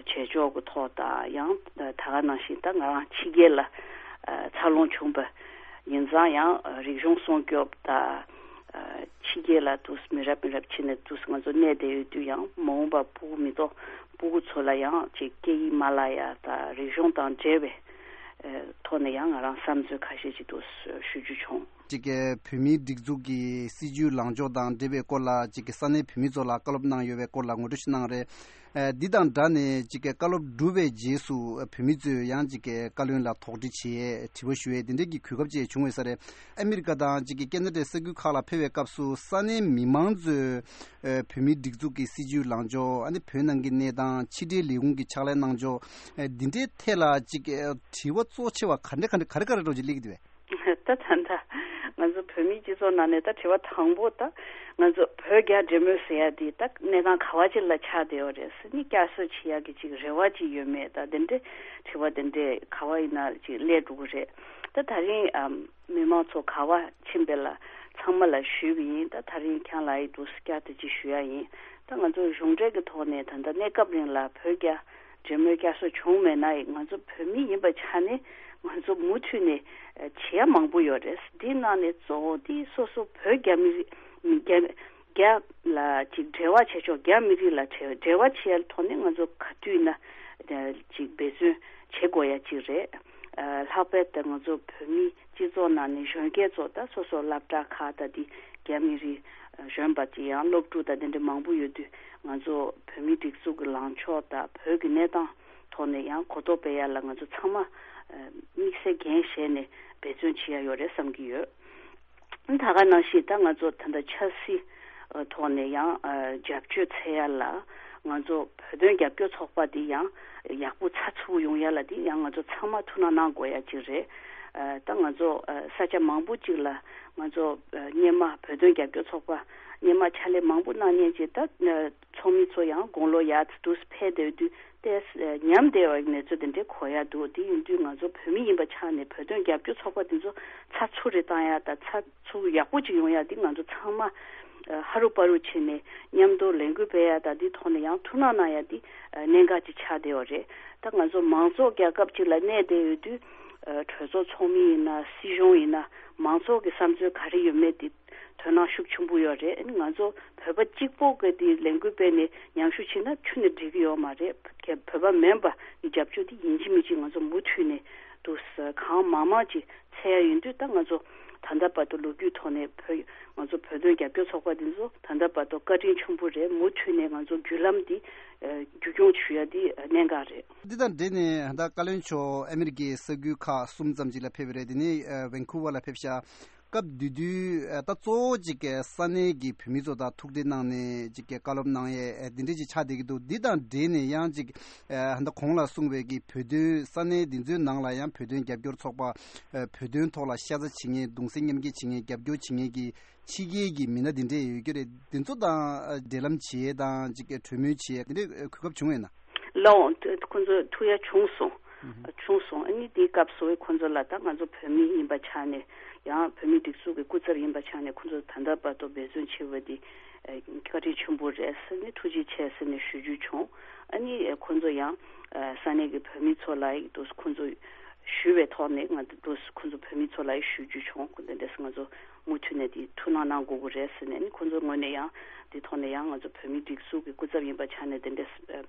བྱེད་ཕྱོགས་ཀྱི་ཐོག་དང་། ཡང་ད་ག་ནང་བཞིན་ད་ང་རང་ཕྱི་རྒྱལ་ལ་ཨ་འཚར་ལོངས་བྱུང་པ་ཡིན་ཙང་། ཡང་ཨ་རིག་གཞུང་སྲུང་སྐྱོབ་དང་། ཨ་ཕྱི་རྒྱལ་ལ་དུས་མི་རབས་མི་རབས་ཕྱི་ནས་དུས་ང་ཚོ་གནས་བསྡད་ཡོད་དུས། ཡང་མ་འོངས་པ་སྤུ་གུ་མི་ཐོག་སྤུ་གུ་ཚོ་ལ་ཡང་ཅིག་སྐད་ཡིག་མ་བརླག་ཡ་དང་། རིག་གཞུང་དང་འབྲེལ་བའི་ཨ་ཐོག་ནས་ཡང་ང་རང་བསམ་ཚུལ་ཁ་ཤས་ཅིག་དུ་ཞུ་རྒྱུ་བྱུང་། ཅིག་གི་བོད་མིའི་སྒྲིག་འཛུགས་ཀྱི་སྲིད་ཇུས་ལངས་ཕྱོགས་དང་འབྲེལ་བའི་སྐོར་ལ་ཅིག་གི་ས་གནས་བོད་མི་ཚོ་ལ་བཀའ་སློབ་གནང་ཡོད་པའི་སྐོར་ལ་ངོ་སྤྲོད་ཞིག་གནང་རེད། ཨ་འདི་དང་སྦྲགས་ནས་ཅིག་གི་བཀའ་སློབ་གྲུབ་པའི་རྗེས་སུ་བོད་མི་ཚོས་ཡང་ཅིག་གི་བཀའ་བློན་ལ་དོགས་འདྲི་བྱས། དྲི་བ་ཞུ་ཡས་དེ་འདྲས་ཀྱི་གོ་སྐབས་ཅིག་བྱུང་ཡོད་ས་རེད། ཨ་མི་རི་ཀ་དང་ཅིག་གི་ཁེ་ན་ཌའི་ས་ཁུལ་ཁག་ལ་ཕེབས་པའི་སྐབས་སུ་ས་གནས་མི་མང་ཚོས་ཨ་བོད་མིའི་སྒྲིག་འཛུགས་ཀྱི་སྲིད་ཇུས་ལངས་ཕྱོགས། ཨ་ནི་བོད་ནང་གི་གནས་སྟངས། ཕྱི་འབྲེལ་ལས་ཁུངས་ཀྱི་ཕྱག་ལས་གནང་ཕྱོགས། ཨ་འདི་འདྲའི་ཐད་ལ་ཅིག་གི་དྲི་བ་གཙོ་ཆེ་བ་ག་འདྲ་ག་འདྲ་ག་རེ་ག་རེ་འདྲ་བོ་ཅིག་སླེབས་ཀྱི་འདུག་བས། ད་ད་ད་ང་ཚོ་བོད་མིའི་སྤྱི་ཚོགས་ནང་ནས་ད་དྲི་བ་དང་པོ་ད་ང་ཚོ་བོད་རྒྱ་འབྲེལ་མོལ་ཟེར་ཡ་དེ་ད་གནས་སྟངས་ག་བ་ཅིག་ལ་ཆགས་བསྡད་ཡོད་རེད་ཟེར་ནས་བསྐྱར་གསོ་བྱེད་ཡ་གི་ཅིག་རེ་བ་ཅིག་ཡོད་མེད། ད་དེ་འདྲའི་དྲི་བ་དེ་འདྲས་ག་བ་ཡིན་ན་ཅིག་སླེབས་འགྲོ་གི་རེད། ད་ད་རིང་ཨམ་མི་མང་ཚོ་ག་བ་ཕྱིན་པ་ལ་ཚང་མ་ལ་ཞུས་པ་ཡིན། ད་ད་རིང་ཁྱེད་ལ་ཡི་འདུག་བསྐྱར་དུ་ཅིག་ཞུ་ཡ་ཡིན། ད་ང་ཚོ་གཞུང་འབྲེལ་གྱི་ཐོག་ནས་ད་ལྟ་གནས་སྐབས་རིང་ལ་བོད་རྒྱ་འབྲེལ་མོལ་བསྐྱར་གསོ་བྱུང་མེད་ན་ཡང་། ང་ཚོ་བོད་མི་ཡིན་པ་ཆ་ནས་ང་ཚོ་མུ་མཐུད་ནས་ཨ་བྱེད་ཡ་མང་པོ་ཡོད་རེད། འདི་ནང་ནས་གཙོ་བོ་འདི་སོ་སོ་བོད་རྒྱ་མི་རིགས་རྒྱ་རྒྱ་ལ་ཅིག་འབྲེལ་བ་བྱེད་ཕྱོགས། རྒྱ་མི་རིགས་ལ་འབྲེལ་འབྲེལ་བ་བྱེད་ཡ་ཐོག་ནས་ང་ཚོ་ག་དུས་ན་ཨ་ཅིག་འབད་བརྩོན་བྱེད་དགོས་ཡ་ཅིག་རེད། ཨ་ལྷག་པར་དུ་ང་ཚོ་བོད་མི་སྤྱི་ཚོགས་ནང་ནས་གཞོན་སྐྱེས་ཚོ་ད་སོ་སོ་སློབ་གྲྭ་ཁག་ད་འདི་རྒྱ་མི་རིགས་གཞོན་པ་དེ་ཡང་སློབ་ཕྲུག་དང་དེ་འདྲ་མང་པོ་ཡོད་དུས། ང་ཚོ་བོད་མིའི་སྒྲིག་འཛུགས་ཀྱི་ལངས་ཕྱོགས་དང་བོད་ཀྱི་གནས་སྟངས་ཐོག་ནས་ཡང་གོ་རྟོགས་སྤེལ་ཡ་ལ་ང་ཚོ་ཚང་མ་ཨ་དམིགས་བསལ་འགན་བཞེས་ནས་འབད་བརྩོན་བྱེད་ཡ་ཡོད་རེད་བསམ་གྱི་ཡོད། ད་ག་ནང་བཞིན་ད་ང་ཚོ་ད་ལྟ་ཆབ་སྲིད་ཐོག་ནས་ཡང་ཨ་རྒྱབ་སྐྱོར་འཚོལ་ཡ་ལ་ང་ཚོ་བོད་དོན་རྒྱབ་སྐྱོར་ཚོགས་པ་འདི་ཡང་ཡག་པོ་ཚགས་ཚུད་པོ་ཡོང་ཡ་ལ་འདི་ཡང་ང་ཚོ་ཚང་མ་ཐུགས་སྣང་གནང་དགོས་ཡ་ཅིག་རེད། ཨ་ད་ང་ཚོ་ཨ་ས་ཆ་མང་པོ་ཅིག་ལ་ང་ཚོ་ཨ་སྔོན་མ་བོད་དོན་རྒྱབ་སྐྱོར་ཚོགས་པ་སྔོན་མ་ཕྱག་ལས་མང་པོ་གནང་མཁན་ཅིག་ད་ཨ་ཚོགས་མི་ཚོ་ཡང་དགུང་ལོ་ཡར་འདུག་སེ་ཕེབས་བསྡད་དུས་ཏོག་ཙམ་ཉམས་བསྡད་པའི་གནས་ཚུལ་དེ་འདྲའི་གོ་ཡ་འདུག་དེ་ཡིན་དུས་ང་ཚོ་བོད་མི་ཡིན་པ་ཆགས་ནས་བོད་དོན་རྒྱབ་སྐྱོར་ཚོགས་པ་དེ་ཚོ་ཚགས་ཚུད་རེ་བཏང་ཡ་དང་། ཚགས་ཚུད་ཡག་པོ་ཅིག་ཡོང་ཡ་དེ་ང་ཚོ་ཚང་མ་ཨ་ཧ་རུ་པ་རུ་བྱས་ནས་མཉམ་དུ་ལས་འགུལ་སྤེལ་ཡ་དང་། དེའི་ཐོག་ནས་ཡང་ཐུགས་སྣང་གནང་ཡ་དེ་ཨ་གནད་འགག་ཅིག་ཆགས་བསྡད་ཡོད་རེད། ད་ང་ཚོ་མང་ཚོགས་རྒྱལ་ཁབ་ཅིག་ལ་གནས་བསྡད་ཡོད་དུས་ཨ་གྲོས་ཚོགས་ཚོགས་མི་ཡིན་ན་སྲིད་གཞུང་ཡིན་ན་མང་ཚོགས་ཀྱི་བསམ་ཚུལ་ག་རེ་ཡོད་མེད་དེ་དོ་སྣང་ཤུགས་ཆེན་པོ་ཡོད་རེད། ཨ་ནི་ང་ཚོ་བོད་པ་གཅིག་པོ་གི་དེ་ལས་འགུལ་སྤེལ་ནས་ཉམས་ཞིབ་བྱས་ན་ཁྱོན་ནས་འགྲིག་གི་ཡོད་མ་རེད། བོད་པ་མིན་པ་གི་རྒྱབ་སྐྱོར་དེ་ཡིན་གཅིག་མིན་གཅིག་ང་ཚོ་མུ་མཐུད་ནས་འདུག་སེ་གང་མང་མང་ཅིག་འཚོལ་ཡ་ཡིན་དུས། ད་ང་ཚོ་ད་ལྟ་བར་དུ་ལོ་རྒྱུས་ཐོག་ནས་བོད་ང་ཚོ་བོད་དོན་རྒྱབ་སྐྱོར་ཚོགས་པ་འདི་ཚོ་ད་ལྟ་བར་དུ་བཀའ་དྲིན་ཆེན་པོ་རེད། མུ་མཐུད་ནས་ང་ཚོ་བརྒྱུད་ལམ་འདི་ཨ་བསྒྱུར་སྐྱོང་ཞུ་ཡ་འདི་གནད་འགག་རེད། འདི་དང་འབྲེལ་ནས་ད་བཀའ་བློན་མཆོག་ཨ་མི་རི་ཀའི་ས་ཁུལ་ཁག་གསུམ་ཙམ་ཅིག་ལ་ཕེབས་པ་རེད། དེ་ནས་ཨ་ཝན་ཁུ་ཝར་ལ་ཕེབས་ཤག་སྐབས་དེ་དུས་ཨ་ད་གཙོ་བོ་གཅིག་གི་ས་གནས་ཀྱི་བོད་མི་ཚོ་དང་ཐུག་འཕྲད་གནང་ནས་གཅིག་གི་བཀའ་སློབ་གནང་ཡས་ཨ་འདི་འདྲ་ཅིག་ཆགས་བསྡད་ཀྱི་འདུག་འདི་དང་འབྲེལ་ནས་ཡང་གཅིག་ཨ་ད་གོང་ལ་གསུངས་པའི་གི་བོད་དོན་ས་གནས་འདི་ཚོའི་ནང་ལ་ཡང་བོད་དོན་རྒྱབ་སྐྱོར་ཚོགས་པ་ཨ་བོད་དོན་ཐོག་ལ་ཤ་ཚ་བྱེད་མཁན། གདུང་སེམས་མཉམ་སྐྱེད་བྱེད་མཁན། རྒྱབ་སྐྱོར་བྱེད་མཁན་གྱི་ཕྱི་རྒྱལ་གྱི་མི་སྣ་འདི་འདྲས་ཡོད་ཀྱི་རེད། འདི་ཚོ་དང་ཨ་འབྲེལ་ལམ་བྱེད་ཡས་དང་གཅིག་གི་གྲོས་མོལ་བྱེད་ཡས་འདི་འདྲས་ཨ་གོ་སྐབས་བྱུང་ཡོད་ན། ལའོ། ཁོ་ཚོ་ཐུག་ཡ་བྱུང་སོང་། བྱུང་སོང་། ཨ་ནི་དེའི་སྐབས་སུ་ཁོ་ཚོ་ལ་ད་ང་ཚོ་བོད་མི་ཡིན་པ་ཆ་ནས་ཡང་བོད་མི་སྒྲིག་འཛུགས་ཀྱི་སྐུ་ཚབ་ཡིན་པ་ཆ་ནས་ཁོ་ཚོ་ད་ལྟ་བར་དུ་འབད་བརྩོན་བྱས་པ་དེ་བཀའ་དྲིན་ཆེན་པོ་རེད་ཟེར་ནས་ཐུགས་རྗེ་ཆེ་ཟེར་ནས་ཞུ་རྒྱུ་བྱུང་། ཨ་ནི་ཁོ་ཚོ་ཡང་ས་གནས་ཀྱི་བོད་མི་ཚོ་ལ་ཡིག་ཏུ་ཁོ་ཚོ་ཞུས་པའི་ཐོག་ནས་ང་ཚོ་ཁོ་ཚོ་བོད་མི་ཚོ་ལ་ཞུ་རྒྱུ་བྱུང་། ཁོ་འདི་འདྲས་ང་ཚོ་མུ་མཐུད་ནས་དེ་ཐུགས་སྣང་གནང་དགོས་ཀྱི་རེད་ཟེར་ནས་ནི་ཁོ་ཚོའི་ངོས་ནས་ཡང་དེ་ཐོག་ནས་ཡང་ང་ཚོ་བོད་མིའི་སྒྲིག་འཛུགས་ཀྱི་སྐུ་ཚབ་ཡིན་པ་ཆ་ནས་དེ་འདྲས་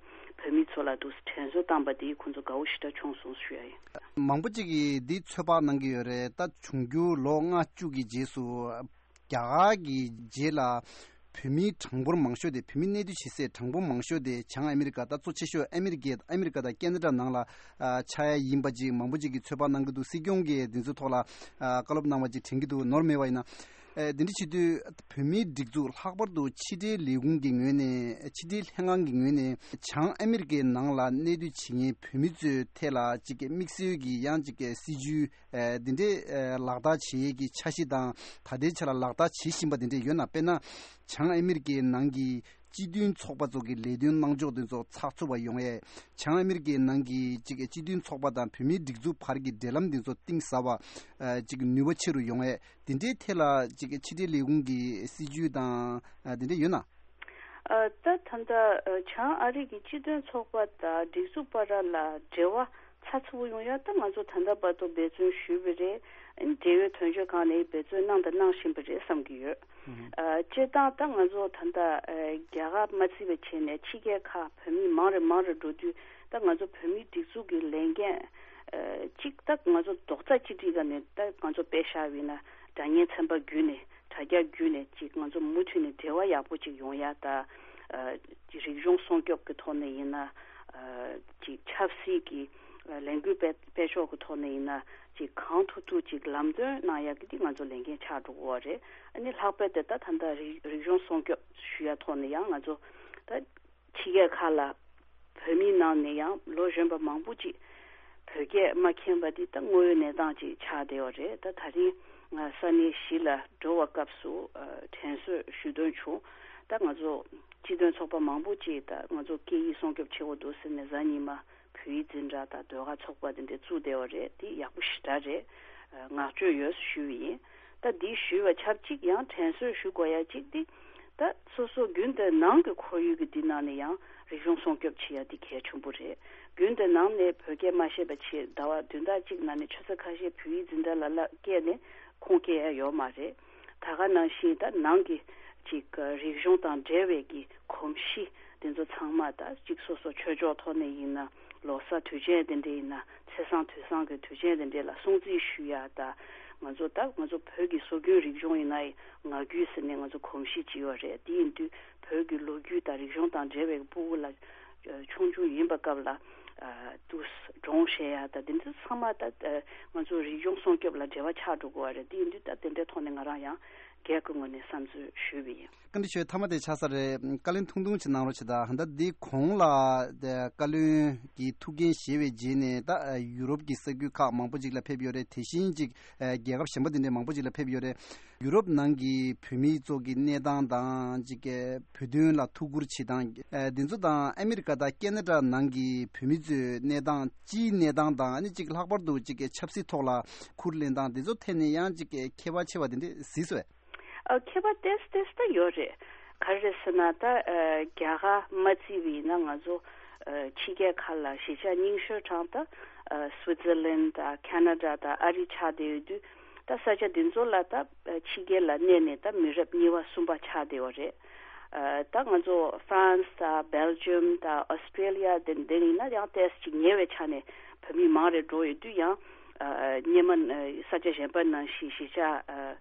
བོད་མི་ཚོ་ལ་དུ་དྲན་གསོ་བཏང་པ་དེ་ཁོ་ཚོ་དགའ་བོ་ཞེ་དྲག་བྱུང་སོང་ཞུ་ཡ་ཡིན། མང་པོ་ཅིག་གིས་འདི་ཚོད་དཔག་གནང་གི་ཡོད་རེད། ད་འབྱུང་འགྱུར་ལོ་ལྔ་བཅུ་གི་རྗེས་སུ་རྒྱ་གར་གྱི་རྗེས་ལ་བོད་མིའི་གྲངས་འབོར་མང་ཤོས་དེ། བོད་མི་གནས་སྡོད་བྱེད་སའི་གྲངས་འབོར་མང་ཤོས་དེ་བྱང་ཨ་མི་རི་ཀ། ད་གཙོ་ཆེ་ཤོས་ཨ་མི་རི་ཀའི་ཨ་མི་རི་ཀ་དང་ཁེ་ན་ཌ་ནང་ལ་ཨ་ཆགས་ཡ་ཡིན་པ་ཅིག་མང་པོ་ཅིག་གིས་ཚོད་དཔག་གནང་གི་འདུག། སྲིད་སྐྱོང་གིས་འདི་ཚོའི་ཐོག་ལ་ཨ་བཀའ་སློབ་གནང་བ་ཅིག་དྲན་གྱི་འདུག། ནོར་མེད་པ་ཡིན་ན། ཨ་འདི་འདྲ་བྱེད་དུས་བོད་མིའི་སྒྲིག་འཛུགས་ལྷག་པར་དུ་ཕྱི་འབྲེལ་ལས་ཁུངས་ཀྱི་ངོས་ནས། ཕྱི་འབྲེལ་ལྷན་ཁང་གི་ངོས་ནས་བྱང་ཨ་མི་རི་ཀའི་ནང་ལ་གནས་སྡོད་བྱེད་མཁན་བོད་མི་ཚོའི་ཐད་ལ་ཅིག་དམིགས་བསལ་གྱི་ཡང་ཅིག་སྲིད་ཇུས་ཨ་འདི་འདྲའི་ཨ་ལག་བསྟར་བྱེད་ཡས་ཀྱི་འཆར་གཞི་དང་ད་ལྟའི་ཆ་ལ་ལག་བསྟར་བྱེད་བཞིན་པ་འདི་འདྲ་ཡོད་ན། དཔེར་ན་བྱང་ཨ་མི་རི་ཀའི་ནང་གི་སྤྱི་མཐུན་ཚོགས་པ་ཚོ་གི་ལས་དོན་གནང་ཕྱོགས་འདི་ཚོ་ཚགས་ཚུད་པ་ཡོང་ཡས། བྱང་ཨ་མི་རི་ཀའི་ནང་གི་ཅིག་སྤྱི་མཐུན་ཚོགས་པ་དང་བོད་མིའི་སྒྲིག་འཛུགས་བར་གྱི་འབྲེལ་ལམ་འདི་ཚོ་གཏིང་ཟབ་པ། ཨ་ཅིག་ནུས་པ་ཆེ་རུ་ཡོང་ཡས། དེ་འདྲའི་ཐད་ལ་ཅིག་ཕྱི་འབྲེལ་ལས་ཁུངས་ཀྱི་སྲིད་ཇུས་དང་ཨ་དེ་འདྲ་ཡོད་ན། ཨ་ད་ད་ལྟ་ཨ་བྱང་ཨ་རི་གི་སྤྱི་མཐུན་ཚོགས་པ་དང་སྒྲིག་འཛུགས་བར་ལ་འབྲེལ་བ་ཚགས་ཚུད་པོ་ཡོང་ཡ་ད་ང་ཚོ་ད་ལྟ་བར་དུ་འབད་བརྩོན་ཞུས་པ་རེད། ཨ་ནི་འབྲེལ་ཡོད་དོན་གཅོད་ཁང་ནས་འབད་བརྩོན་གནང་དང་གནང་བཞིན་པ་རེད་བསམ་གྱི་ཡོད། ཨ་སྤྱིར་བཏང་ད་ང་ཚོ་ད་ལྟ་ཨ་རྒྱ་གར་མ་བརྩིས་པ་བྱས་ནས་ཕྱི་རྒྱལ་ཁག་བོད་མི་མང་རུ་མང་རུ་འགྲོ་དུས་ད་ང་ཚོ་བོད་མིའི་སྒྲིག་འཛུགས་ཀྱི་ལས་འགན་ཨ་གཅིག་ད་ང་ཚོ་རྡོག་རྩ་གཅིག་སྒྲིལ་ག་ནས་ད་ང་ཚོ་དཔེ་བཞག་པ་ཡིན་ན་དྲ་བརྙན་ཚན་པ་བརྒྱུད་ནས། དྲ་རྒྱ་བརྒྱུད་ནས་ཅིག་ང་ཚོ་མུ་མཐུད་ནས་འབྲེལ་བ་ཡག་པོ་ཅིག་ཡོང་ཡ་ད། ཨ་རིག་གཞུང་སྲུང་སྐྱོབ་ཀྱི་ཐོག་ནས་ཡིན་ན། ཨ་ཅིག་ཆབ་སྲིད་ཀྱི་ཨ་ལས་འགུལ་སྤེལ་སྤེལ་ཕྱོགས་ཀྱི་ཐོག་ནས་ཡིན་ན། ཅིག་གང་ཐུབ་ཐུབ་ཅིག་ལམ་སྟོན་གནང་ཡ་གི་འདི་ང་ཚོ་ལས་འགན་ཆགས་འགྲོ་གི་ཡོད་རེད། ཨ་ནི་ལྷག་པར་དུ་ད་ད་ལྟ་རིག་རིག་གཞུང་སྲུང་སྐྱོབ་ཞུ་ཡ་ཐོག་ནས་ཡང་ང་ཚོ་ད། ཕྱི་རྒྱལ་ཁག་ལ་བོད་མིའི་ནང་ནས་ཡང་ལོ་གཞོན་པ་མང་པོ་ཅིག་བོད་སྐད་མ་མཁྱེན་པ་འདི་ད་དངོས་ཡོད་གནས་སྟངས་ཅིག་ཆགས་བསྡད་ཡོད་རེད། ད་ད་རིང་ང་ས་གནས་གཞིས་ལ་འགྲོ་བ་སྐབས་སུ་ཨ་དྲན་གསོ་ཞུ་འདོད་བྱུང་། ད་ང་ཚོ་སྤྱི་མཐུན་ཚོགས་པ་མང་པོ་ཅིག་ད་ང་ཚོ་སྐད་ཡིག་སྲུང་སྐྱོབ་བྱེད་དགོས་འདུག་ཟེར་ནས་གཟའ་ཉི་མ་བོད་ཡིག་འཛིན་གྲྭ་དང་ཟློས་གར་ཚོགས་པ་འདི་འདྲ་བཙུགས་བསྡད་ཡོད་རེད། འདི་ཡག་པོ་ཞེ་དྲག་རེད། ཨ་བསྔགས་བརྗོད་ཡོད་ཞུ་བ་ཡིན། ད་འདི་ཞུས་པ་ཆབས་ཅིག་ཡང་དྲན་གསོ་ཞུ་དགོས་ཡ་གཅིག་འདི། ད་སོ་སོ་རྒྱུན་དུ་ནང་གི་ཁོར་ཡུག་གི་འདི་ནང་ནས་ཡང་རིག་གཞུང་སྲུང་སྐྱོབ་བྱེད་ཡ་འདི་གལ་ཆེན་པོ་རེད། རྒྱུན་དུ་ནང་ནས་བོད་སྐད་མ་བཤད་པ་བྱས་ཟླ་བ་བདུན་ཕྲག་གཅིག་ནང་ནས་ཆུ་ཚོད་ཁ་ཤས་བོད་ཡིག་འཛིན་གྲྭ་ལ་ལ་བསྐྱལ་ནས་ཁུངས་སྐྱེལ་ཡ་ཡོད་མ་རེད། ད་ག་ནང་བཞིན་ད་ནང་གི་ཅིག་རིག་གཞུང་དང་འབྲེལ་བའི་གི་གོམས་གཤིས་འདི་ཚོ་ཚང་མ་ད་ཅིག་སོ་སོ་ཆོས་ཕྱོགས་ཐོག་ནས་ཡིན་ན། ལོ་གསར་དུས་ཆེན་དེ་འདྲ་ཡིན་ན། ཚེས་བཟང་དུས་བཟང་གི་དུས་ཆེན་དེ་འདྲ་ལ་སྲུང་བརྩི་ཞུ་ཡ་ད། ང་ཚོ་ད་ང་ཚོ་བོད་ཀྱི་སྲོལ་རྒྱུན་རིག་གཞུང་ཡིན་ན་ཡང་ངག་རྒྱུན་ཟེར་ནས་ང་ཚོ་གོམས་གཤིས་ཅིག་ཡོད་རེད། དེ་ཡིན་དུས་བོད་ཀྱི་ལོ་རྒྱུས་དང་རིག་གཞུང་དང་འབྲེལ་བའི་ཕྲུ་གུ་ལ་ཆུང་ཆུང་ཡིན་པ་སྐབས་ལ་དུ་སྒྲུང་བཤད་ཡ་ད་དེ་ཚོ་ཚང་མ་ད་ང་ཚོ་རིག་གཞུང་སྲུང་སྐྱོབ་ལ་འབྲེལ་བ་ཆགས་འགྲོ་དགོས་པ་རེད། དེ་ཡིན་དུས་ད་དེ་འདྲའི་ཐོག་ནས་ང་རང་ཡང་སྒེར་གྱི་ངོས་ནས་བསམ་ཚུལ་ཞུས་པ་ཡིན། བཀའ་འདྲི་ཞུ་མཐའ་མ་དེ་ཆགས་ས་རེད། བཀའ་ལན་ཐུང་ཐུང་ཅིག་གནང་རོགས་བྱེད་དང་། ད་འདི་གོང་ལ་བཀའ་བློན་གྱི་ཐུགས་འགན་བཞེས་པའི་རྗེས་ནས་ད་ཡུ་རོབ་ཀྱི་ས་ཁུལ་ཁག་མང་པོ་ཅིག་ལ་ཕེབས་ཡོད་རེད། དེ་བཞིན་ཅིག་རྒྱལ་ཁབ་གཞན་པ་དེ་འདྲའི་མང་པོ་ཅིག་ལ་ཕེབས་ཡོད་རེད། ཡུ་རོབ་ནང་གི་བོད་མི་ཚོ་གི་གནས་སྟངས་དང་ཅིག་བོད་དོན་ལ་ཐུགས་ཁུར་བྱེད་སྟངས་འདི་ཚོ་དང་ཨ་མི་རི་ཀ་དང་ཁེ་ན་ཌ་ནང་གི་བོད་མི་ཚོའི་གནས་སྟངས། སྤྱིའི་གནས་སྟངས་དང་ཨ་ནི་ཅིག་ལྷག་པར་དུ་ཅིག་ཆབ་སྲིད་ཐོག་ལ་ཁུར་ལེན་སྟངས་འདི་ཚོ་ཐད་ནས་ཡང་ཅིག་ཁྱད་པར་ཆེ་བ་དེ་འདྲ་གཟིགས་སོང་ངས། ཨ་ཁྱད་པར་ཏོག་ཙམ་ཏོག་ཙམ་ད་ཡོད་རེད། ག་རེ་རེད་ཟེར་ན་ད་ཨ་རྒྱ་གར་མ་བརྩིས་པ་ཡིན་ན་ང་ཚོ་ཨ་ཕྱི་རྒྱལ་ཁག་ལ་གཞིས་ཆགས་རྙིང་ཤོས་གྲས་ད་ཨ་སུའི་ཙར་ལན་དང་ཁེ་ན་ཌ་དང་ཨ་རི་ཆགས་བསྡད་ཡོད་དུས། ད་ས་ཆ་འདི་ཚོ་ལ་ད་ཕྱི་རྒྱལ་ལ་གནས་ནས་ད་མི་རབས་གཉིས་པ་གསུམ་པ་ཆགས་བསྡད་ཡོད་རེད། ཨ་ད་ང་ཚོ་ཧྥ་རན་སི་དང་སྦེལ་ཇམ་དང་ཨོ་སི་ཀྲེ་ལི་ཡ་དེ་འདི་ཡིན་ན་ཡང་ཏོག་ཙམ་ཅིག་ཉེ་བའི་ཆ་ནས་བོད་མི་མང་རེ་འགྲོ་ཡོད་དུས་ཡང་ཨ་སྔོན་མ་ས་ཆ་གཞན་པ་ནང་བཞིན་གཞིས་ཆགས་ཨ་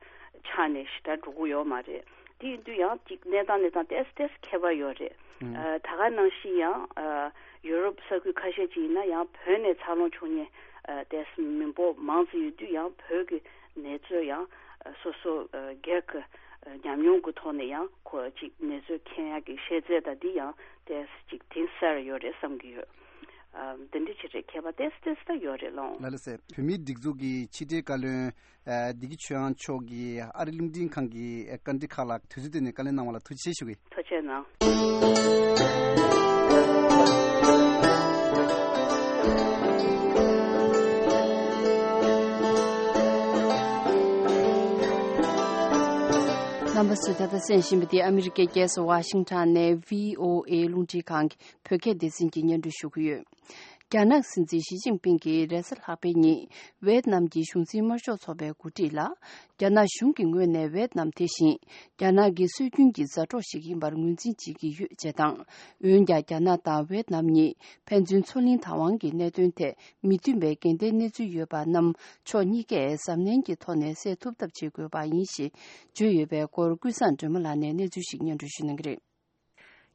ཆགས་ནས་ཞེ་དྲག་འགྲོ་གི་ཡོད་མ་རེད། དེ་ཡིན་དུས་ཡང་ཅིག་གནས་སྟངས་གནས་སྟངས་ཏོག་ཙམ་ཏོག་ཙམ་ཁྱད་པར་ཡོད་རེད། ཨ་ད་ག་ནང་བཞིན་ཡང་ཨ་ཡུ་རོབ་ས་ཁུལ་ཁ་ཤས་ཅིག་ཡིན་ན་ཡང་བོད་ནས་འཚར་ལོངས་བྱུང་མཁན་ཨ་ཏོག་ཙམ་མི་འབོར་མང་ཙམ་ཡོད་དུས་ཡང་བོད་ཀྱི་གནས་ཚུལ་ཡང་ཨ་སོ་སོ་ཨ་སྒེར་གྱི་ཨ་ཉམས་མྱོང་གི་ཐོག་ནས་ཡང་ཁོ་ཅིག་གནས་ཚུལ་མཁྱེན་ཡག་གི་ཤེས་ཚད་དང་འདི་ཡང་ཏོག་ཙམ་ཅིག་གཏིང་ཟབ་ཡོད་རེད་བསམ་གྱི་ཡོད། ཨ་འདི་འདྲ་ཅིག་རེད། ཁྱད་པར་ཏོག་ཙམ་ཏོག་ཙམ་ད་ཡོད་རེད་ལགས། ལགས་ལགས་སེ། བོད་མིའི་སྒྲིག་འཛུགས་ཀྱི་ཕྱི་དྲིལ་བཀའ་བློན་ཨ་བདེ་སྐྱིད་ཆོས་དབྱངས་མཆོག་གིས་ཨ་རིའི་རླུང་འཕྲིན་ཁང་གི་ཨ་བཀའ་འདྲི་ཁག་ལ་དུས་ཚོད་བཏོན་ནས་བཀའ་ལན་གནང་བ་ལ་ཐུགས་རྗེ་ཆེ་ཞུ་གི། ཐུགས་རྗེ་གནང་། རྣམ་པ་ཚོས་ད་ལྟ་གསན་བཞིན་པ་འདི་ཨ་མི་རི་ཀའི་རྒྱལ་ས་ཝ་ཤིང་ཊོན་ནས་བྷི་ཨོ་ཨེ་རླུང་འཕྲིན་ཁང་གི་བོད་སྐད་སྡེ་ཚན་གྱིས་སྙན་སྒྲོན་ཞུ་གི་ཡོད། རྒྱ་ནག་སྲིད་འཛིན་ཞི་ཅིན་ཕིང་གིས་རེས་གཟའ་ལྷག་པའི་ཉིན་ཝེད་ནམ་གྱི་གཞུང་འཛིན་དམར་ཤོག་ཚོགས་པའི་འགོ་ཁྲིད་ལ། རྒྱ་ནག་གཞུང་གི་ངོས་ནས་ཝེད་ནམ་དེ་བཞིན་རྒྱ་ནག་གི་སྲོལ་རྒྱུན་གྱི་མཛའ་གྲོགས་ཤིག་ཡིན་པར་ངོས་འཛིན་བྱེད་ཀྱི་ཡོད་ཅེས་དང་། འོན་ཀྱང་རྒྱ་ནག་དང་ཝེད་ནམ་གཉིས་ཕན་ཚུན་མཚོ་གླིང་བདག་དབང་གི་གནད་དོན་ཐད་མི་མཐུན་པའི་འགལ་ཟླའི་གནས་ཚུལ་ཡོད་པ་རྣམས་ཕྱོགས་གཉིས་ཀས་གཟབ་ནན་གྱི་ཐོག་ནས་སེལ་ཐུབ་ཐབས་བྱེད་དགོས་པ་ཡིན་ཞེས་བརྗོད་ཡོད་པའི་སྐོར་ཀུན་བཟང་སྒྲོལ་མ་ལགས་ནས་གནས་ཚུལ་ཞིག་སྙན་སྒྲོན་ཞུ་གནང་གི་རེད།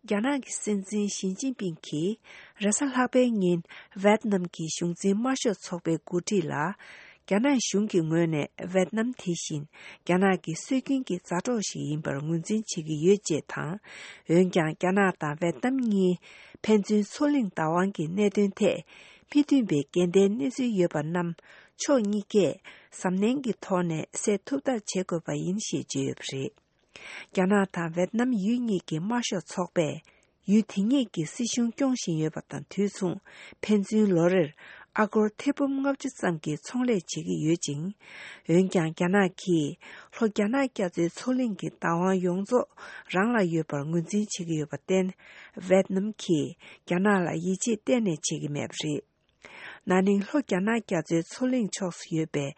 རྒྱ་ནག་གི་སྲིད་འཛིན་ཞི་ཅིན་ཕིང་གིས་རེས་གཟའ་ལྷག་པའི་ཉིན་ཝེད་ནམ་གྱི་གཞུང་འཛིན་དམར་ཤོག་ཚོགས་པའི་འགོ་ཁྲིད་ལ། རྒྱ་ནག་གཞུང་གི་ངོས་ནས་ཝེད་ནམ་དེ་བཞིན་རྒྱ་ནག་གི་སྲོལ་རྒྱུན་གྱི་མཛའ་གྲོགས་ཤིག་ཡིན་པར་ངོས་འཛིན་བྱེད་ཀྱི་ཡོད་ཅེས་དང་། འོན་ཀྱང་རྒྱ་ནག་དང་ཝེད་ནམ་གཉིས་ཕན་ཚུན་མཚོ་གླིང་བདག་དབང་གི་གནད་དོན་ཐད་མི་མཐུན་པའི་འགལ་ཟླའི་གནས་ཚུལ་ཡོད་པ་རྣམས་ཕྱོགས་གཉིས་ཀས་གཟབ་ནན་གྱི་ཐོག་ནས་སེལ་ཐུབ་ཐབས་བྱེད་དགོས་པ་ཡིན་ཞེས་བརྗོད་ཡོད་པ་རེད། རྒྱ་ནག་དང་ཝེད་ནམ་ཡུལ་གཉིས་ཀྱི་དམར་ཤོག་ཚོགས་པས་ཡུལ་དེ་གཉིས་ཀྱི་སྲིད་གཞུང་སྐྱོང་བཞིན་ཡོད་པ་དང་དུས་མཚུངས་ཕན་ཚུན་ལོ་རེར་ཨ་སྒོར་ཐེར་འབུམ་ལྔ་བཅུ་ཙམ་གྱི་ཚོང་ལས་བྱེད་ཀྱི་ཡོད་ཅིང་། འོན་ཀྱང་རྒྱ་ནག་གིས་ལྷོ་རྒྱ་ནག་རྒྱ་མཚོའི་མཚོ་གླིང་གི་བདག་དབང་ཡོངས་རྫོགས་རང་ལ་ཡོད་པར་ངོས་འཛིན་བྱེད་ཀྱི་ཡོད་པར་བརྟེན། ཝེད་ནམ་གྱིས་རྒྱ་ནག་ལ་ཡིད་ཆེས་གཏན་ནས་བྱེད་ཀྱི་མེད་པ་རེད། ན་ནིང་ལྷོ་རྒྱ་ནག་རྒྱ་མཚོའི་མཚོ་གླིང་ཕྱོགས་སུ་ཡོད་པའི་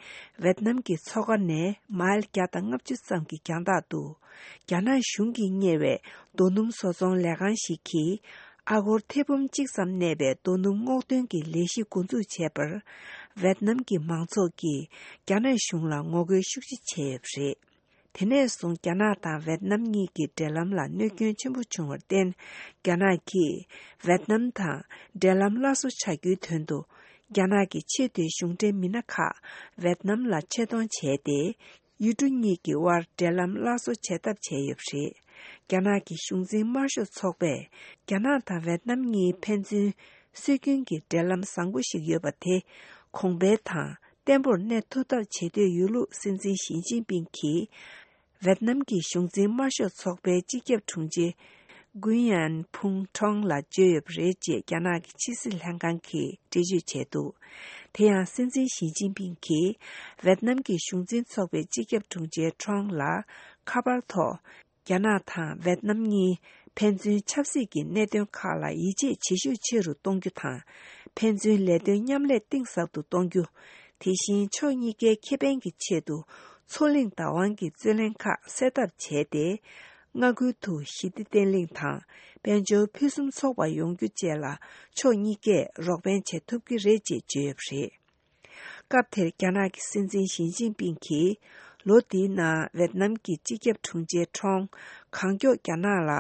ཝེད་ནམ་གྱི་མཚོ་ཁ་ནས་མཱིལ་བརྒྱ་དང་ལྔ་བཅུ་ཙམ་གྱི་རྒྱང་ཐག་ཏུ། རྒྱ་ནག་གཞུང་གིས་གཉེར་བའི་རྡོ་སྣུམ་བཟོ་ཚོང་ལས་ཁང་ཞིག་གིས་ཨ་སྒོར་ཐེར་འབུམ་གཅིག་ཙམ་གནས་པའི་རྡོ་སྣུམ་སྔོག་འདོན་གྱི་ལས་གཞི་འགོ་འཛུགས་བྱས་པར། ཝེད་ནམ་གྱི་མང་ཚོགས་ཀྱིས་རྒྱ་ནག་གཞུང་ལ་ངོ་རྒོལ་ཤུགས་ཆེ་བྱས་ཡོད་པ་རེད། དེ་ནས་བཟུང་རྒྱ་ནག་དང་ཝེད་ནམ་གཉིས་ཀྱི་འབྲེལ་ལམ་ལ་གནོད་སྐྱོན་ཆེན་པོ་བྱུང་བར་བརྟེན། རྒྱ་ནག་གིས་ཝེད་ནམ་དང་འབྲེལ་ལམ་སླར་གསོ་བྱ་རྒྱུའི་དོན་དུ། རྒྱ་ནག་གི་ཆེས་མཐོའི་གཞུང་འབྲེལ་མི་སྣ་ཁག་ཝེད་ནམ་ལ་ཆེད་གཏོང་བྱས་ཏེ། ཡུལ་གྲུ་གཉིས་ཀྱི་དབར་འབྲེལ་ལམ་སླར་གསོ་བྱེད་ཐབས་བྱས་ཡོད་པ་རེད། རྒྱ་ནག་གི་གཞུང་འཛིན་དམར་ཤོག་ཚོགས་པས་རྒྱ་ནག་དང་ཝེད་ནམ་གཉིས་ཕན་ཚུན་སྲོལ་རྒྱུན་གྱི་འབྲེལ་ལམ་བཟང་པོ་ཞིག་ཡོད་པ་དེ་གོང་འཕེལ་དང་བརྟན་པོར་གནས་ཐུབ་ཐབས་བྱེད་འདོད་ཡོད་ལུགས་སྲིད་འཛིན་ཞི་ཅིན་ཕིང་གིས་ཝེད་ནམ་གྱི་གཞུང་འཛིན་དམར་ཤོག་ཚོགས་པའི་སྤྱི་ཁྱབ་དྲུང་ཆེ་གུན་ཡན་ཕུང་ཁྲོང་ལ་བརྗོད་ཡོད་པ་རེད་ཅེས་རྒྱ་ནག་གི་ཕྱི་སྲིད་ལྷན་ཁང་གིས་འགྲེལ་བརྗོད་བྱས་འདུག་དེ་ཡང་སྲིད་འཛིན་ཞི་ཅིན་ཕིང་གིས་ཝེད་ནམ་གྱི་གཞུང་འཛིན་ཚོགས་པའི་སྤྱི་ཁྱབ་དྲུང་ཆེ་ཁྲོང་ལ་ཁ་པར་ཐོག་རྒྱ་ནག་དང་ཝེད་ནམ་གཉིས་ཕན་ཚུན་ཆབ་སྲིད་ཀྱི་གནད་དོན་ཁག་ལ་ཡིད་ཆེས་བྱེད་ཤུགས་ཆེ་རུ་གཏོང་རྒྱུ་དང་། ཕན་ཚུན་ལས་དོན་མཉམ་ལས་གཏིང་ཟབ་ཏུ་གཏོང་རྒྱུ། དེ་བཞིན་ཕྱོགས་གཉིས་ཀའི་ཁེ་ཕན་གྱི་ཆེད་དུ་མཚོ་གླིང་བདག་དབང་གི་རྩོད་གླེང་ཁག་སེལ་ཐབས་བྱས་ཏེ། མངའ་ཁུལ་དུ་ཞི་བདེ་བརྟན་ལྷིང་དང་དཔལ་འབྱོར་ཕུན་སུམ་ཚོགས་པ་ཡོང་རྒྱུ་བཅས་ལ་ཕྱོགས་གཉིས་ཀས་རོགས་ཕན་བྱེད་ཐུབ་ཀྱི་རེད་ཅེས་བརྗོད་ཡོད་པ་རེད། སྐབས་དེར་རྒྱ་ནག་གི་སྲིད་འཛིན་ཞི་ཅིན་ཕིང་གིས་ལོ་འདིའི་ནང་ཝེད་ནམ་གྱི་སྤྱི་ཁྱབ་དྲུང་ཆེ་ཁྲོང་གང་མགྱོགས་རྒྱ་ནག་ལ་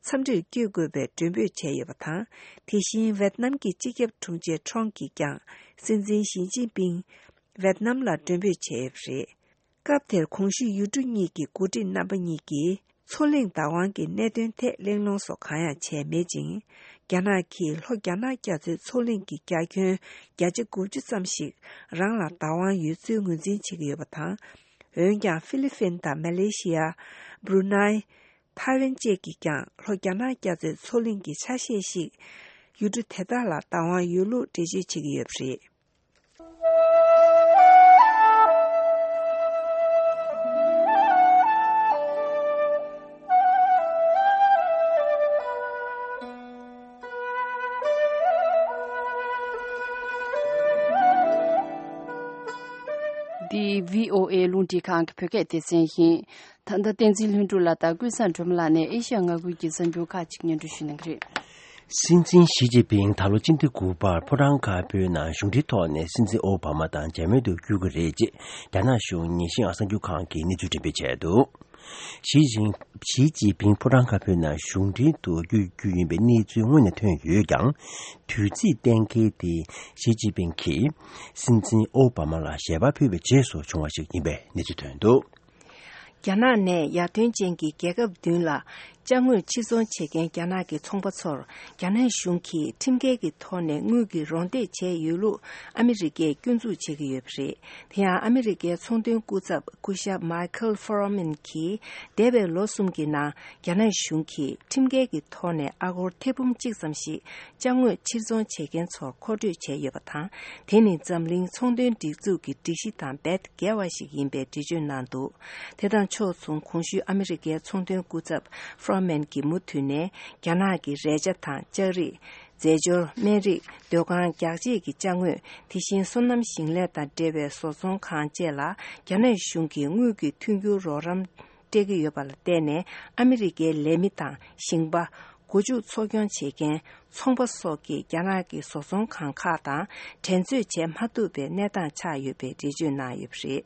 འཚམས་འདྲིར་བསྐྱོད་དགོས་པའི་མགྲོན་འབོད་བྱས་ཡོད་པ་དང་། དེ་བཞིན་ཝེད་ནམ་གྱི་སྤྱི་ཁྱབ་དྲུང་ཆེ་ཁྲོང་གིས་ཀྱང་སྲིད་འཛིན་ཞི་ཅིན་ཕིང་ཝེད་ནམ་ལ་མགྲོན་འབོད་བྱས་ཡོད་པ་རེད། སྐབས་དེར་གོང་ཞུས་ཡུལ་གྲུ་གཉིས་ཀྱི་འགོ་ཁྲིད་རྣམ་པ་གཉིས་ཀྱིས་མཚོ་གླིང་བདག་དབང་གི་གནད་དོན་ཐད་གླེང་སློང་སོགས་གང་ཡང་བྱས་མེད་ཅིང་། རྒྱ་ནག་གིས་ལྷོ་རྒྱ་ནག་རྒྱ་མཚོའི་མཚོ་གླིང་གི་རྒྱ་ཁྱོན་བརྒྱ་ཆ་དགུ་བཅུ་ཙམ་ཞིག་རང་ལ་བདག་དབང་ཡོད་ཚུལ་ངོས་འཛིན་བྱེད་ཀྱི་ཡོད་པ་དང་། འོན་ཀྱང་ཧྥི་ལི་ཕིན་དང་མ་ལེ་ཤི་ཡ། བྷུ་རུ་ནའི། ཐའེ་ཝན་བཅས་ཀྱིས་ཀྱང་ལྷོ་རྒྱ་ནག་རྒྱ་མཚོའི་མཚོ་གླིང་གི་ཆ་ཤས་ཤིག་ཡུལ་གྲུ་དེ་དག་ལ་བདག་དབང་ཡོད་ལུགས་འགྲེལ་བརྗོད་བྱེད་ཀྱི་ཡོད་པ་རེད། འདི་བྷི་ཨོ་ཨེ་རླུང་འཕྲིན་ཁང་གི་བོད་སྐད་སྡེ་ཚན་ཡིན། ད་ལྟ་བསྟན་འཛིན་ལྷུན་གྲུབ་ལགས་དང་ཀུན་བཟང་སྒྲོལ་མ་ལགས་ནས་ཨེ་ཤ་ཡ་མངའ་ཁུལ་གྱི་གསར་འགྱུར་ཁག་ཅིག་སྙན་སྒྲོན་ཞུ་གནང་གི་རེད། སྲིད་འཛིན་ཞི་ཅིན་ཕིང་ད་ལོ་སྤྱི་ཟླ་དགུ་པར་ཕོ་བྲང་དཀར་པོའི་ནང་གཞུང་འབྲེལ་ཐོག་ནས་སྲིད་འཛིན་ཨོ་བྷ་མ་དང་མཇལ་མོལ་དུ་བསྐྱོད་ཀྱི་རེད་ཅེས་རྒྱ་ནག་གཞུང་ཉིན་ཤིང་ཨ་གསར་འགྱུར་ཁང་གིས་གནས་ཚུལ་འགྲེམས་སྤེལ་བྱས་འདུག་ཞི་ཅིན་ཞི་ཅིན་ཕིང་ཕོ་བྲང་དཀར་པོའི་ནང་གཞུང་འབྲེལ་དུ་བསྐྱོད་རྒྱུ་ཡིན་པའི་གནས་ཚུལ་སྔོན་ནས་ཐོན་ཡོད་ཀྱང་། དུས་ཚིགས་གཏན་འཁེལ་དེ་ཞི་ཅིན་ཕིང་གིས་སྲིད་འཛིན་ཨོ་བྷ་མ་ལ་ཞལ་པར་ཕུལ་བའི་རྗེས་སུ་བྱུང་བ་ཞིག་ཡིན་པའི་གནས་ཚུལ་ཐོན་འདུག་རྒྱ་ནག་ནས་ཡར་ཐོན་ཅན་གྱི་རྒྱལ་ཁབ་བདུན་ལ་ ཅ་དངོས་ཕྱིར་ཚོང་བྱེད་མཁན་རྒྱ་ནག་གི་ཚོང་པ་ཚོར། རྒྱ་ནག་གཞུང་གིས་ཁྲིམས་འགལ་གྱི་ཐོག་ནས་དངུལ་གྱི་རོགས་འདེགས་བྱས་ཡོད་ལུགས་ཨ་མི་རི་ཀས་སྐྱོན་འཛུགས་བྱེད་ཀྱི་ཡོད་པ་རེད། དེ་ཡང་ཨ་མི་རི་ཀའི་ཚོང་དོན་སྐུ་ཚབ་སྐུ་ཞབས་མའི་ཁལ་ཧྥོ་རོ་མན་གྱིས། འདས་པའི་ལོ་གསུམ་གྱི་ནང་རྒྱ་ནག་གཞུང་གིས་ཁྲིམས་འགལ་གྱི་ཐོག་ནས་ཨ་སྒོར་ཐེར་འབུམ་གཅིག་ཙམ་ཞིག་ཅ་དངོས་ཕྱིར་ཚོང་བྱེད་མཁན་ཚོར་མཁོ་སྤྲོད་བྱས་ཡོད་པ་དང་། དེ་ནི་འཛམ་གླིང་ཚོང་དོན་སྒྲིག་འཛུགས་ཀྱི་སྒྲིག་གཞི་དང་རྦད་འགལ་བ་ཞིག་ཡིན་པའི་འགྲེལ་བརྗོད་གནང་འདུག་དེ་དང་ཕྱོགས་མཚུངས། གོང་ཞུས་ཨ་མི་རི་ཀའི་ཚོང་དོན་སྐུ་ཚབ་ཧྥོ་རོ་མན་གྱིས་མུ་མཐུད་ནས། རྒྱ་ནག་གི་རས་ཆ་དང་ལྕགས་རིགས། རྫས་སྦྱོར། སྨན་རིགས། སྡོད་ཁང་རྒྱག་ཆས་ཀྱི་ཅ་དངོས། དེ་བཞིན་སོ་ནམ་ཞིང་ལས་དང་འབྲེལ་བའི་བཟོ་ཚོང་ཁང་བཅས་ལ་རྒྱ་ནག་གཞུང་གིས་དངུལ་གྱི་མཐུན་འགྱུར་རོགས་རམ་སྤྲད་ཀྱི་ཡོད་པ་ལ་བརྟེན་ནས། ཨ་མི་རི་ཀའི་ལས་མི་དང་ཞིང་པ། སྒོ་ཕྱུགས་འཚོ་སྐྱོང་བྱེད་མཁན། ཚོང་པ་སོགས་ཀྱིས་རྒྱ་ནག་གི་བཟོ་ཚོང་ཁང་ཁག་དང་འགྲན་རྩོད་བྱེད་མ་ཐུབ་པའི་གནས་སྟངས་ཆགས་ཡོད་པའི་འགྲེལ་བརྗོད་གནང་ཡོད་པ་རེད།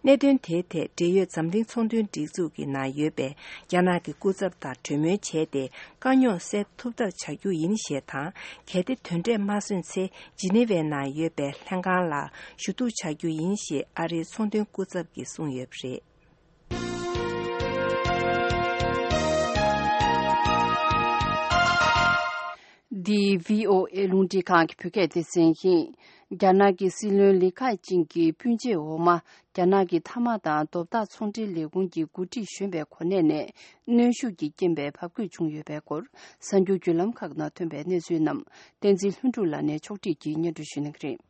གནད་དོན་དེའི་ཐད། འབྲེལ་ཡོད་འཛམ་གླིང་ཚོང་དོན་སྒྲིག་འཛུགས་ཀྱི་ནང་ཡོད་པའི་རྒྱ་ནག་གི་སྐུ་ཚབ་དང་གྲོས་མོལ་བྱས་ཏེ། དཀའ་རྙོག་སེལ་ཐུབ་ཐབས་བྱ་རྒྱུ་ཡིན་ཞེས་དང་། གལ་ཏེ་དོན་འབྲས་མ་སོན་ཚེ། ཇི་ནི་ཝའི་ནང་ཡོད་པའི་ལྷན་ཁང་ལ་ཞུ་གཏུག་བྱ་རྒྱུ་ཡིན་ཞེས་ཨ་རིའི་ཚོང་དོན་སྐུ་ཚབ་ཀྱིས་གསུངས་ཡོད་པ་རེད། འདི་བྷི་ཨོ་ཨེ་རླུང་འཕྲིན་ཁང་གི་བོད་སྐད་སྡེ་ཚན་ཡིན། རྒྱ་ནག་གི་སྲིད་བློན་ལི་ཁེ་ཆིང་གི་སྤུན་མཆེད་འོག་མ། རྒྱ་ནག་གི་མཐའ་དམག་དང་རྡོ་བརྡ་ཚོང་འབྲེལ་ལས་ཁུངས་ཀྱི་འགོ་ཁྲིད་གཞོན་པའི་གོ་གནས་ནས་གནོན་ཤུགས་ཀྱིས་རྐྱེན་པས་བབས་བསྐུལ་བྱུང་ཡོད་པའི་སྐོར། གསར་འགྱུར་བརྒྱུད་ལམ་ཁག་ནང་ཐོན་པའི་གནས་ཚུལ་རྣམས། བསྟན་འཛིན་ལྷུན་གྲུབ་ལགས་ནས་ཕྱོགས་སྒྲིག་གིས་སྙན་སྒྲོན་ཞུ་གནང་གི་རེད།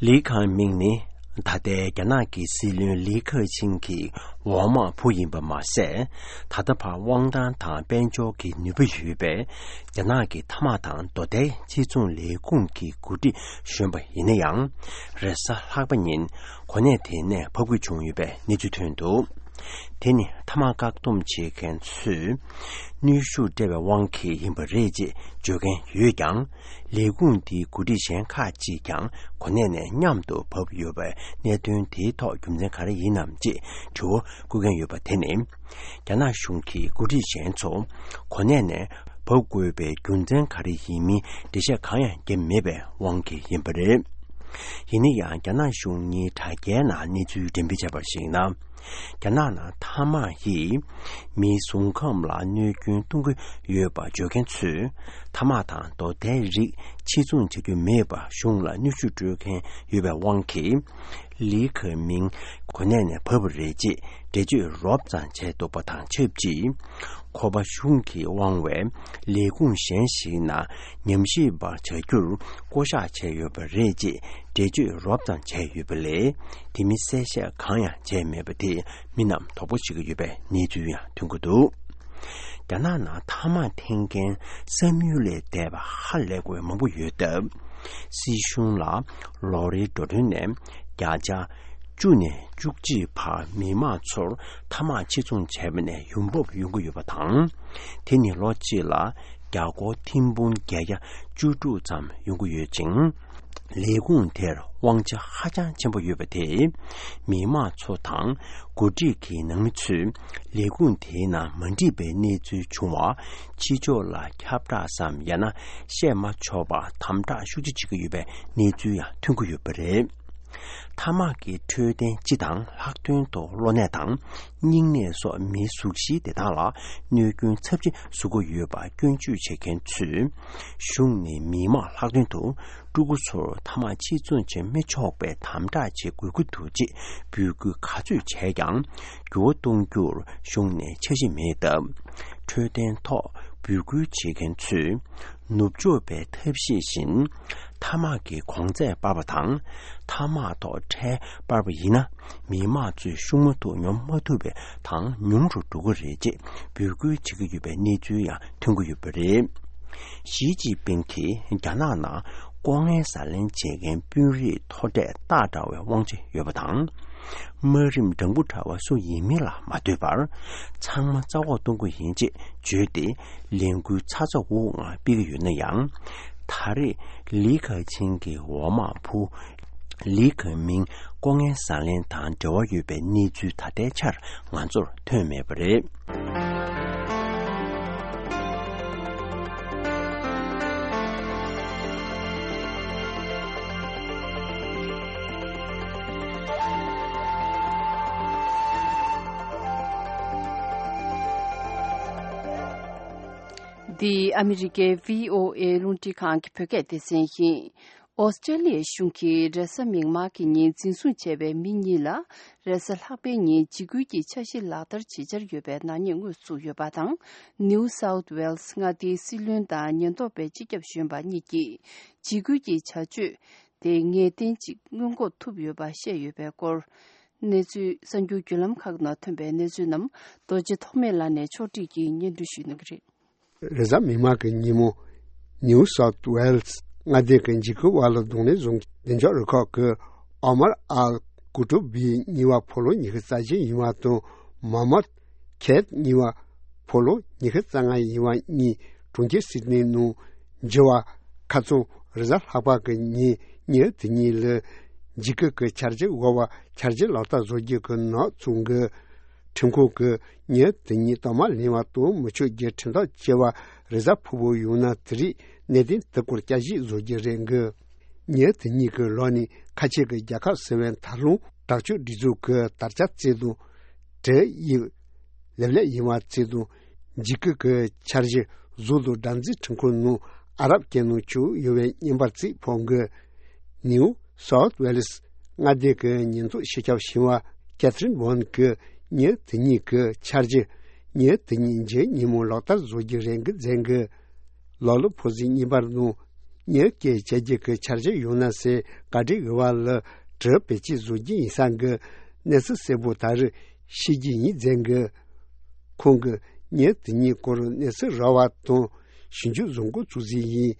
ལི་ཁེ་མིང་ནི་ད་ལྟའི་རྒྱ་ནག་གི་སྲིད་བློན་ལི་ཁེ་ཆིང་གི་འོག་མ་བུ་ཡིན་པ་མ་ཟད། ད་ལྟ་བར་དབང་ཐང་དང་དཔལ་འབྱོར་གྱི་ནུས་པ་ཡོད་པའི་རྒྱ་ནག་གི་མཐའ་དམག་དང་རྡོ་ཐའི་ཕྱིར་ཚོང་ལས་ཁུངས་ཀྱི་འགོ་ཁྲིད་གཞོན་པ་ཡིན་ན་ཡང་། རེས་གཟའ་ལྷག་པ་ཉིན་གོ་གནས་དེ་ནས་ཕབ་སྐུལ་བྱུང་ཡོད་པའི་གནས་ཚུལ་ཐོན་འདུག་དེ་ནི་མཐའ་དམག་བཀག་སྡོམ་བྱེད་མཁན་ཚོས་གནོན་ཤུགས་སྤྲད་པའི་དབང་གིས་ཡིན་པ་རེད་ཅེས་བརྗོད་མཁན་ཡོད་ཀྱང་། ལས་ཁུངས་འདིའི་འགོ་ཁྲིད་གཞན་ཁག་ཅིག་ཀྱང་གོ་གནས་ནས་མཉམ་དུ་བབས་ཡོད་པའི་གནད་དོན་དེའི་ཐོག་རྒྱུ་མཚན་ག་རེ་ཡིན་ནམ་ཅེས་དྲི་བ་བཀོད་མཁན་ཡོད་པ་དེ་ནི། རྒྱ་ནག་གཞུང་གིས་འགོ་ཁྲིད་གཞན་ཚོ་གོ་གནས་ནས་བབས་དགོས་པའི་རྒྱུ་མཚན་ག་རེ་ཡིན་མིན་འགྲེལ་བཤད་གང་ཡང་བརྒྱབ་མེད་པའི་དབང་གིས་ཡིན་པ་རེད། ཡིན་ན་ཡང་། རྒྱ་ནག་གཞུང་གཉིས་དྲ་རྒྱའི་ནང་གནས་ཚུལ་འགྲེམས་སྤེལ་བྱས་པར་གཞིགས་ན། རྒྱ་ནག་ནང་མཐའ་དམག་གིས་མིའི་གཟུགས་ཁམས་ལ་གནོད་སྐྱོན་གཏོང་གི་ཡོད་པ་བརྗོད་མཁན་ཚོས། མཐའ་དམག་དང་རྡོ་ཐའི་རིགས་ཕྱིར་ཚོང་བྱ་རྒྱུ་མེད་པར་གཞུང་ལ་གནོན་ཤུགས་སྤྲོད་མཁན་ཡོད་པའི་དབང་གིས། ལི་ཁེ་མིང་གོ་གནས་ནས་བབས་པ་རེད་ཅེས་འགྲེལ་བརྗོད་རོབ་ཙམ་བྱས་འདུག་པ་དང་ཆབས་ཅིག་ཁོ་པ་གཞུང་གིས་དབང་བའི་ལས་ཁུངས་གཞན་ཞིག་ནང་ཉམས་ཞིབ་པ་བྱ་རྒྱུར་བསྐོ་གཞག་བྱས་ཡོད་པ་རེད་ཅེས་འགྲེལ་བརྗོད་རོབ་ཙམ་བྱས་ཡོད་པ་ལས། དེ་མིན་གསལ་བཤད་གང་ཡང་བྱས་མེད་པ་དེས་མི་རྣམས་དོགས་པ་བྱེད་ཀྱི་ཡོད་པའི་གནས་ཚུལ་ཡང་ཐོན་གྱི་འདུག་རྒྱ་ནག་ནང་མཐའ་དམག་འཐེན་མཁན་བསམ་ཡུལ་ལས་འདས་པ་ཧ་ལས་པའི་མང་པོ་ཡོད་སྟབས། སྲིད་གཞུང་ལ་ལོ་རེའི་འགྲོ་གྲོན་ནས་བརྒྱ་ཆ་བཅུ་ནས་བཅུ་གཅིག་བར་མི་མང་ཚོར་མཐའ་དམག་ཕྱིར་ཚོང་བྱས་པ་ནས་ཡོང་འབབ་ཡོང་གི་ཡོད་པ་དང་། དེ་ནི་ལོ་གཅིག་ལ་རྒྱ་སྒོར་ཐེར་འབུམ་བརྒྱད་བརྒྱ་བཅུ་དྲུག་ཙམ་ཡོང་གི་ཡོད་ཅིང་། ལས་ཁུངས་དེར་དབང་ཆ་ཧ་ཅང་ཆེན་པོ་ཡོད་པ་དེས། མི་མང་ཚོ་དང་འགོ་ཁྲིད་ཀྱི་ནང་མི་ཚོས་ལས་ཁུངས་དེའི་ནང་མ་འགྲིག་པའི་གནས་ཚུལ་བྱུང་བ། ཕྱི་ཕྱོགས་ལ་ཁྱབ་བསྒྲགས་སམ་ཡང་ན་བཤད་མ་ཆོག་པར་དམ་དྲག་ཤུགས་ཆེ་བྱེད་ཀྱི་ཡོད་པའི་གནས་ཚུལ་ཡང་ཐོན་གྱི་ཡོད་པ་རེད། མཐའ་དམག་གི་འཕྲོད་བསྟེན་སྤྱི་དང་ལྷག་དོན་དུ་གློ་ནད་དང་སྙིང་ནད་སོགས་མིའི་གཟུགས་གཞིའི་བདེ་ཐང་ལ་གནོད་སྐྱོན་ཚབས་ཆེ་བཟོ་གི་ཡོད་པ་སྐྱོན་བརྗོད་བྱེད་མཁན་ཚོས། གཞུང་ནས་མི་མང་ལྷག་དོན་དུ་ཕྲུ་གུ་ཚོར་མཐའ་དམག་ཕྱིར་ཚོང་བྱེད་མི་ཆོག་པའི་དམ་དྲག་བྱེད་དགོས་ཀྱི་འདུག་ཅེས་འབོད་སྐུལ་ག་ཚོད་བྱས་ཀྱང་འགྱུར་བ་གཏོང་རྒྱུར་གཞུང་ནས་འཆར་གཞི་མེད་སྟབས། འཕྲོད་བསྟེན་ཐོག་འབོད་སྐུལ་བྱེད་མཁན་ཚོས། ནུབ་ཕྱོགས་པའི་ཐབས་ཤེས་བཞིན་མཐའ་དམག་གི་གོང་ཚད་སྤར་བ་དང་། མཐའ་དམག་ཐོག་ཁྲལ་སྤར་བ་ཡིན་ན། མི་མང་ཚོས་ཤུགས་མ་ཐུག་ཉོ་མ་ཐུབ་པའི་ཐང་ཉུང་རུ་འགྲོ་གི་རེད་ཅེས་འབོད་སྐུལ་བྱེད་ཀྱི་ཡོད་པའི་གནས་ཚུལ་ཡང་ཐོན་གྱི་ཡོད་པ་རེད། ཞི་ཅིན་ཕིང་གིས་རྒྱ་ནག་ནང་ལྐོག་རྔན་ཟ་ལེན་བྱེད་མཁན་དཔོན་རིགས་མཐོ་གྲས་སྟག་འདྲ་བའི་དབང་ཆ་ཡོད་པ་དང་། དམའ་རིམ་སྦྲང་བུ་འདྲ་བ་སུ་ཡིན་མིན་ལ་མ་ལྟོས་པར། ཚང་མ་རྩ་འོག་གཏོང་གི་ཡིན་ཅེས་བརྗོད་དེ། ལས་འགུལ་ཚ་ཚ་འུར་འུར་ངང་སྤེལ་གྱི་ཡོད་ན་ཡང་། ད་རེས་ལི་ཁེ་ཆིང་གི་འོག་མ་བུ། ལི་ཁེ་མིང་ལྐོག་རྔན་ཟ་ལེན་དང་འབྲེལ་བ་ཡོད་པའི་གནས་ཚུལ་ད་ལྟའི་ཆར་ང་ཚོར་ཐོན་མེད་པ་རེད། འདི་ཨ་མི་རི་ཀའི་བྷི་ཨོ་ཨེ་རླུང་འཕྲིན་ཁང་གི་བོད་སྐད་སྡེ་ཚན་ཡིན། ཨོ་སི་ཀྲེ་ལི་ཡའི་གཞུང་གིས་རེས་གཟའ་མིག་དམར་གྱི་ཉིན་འཛིན་བཟུང་བྱས་པའི་མི་གཉིས་ལ་རེས་གཟའ་ལྷག་པའི་ཉིན་འཇིགས་སྐུལ་གྱི་འཆར་གཞི་ལག་བསྟར་བྱེད་འཆར་ཡོད་པའི་ནག་ཉེས་དངོས་བཙུགས་ཡོད་པ་དང་། ནིའུ་སའུཐ་ཝེལ་སི་མངའ་སྡེའི་སྲིད་བློན་དང་ཉེན་རྟོག་པའི་སྤྱི་ཁྱབ་གཞོན་པ་གཉིས་ཀྱིས་འཇིགས་སྐུལ་གྱི་བྱ་སྤྱོད་དེ་ངེས་གཏན་གཅིག་སྔོན་འགོག་ཐུབ་ཡོད་པ་བཤད་ཡོད་པའི་སྐོར། གནས་ཚུལ། གསར་འགྱུར་བརྒྱུད་ལམ་ཁག་ནང་ཐོན་པའི་གནས་ཚུལ་རྣམས་རྡོ་རྗེ་ཐོགས་མེད་ལགས་ནས་ཕྱོགས་སྒྲིག་གིས་སྙན་སྒྲོན་ཞུ་གནང་གི་རེད། རེས་གཟའ་མིག་དམར་གྱི་ཉིན་མོ། ནིའུ་སའུཐ་ཝེལ་སི་མངའ་སྡེ་གི་འཇིགས་སྐུལ་བ་ལ་གདོང་ལེན་བཟུང་གི་བདེ་འཇགས་རུ་ཁག་གི་ཨོ་མར་ཨལ་ཀུ་ཀྲུ་བི་གཉིས་པ་ཕོ་ལོ་ཉི་ཤུ་རྩ་བཞི་ཡིན་པ་དང་། མོ་ཧམ་མད་ཁེད་གཉིས་པ་ཕོ་ལོ་ཉི་ཤུ་རྩ་ལྔ་ཡིན་པ་གཉིས་གྲོང་ཁྱེར་སིད་ནི་ནང་འགྱུར་བ་ཁ་ཚོན་རེས་གཟའ་ལྷག་པ་གི་ཉིན་ཉིན་དེ་ཉིན་ལ་འཇིགས་སྐུལ་གྱི་འཆར་གཞི་འོག་བ་འཆར་གཞི་ལག་བསྟར་བཟོ་རྒྱུ་གི་ནག་བཙུགས་གི། ཁྲིམས་ཁང་གིས་ཉིན་དེ་ཉིད་དུ་མ་ལེན་པ་དང་མི་ཆོག་རྒྱུ་ཁྲིམས་ཐག་བཅད་པ་རེས་གཟའ་ཕུར་བུ་ཡོང་ན་དེ་རིང་གནད་དོན་དེ་སྐོར་བསྐྱར་ཞིབ་བཟོ་རྒྱུ་རེད་འགི། ཉིན་དེ་ཉིད་ཀྱི་ལོ་ནས་ཁ་ཆེ་གི་རྒྱལ་ཁབ་ཟེར་བའི་མཐའ་ལྷུང་དྲག་སྤྱོད་སྒྲིག་འཛུགས་ཀྱི་དར་ཆ་བརྩེགས་དང་། བྲེལ་ཡིབ་ལེབ་ལེབ་ཡིན་པ་བརྩེགས་དང་། འཇིགས་སྐུལ་གྱི་འཆར་གཞི་གཟུགས་དང་སྦྲགས་འཛིན་ཁྲིམས་ཁང་ནང་ཨ་རབ་སྐད་ནང་བཅུག་ཡོད་པའི་བརྙན་པར་བརྩེགས་ཕོག་གི། ནིའུ་སའུཐ་ཝེལ་སི་མངའ་སྡེ་གི་ཉེན་རྟོག་སྤྱི་ཁྱབ་ཞིང་བ་ཀེ་ཐི་རིན་ཝོན་གྱིས་ཉིན་དེ་ཉིད་ཀྱི་འཆར་གཞི་ཉིན་དེ་ཉིད་མཇུག་ཉིན་མོ་ལག་བསྟར་བཟོ་རྒྱུ་རེད་འགི་མཚན་གི། ལོ་ལོ་ཕོ་སི་གཉིས་པར་ནང་ཉིན་སྐྱེལ་བྱེད་རྒྱུ་གི་འཆར་གཞི་ཡོད་ན་ཟེར་བཀའ་འདྲི་ཡོད་པ་ལ་གྲི་བེད་སྤྱད་བཟོ་རྒྱུ་ཡིན་ས་གི། གནས་ཚུལ་གསལ་པོ་ད་རེས་ཤེས་རྒྱུ་ཡིན་མཚན་གི། ཁོང་གིས་ཉིན་དེ་ཉིད་སྐོར་གནས་ཚུལ་རག་པ་དང་ཞིབ་འཇུག་བཟོ་འགོ་བཙུགས་ཟིན་ཡིན།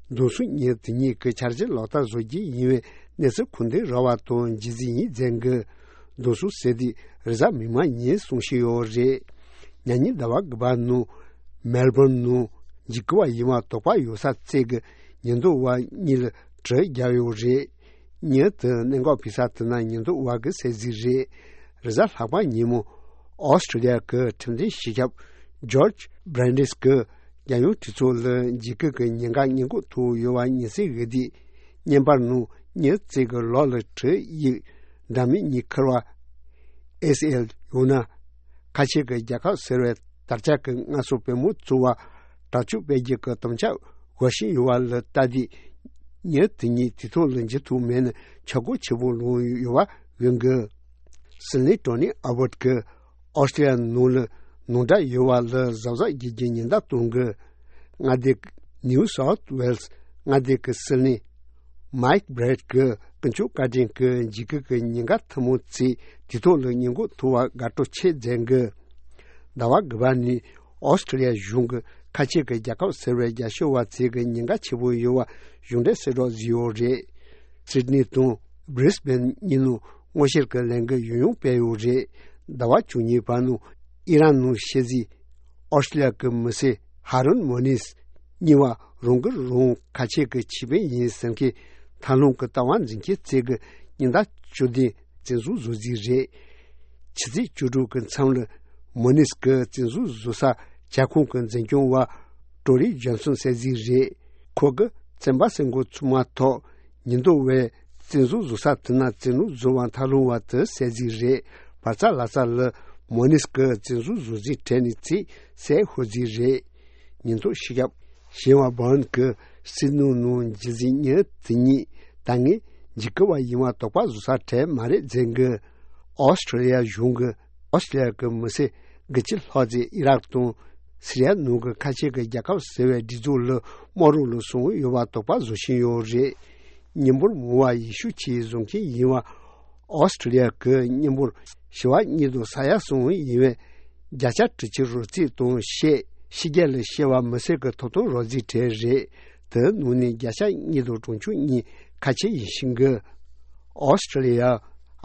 མདུན་སུམ་ཉིན་དེ་ཉིད་ཀྱི་འཆར་གཞི་ལག་བསྟར་བཟོ་རྒྱུ་ཡིན་པའི་གནས་ཚུལ་གོ་བདེ་རག་པ་དང་མཇལ་རྩིས་ཡིན་མཚན་གི། མདུན་སུམ་ཟེར་དུས་རེས་གཟའ་མིག་དམར་ཉིན་གསུང་བཞིན་ཡོད་རེད། ཉ་ཉིན་ཟླ་བ་དགུ་པ་ནང་མེལ་བོན་ནང་འཇིགས་སྐུལ་བ་ཡིན་པ་དོགས་པ་ཡོད་ས་བརྩེགས་གི་ཉེན་རྟོག་པ་གཉིས་ལ་གྲི་བརྒྱབ་ཡོད་རེད། ཉིན་དེ་གནད་འགག་ཕེབས་ས་དེ་ན་ཉེན་རྟོག་པ་གི་གསལ་གཟིགས་རེད། རེས་གཟའ་ལྷག་པ་ཉིན་མོ་ཨོ་སི་ཀྲི་ལི་ཡ་གི་ཁྲིམས་དོན་སྤྱི་ཁྱབ་ཇོརྗ་བྷི་རན་ཌིས་གི་རྒྱལ་ཡོངས་གྲོས་ཚོགས་ལ་འཇིགས་སྐུལ་གྱི་ཉེན་ཁ་སྔོན་འགོག་ཐུབ་ཡོད་པ་ཉེན་སྲིང་འོས་བསྡུའི་བརྙན་པར་ནང་ཉིན་བརྩེགས་གི་ལོགས་ལ་གྲི་ཡིག་འདྲ་མིན་གཉིས་ཁུར་བ། ཨེ་སི་ཨེལ་ཡང་ན་ཁ་ཆེ་གི་རྒྱལ་ཁབ་ཟེར་བའི་དར་ཆ་གི་སྔ་སོ་པོས་མོ་བཙུགས་པ་དྲག་སྤྱོད་སྤེལ་རྒྱུ་གི་དམ་བཅའ་འོས་ཤིང་ཡོད་པ་ལ་ལྟ་དུས། ཉིན་དེ་ཉིད་དུས་ཐོག་ལ་འཇུ་ཐུབ་མེད་ན་ཆག་སྒོ་ཆེ་པོ་ལངས་ཡོད་པ་ཡོད་འགི། སིལ་ནི་ཊོ་ནི་ཨ་བོད་ཀྱིས་ཨོ་སི་ཀྲི་ལི་ཡ་ནང་ལ་ནང་འདྲ་ཡོད་པ་ལ་གཟབ་གཟབ་བྱེད་རྒྱུ་ཉེན་བརྡ་གཏོང་གི། མངའ་སྡེ་ནིའུ་སའུཐ་ཝེལ་སི་མངའ་སྡེ་གི་སིལ་ནི་མཱིག་བྷི་རེད་ཀྱིས་ཀུན་སྤྱོད་བཀའ་དྲིན་གྱི་འཇིགས་སྐུལ་གྱི་ཉེན་ཁ་ཐུན་མོང་ཚོས་དུས་ཐོག་ལ་སྔོན་འགོག་ཐུབ་པར་དགའ་སྤྲོ་ཆེ་མཚོན་གི། ཟླ་བ་དགུ་པ་ནས་ཨོ་སི་ཀྲི་ལི་ཡ་གཞུང་གིས་ཁ་ཆེ་གི་རྒྱལ་ཁབ་ཟེར་བའི་རྒྱ་ཤོད་པ་ཚོས་ཀྱི་ཉེན་ཁ་ཆེ་པོ་ཡོད་པ་གཞུང་འབྲེལ་གསལ་བསྒྲགས་བཟོས་ཡོད་རེད། སིད་ནི་དང་བྷི་རིས་བྷེན་གཉིས་ནང་སྔོན་བཤེར་གྱི་ལས་འགུལ་ཡང་ཡང་སྤེལ་ཡོད་རེད། ཟླ་བ་བཅུ་གཉིས་པ་ནང་ཨི་རན་ནང་ཤི་རྫི་ཨོ་སི་ཀྲི་ལི་ཡ་གི་མི་སེར་ཧ་རུན་མོ་ནིས་གཉིས་པ་རང་གིས་རང་ཁ་ཆེ་གི་ཆེད་དཔོན་ཡིན་ཟེར་མཁན་ཐབས་ལམ་གྱི་ལྟ་བ་འཛིན་མཁན་ཚོས་ཀྱི་ཉིན་ཟླ་བཅུ་བདུན་བཙན་བཟུང་བཟོ་རྩིས་རེད། ཕྱི་ཚེས་བཅུ་དྲུག་གི་མཚམས་ལ་མོ་ནིས་ཀྱི་བཙན་བཟུང་བཟོ་ས་ཇ་ཁང་གི་འཛིན་སྐྱོང་བ་ཀྲོ་རི་ཇོན་སོན་གསལ་གཟིགས་རེད། ཁོ་གིས་ཚན་པ་གསན་འགོ་ཚུགས་མ་ཐག་ཉེན་རྟོག་པས་བཙན་བཟུང་བཟོ་ས་དེ་ན་བཙན་གནོན་བཟོ་བར་ཐབས་ལམ་བ་དེ་གསལ་གཟིགས་རེད། བར་ཚ་ལ་ཚ་ལ་མོ་ནིས་ཀྱི་བཙན་བཟུང་བཟོ་རྩིས་གྲས་ནས་ཚིག་གསལ་ཤོད་རྩིས་རེད། ཉེན་རྟོག་སྤྱི་ཁྱབ་ཞི་བ་བོན་གྱིས་སྲིད་ནོར་ནང་རྒྱུ་འཛིན་ཉིན་དེ་ཉིད་ད་ངས་འཇིགས་སྐུལ་བ་ཡིན་པ་དོགས་པ་བཟོ་ས་གྲས་མ་རེད་མཚན་གྱི། ཨོ་སི་ཀྲི་ལི་ཡ་གཞུང་གིས་ཨོ་སི་ཀྲི་ལི་ཡ་གི་མི་སེར་དགུ་བཅུ་ལྷག་ཙམ་ཨི་རག་དང་སི་རི་ཡ་ནང་གི་ཁ་ཆེ་གི་རྒྱལ་ཁབ་ཟེར་བའི་སྒྲིག་འཛུགས་ལ་དམག་རོགས་ལ་སོང་ཡོད་པ་དོགས་པ་བཟོ་བཞིན་ཡོད་རེད། མི་འབོར་མང་བ་ཡེ་ཤུ་ཆོས་བཟུང་མཁན་ཡིན་པ། ཨོ་སི་ཀྲི་ལི་ཡ་གི་མི་འབོར་བྱེ་བ་གཉིས་དང་ས་ཡ་གསུམ་ཡིན་པའི་བརྒྱ་ཆ་དྲུག་ཅུ་རོགས་རྩིས་དང་བཤད་ཕྱི་རྒྱལ་ལ་སྐྱེས་པ་མི་སེར་གྱི་ཐོབ་ཐང་རོགས་རྩིས་གྲས་རེད། དེའི་ནང་ནས་བརྒྱ་ཆ་གཉིས་དང་གྲངས་ཆུང་གཉིས་ཁ་ཆེ་ཡིན་ཞིང་གི། ཨོ་སི་ཀྲི་ལི་ཡ་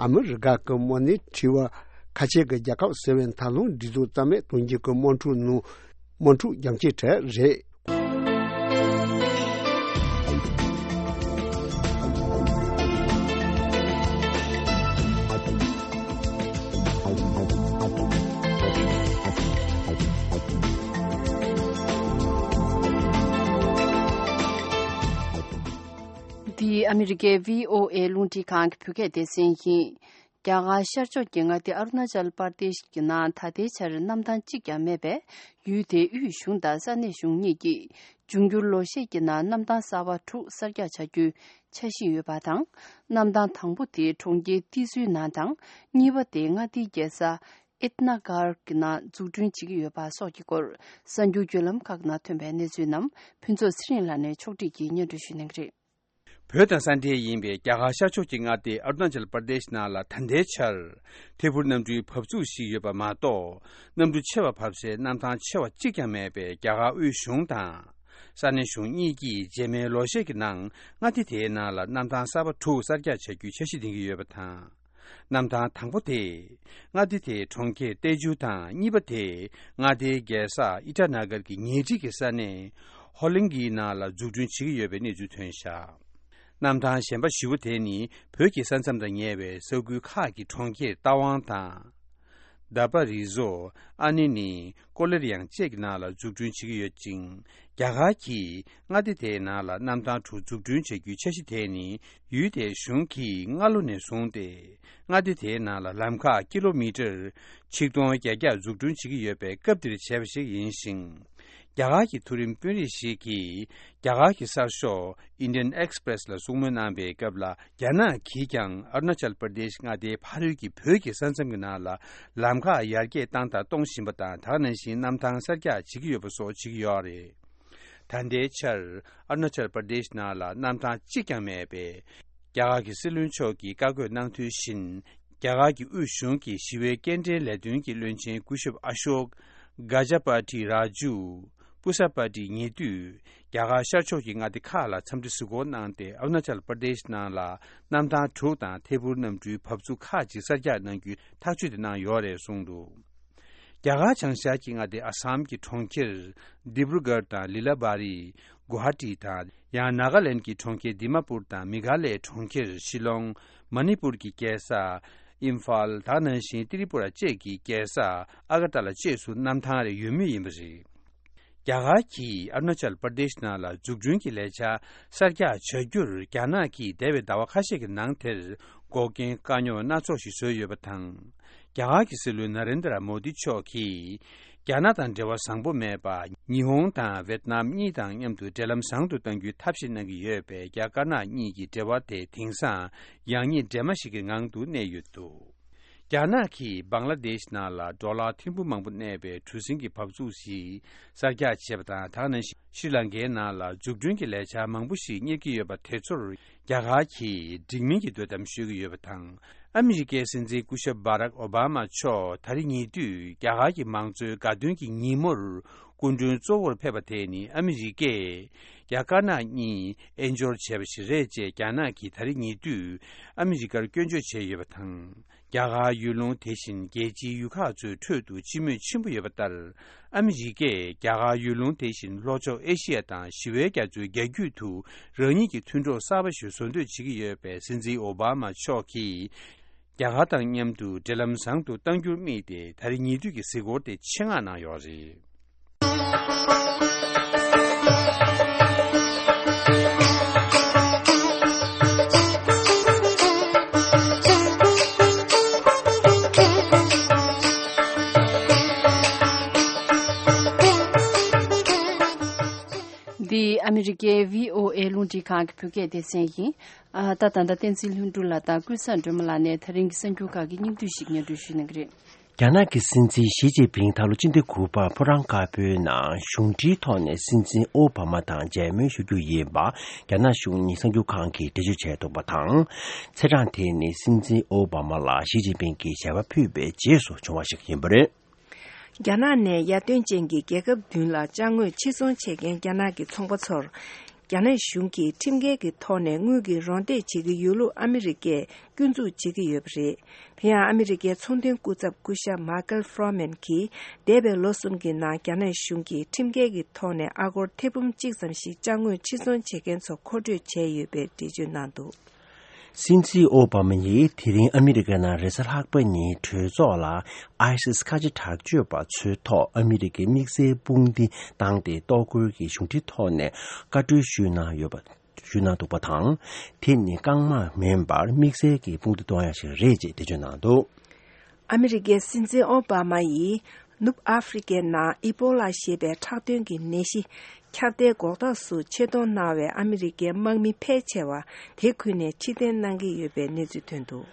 ཨ་མི་རི་ཀ་གི་དམག་མིས་ཁྲིད་པ་ཁ་ཆེ་གི་རྒྱལ་ཁབ་ཟེར་བའི་མཐའ་ལྷུང་སྒྲིག་འཛུགས་རྩ་མེད་གཏོང་རྒྱུ་གི་དམག་འཁྲུག་ནང་དམག་འཁྲུག་རྒྱ་མཚོའི་གྲས་རེད། འདི་ཨ་མི་རི་ཀའི་བྷི་ཨོ་ཨེ་རླུང་འཕྲིན་ཁང་གི་བོད་སྐད་སྡེ་ཚན་ཡིན། རྒྱ་གར་ཤར་ཕྱོགས་ཀྱི་མངའ་སྡེ་ཨ་རུ་ན་ཅལ་པར་དེཤ་གི་ནང་ད་ལྟའི་ཆར་གནམ་ཐང་གཅིག་ཀྱང་མེད་པས། ཡུལ་དེའི་དབུས་གཞུང་དང་ས་གནས་གཞུང་གཉིས་ཀྱིས་འབྱུང་འགྱུར་ལོ་ཤས་ཀྱི་ནང་གནམ་ཐང་གསར་པ་དྲུག་གསར་རྒྱག་བྱ་རྒྱུའི་འཆར་གཞི་ཡོད་པ་དང་། གནམ་ཐང་དང་པོ་དེ་གྲོང་ཁྱེར་ཏི་སུའི་ནང་དང་། གཉིས་པ་དེ་མངའ་སྡེའི་རྒྱལ་ས་ཨིཏ་ན་གྷར་གྱི་ནང་འཛུགས་སྐྲུན་བྱེད་ཀྱི་ཡོད་པ་སོགས་ཀྱི་སྐོར། གསར་འགྱུར་བརྒྱུད་ལམ་ཁག་ནང་ཐོན་པའི་གནས་ཚུལ་རྣམས་ཕུན་ཚོགས་ཚེ་རིང་ལགས་ནས་ཕྱོགས་སྒྲིག་གིས་སྙན་སྒྲོན་ཞུ་གནང་གི་རེད། བོད་དང་ས་མཐའ་ཡིན་པའི་རྒྱ་གར་ཤར་ཕྱོགས་ཀྱི་མངའ་སྡེ་ཨ་རུ་ན་ཅལ་པར་དེཤ་ནང་ལ་ད་ལྟའི་ཆར་ཐད་འཕུར་གནམ་གྲུའི་བབས་ཚུགས་ཤིག་ཡོད་པ་མ་གཏོགས། གནམ་གྲུ་ཆེ་བ་བབས་སའི་གནམ་ཐང་ཆེ་བ་གཅིག་ཀྱང་མེད་པས། རྒྱ་གར་དབུས་གཞུང་དང་ས་གནས་གཞུང་གཉིས་ཀྱིས་རྗེས་མའི་ལོ་ཤས་ཀྱི་ནང་མངའ་སྡེ་དེའི་ནང་ལ་གནམ་ཐང་གསར་པ་དྲུག་གསར་རྒྱག་བྱ་རྒྱུའི་འཆར་གཞི་འདིང་གི་ཡོད་པ་དང་། གནམ་ཐང་དང་པོ་དེ་མངའ་སྡེ་དེའི་གྲོང་ཁྱེར་ཏེ་ཇུ་དང་། གཉིས་པ་དེ་མངའ་སྡེའི་རྒྱལ་ས་ཨི་ཊ་ན་གར་གྱི་ཉེ་འཁྲིས་ཀྱི་ས་གནས་ཧོ་ལིང་གིའི་ནང་ལ་འཛུགས་སྐྲུན་བྱེད་ཀྱི་ཡོད་པའི་གནས་ཚུལ་ཐོན་བཞག་གནམ་ཐང་གཞན་པ་བཞི་པོ་དེ་ནི་བོད་ཀྱི་ས་མཚམས་དང་ཉེ་བའི་ས་ཁུལ་ཁག་གི་གྲོང་ཁྱེར་རྟ་དབང་དང་། དཱ་པ་རི་ཟོ། ཨ་ནི་ནི་ཀོ་ལེར་ཡང་བཅས་ཀྱི་ནང་ལ་འཛུགས་སྐྲུན་བྱེད་ཀྱི་ཡོད་ཅིང་། རྒྱ་གར་གྱིས་མངའ་སྡེ་དེའི་ནང་ལ་གནམ་ཐང་དྲུག་འཛུགས་སྐྲུན་བྱེད་རྒྱུའི་འཆར་གཞི་དེ་ནི་ཡུལ་དེའི་གཞུང་གིས་སྔ་ལོ་ནས་བཟུང་སྟེ། མངའ་སྡེ་དེའི་ནང་ལ་ལམ་ཁ་ཀི་ལོ་མི་ཊར་ཆིག་སྟོང་བརྒྱད་བརྒྱ་འཛུགས་སྐྲུན་བྱེད་ཀྱི་ཡོད་པའི་སྐབས་འདིར་བྱས་པ་ཞིག་ཡིན་ཞིང་། རྒྱ་གར་གྱི་མཐོ་རིམ་དཔོན་རིགས་ཤིག་གིས་རྒྱ་གར་གྱི་གསར་ཤོག་Indian Express ལ་གསུང་མོལ་གནང་བའི་སྐབས་ལ། རྒྱ་ནག་གིས་ཀྱང་ཨ་རུ་ན་ཅལ་པར་དེཤ་མངའ་སྡེའི་ཕ་རོལ་གྱི་བོད་ཀྱི་ས་མཚམས་ཀྱི་ནང་ལ་ལམ་ཁ་ཡར་རྒྱས་བཏང་དང་གཏོང་བཞིན་པ་དང་། ད་ག་ནང་བཞིན་གནམ་ཐང་གསར་རྒྱག་བྱེད་ཀྱི་ཡོད་པ་སོགས་བྱེད་ཀྱི་ཡོད་རེད། ད་ལྟའི་ཆར་ཨ་རུ་ན་ཅལ་པར་དེཤ་ནང་ལ་གནམ་ཐང་གཅིག་ཀྱང་མེད་པས། རྒྱ་གར་གྱི་སྲིད་བློན་མཆོག་གིས་བཀའ་བཀོད་གནང་དོན་བཞིན། རྒྱ་གར་གྱི་དབུས་གཞུང་གི་ཞི་བའི་སྐྱེལ་འདྲེན་ལས་དོན་གྱི་བློན་ཆེན་སྐུ་ཞབས་ཨ་ཤོག་ག་ཇ་པ་ཏི་རཱ་ཇུ། པུ་ས་པ་ཏི་ཉེ་དུས་རྒྱ་གར་ཤར་ཕྱོགས་ཀྱི་མངའ་སྡེ་ཁག་ལ་འཚམས་འདྲི་གཟིགས་སྐོར་གནང་སྟེ། ཨ་རུ་ན་ཅལ་པར་དེཤ་ནང་ལ་གནམ་ཐང་དྲུག་དང་ཐད་འཕུར་གནམ་གྲུའི་བབས་ཚུགས་ཁག་ཅིག་གསར་རྒྱག་གནང་རྒྱུའི་ཐག་གཅོད་དེ་གནང་ཡོད་རེད་གསུངས་འདུག་རྒྱ་གར་བྱང་ཤར་གྱི་མངའ་སྡེ་ཨ་སམ་གྱི་གྲོང་ཁྱེར་ལྡི་པུར་གྷར་དང་ལི་ལ་བ་རི། གུ་ཧ་ཏི་དང་། ཡང་ནཱ་ག་ལེན་གྱི་གྲོང་ཁྱེར་དི་མ་པུར་དང་། མེ་གྷ་ལའི་གྲོང་ཁྱེར་ཤི་ལོང་། མ་ནི་པུར་གྱི་རྒྱལ་ས་ཨིམ་ཕཱལ། ད་ག་ནང་བཞིན་ཏི་རི་པུ་ར་བཅས་ཀྱི་རྒྱལ་ས་ཨ་ག་ཏཱ་ལ་བཅས་སུ་གནམ་ཐང་རེ་ཡོད་མུས་ཡིན་པ་རེད། རྒྱ་གར་གྱིས་ཨ་རུ་ན་ཅལ་པར་དེཤ་ནང་ལ་འཛུགས་སྐྲུན་གྱི་ལས་འཆར་གསར་རྒྱག་བྱ་རྒྱུར་རྒྱ་ནག་གིས་འདས་པའི་ཟླ་བ་ཁ་ཤས་ཀྱི་ནང་དེར་འགོག་རྐྱེན་དཀའ་རྙོག་སྣ་ཚོགས་ཤིག་བཟོས་ཡོད་པ་དང་། རྒྱ་གར་གྱི་སྲིད་བློན་ན་རེན་དྲ་མོ་དི་མཆོག་གིས་རྒྱ་ནག་དང་འབྲེལ་བ་བཟང་པོ་མེད་པར། ཉི་ཧོང་དང་ཝེད་ནམ་གཉིས་དང་མཉམ་དུ་འབྲེལ་ལམ་བཟང་དུ་གཏང་རྒྱུའི་ཐབས་ཤེས་གནང་གི་ཡོད་པས། རྒྱ་དཀར་ནག་གཉིས་ཀྱི་འབྲེལ་བ་དེ་དེང་སང་ཡང་ཉིད་འདྲེས་མ་ཞིག་གི་ངང་དུ་གནས་ཡོད་འདུག་རྒྱ་ནག་གིས་བང་ལ་དེཤ་ནང་ལ་ཌོ་ལར་ཐེར་འབུམ་མང་པོ་གནས་པའི་གྲུ་གཟིངས་ཀྱི་བབས་ཚུགས་ཤིག་གསར་རྒྱག་བྱས་པ་དང་། ད་ག་ནང་བཞིན་ཤྲི་ལང་ཀའི་ནང་ལ་འཛུགས་སྐྲུན་གྱི་ལས་འཆར་མང་པོ་ཞིག་གཉེར་གྱི་ཡོད་པ་དེ་ཚོར་རྒྱ་གར་གྱིས་འགྲིག་མིན་གྱི་དོ་དམ་ཞུ་གི་ཡོད་པ་དང་། ཨ་མི་རི་ཀའི་སྲིད་འཛིན་སྐུ་ཞབས་བྷ་རག་ཨོ་བྷ་མ་མཆོག་ད་རེས་ཉེ་དུས་རྒྱ་གར་གྱི་མང་གཙོའི་དགའ་སྟོན་གྱི་ཉིན་མོར་སྐུ་མགྲོན་གཙོ་བོར་ཕེབས་པ་དེ་ནི། ཨ་མི་རི་ཀས་རྒྱ་དཀར་ནག་གཉིས་དབྱེན་སྦྱོར་བྱས་པ་ཞིག་རེད་ཅེས་རྒྱ་ནག་གིས་ད་རེས་ཉེ་དུས་ཨ་མི་རི་ཀར་སྐྱོན་བརྗོད་བྱས་ཡོད་པ་དང་། རྒྱ་གར་ཡུལ་ལུང་དེ་བཞིན་རྒྱལ་སྤྱིའི་ཡུལ་ཁག་ཚོའི་ཁྲོད་དུ་སྤྱི་མོས་ཆེན་པོ་ཡོད་པ་ལྟར། ཨ་མི་རི་ཀས་རྒྱ་གར་ཡུལ་ལུང་དེ་བཞིན་ལྷོ་ཕྱོགས་ཨེ་ཤི་ཡ་དང་ཞི་བའི་རྒྱ་མཚོའི་རྒྱ་རྒྱུད་དུ་རང་ཉིད་ཀྱི་མཐུན་གྲོགས་གསར་པ་ཞིག་བཟོ་འདོད་བྱེད་ཀྱི་ཡོད་པས། སྲིད་འཛིན་ཨོ་བྷ་མ་མཆོག་གིས་རྒྱ་གར་དང་མཉམ་དུ་འབྲེལ་ལམ་བཟང་དུ་གཏང་རྒྱུར་དམིགས་ཏེ། ད་རེས་ཉེ་དུས་ཀྱི་གཟིགས་སྐོར་དེ་ཆེད་མངགས་གནང་ཡོད་རེད། འདི་ཨ་མི་རི་ཀའི་བྷི་ཨོ་ཨེ་རླུང་འཕྲིན་ཁང་གི་བོད་སྐད་སྡེ་ཚན་ཡིན། ཨ། ད་ད་ལྟ་བསྟན་འཛིན་ལྷུན་གྲུབ་ལགས་དང་ཀུན་བཟང་སྒྲོལ་མ་ལགས་ནས་ད་རིང་གི་གསར་འགྱུར་ཁག་གི་སྙིང་བསྡུས་ཤིག་སྙན་སྒྲོན་ཞུ་གནང་གི་རེད། རྒྱ་ནག་གི་སྲིད་འཛིན་ཞི་ཅིན་ཕིང་ད་ལོ་སྤྱི་ཟླ་དགུ་པར་ཕོ་བྲང་དཀར་པོའི་ནང་གཞུང་འབྲེལ་ཐོག་ནས་སྲིད་འཛིན་ཨོ་བྷ་མ་དང་མཇལ་མོལ་ཞུ་རྒྱུ་ཡིན་པ་རྒྱ་ནག་གཞུང་ནས་གསར་འགྱུར་ཁང་གིས་འགྲེལ་བརྗོད་བྱས་འདུག་པ་དང་། ཚེས་གྲངས་དེ་ནི་སྲིད་འཛིན་ཨོ་བྷ་མ་ལ་ཞི་ཅིན་ཕིང་གིས་ཞལ་པར་ཕུལ་བའི་རྗེས་སུ་བྱུང་བ་ཞིག་ཡིན་པ་རེད། རྒྱ་ནག་ནས་ཡར་ཐོན་ཅན་གྱི་རྒྱལ་ཁབ་བདུན་ལ་ཅ་དངོས་ཕྱིར་ཚོང་བྱེད་མཁན་རྒྱ་ནག་གི་ཚོང་པ་ཚོར། རྒྱ་ནག་གཞུང་གིས་ཁྲིམས་འགལ་གྱི་ཐོག་ནས་དངུལ་གྱི་རོགས་འདེགས་བྱེད་ཀྱི་ཡོད་ལུགས་ཨ་མི་རི་ཀས་སྐྱོན་འཛུགས་བྱེད་ཀྱི་ཡོད་པ་རེད། དེ་ཡང་ཨ་མི་རི་ཀའི་ཚོང་དོན་སྐུ་ཚབ་སྐུ་ཞབས་མཱ་ཀལ་ཧྥོ་རོ་མན་གྱིས་འདས་པའི་ལོ་གསུམ་གྱི་ནང་རྒྱ་ནག་གཞུང་གིས་ཁྲིམས་འགལ་གྱི་ཐོག་ནས་ཨ་སྒོར་ཐེར་འབུམ་གཅིག་ཙམ་ཞིག་ཅ་དངོས་ཕྱིར་ཚོང་བྱེད་མཁན་ཚོ་མཁོ་སྤྲོད་བྱས་ཡོད་པའི་འགྲེལ་བརྗོད་གནང་འདུག། སྲིད་འཛིན་ཨོ་བྷ་མ་ཡིས་དེ་རིང་ཨ་མི་རི་ཀའི་ནང་རེས་གཟའ་ལྷག་པ་ཉིན་གྲོས་ཚོགས་ལ་ཨའི་སིས་ཁ་ཆེ་དྲག་སྤྱོད་པ་ཚོའི་ཐོག་ཨ་མི་རི་ཀའི་དམིགས་བསལ་དཔུང་སྡེ་བཏང་སྟེ་གཏོར་རྒོལ་གྱི་གཞུང་འབྲེལ་ཐོག་ནས་བཀའ་འཁྲོལ་ཞུས་གནང་ཡོད་པ། ཞུས་གནང་འདུག་པ་དང་། དེ་ནི་རྐང་དམག་མིན་པར་དམིགས་བསལ་གྱི་དཔུང་སྡེ་གཏོང་ཡ་ཞིག་རེད་ཅེས་འགྲེལ་བརྗོད་གནང་འདུག། ཨ་མི་རི་ཀའི་སྲིད་འཛིན་ཨོ་བྷ་མ་ཡིས་ནུབ་ཨ་ཧྥེ་རི་ཀའི་ནང་ཨི་པོ་ལ་ཞེས་པའི་ཁྲག་དོན་གྱི་ནད་གཞི་ཁྱབ་གདལ་འགོག་ཐབས་སུ་ཆེད་གཏོང་གནང་བའི་ཨ་མི་རི་ཀའི་དམག་མི་ཕལ་ཆེ་བ་དེ་ཁུལ་ནས་ཕྱིར་འཐེན་གནང་གི་ཡོད་པའི་གནས་ཚུལ་ཐོན་འདུག།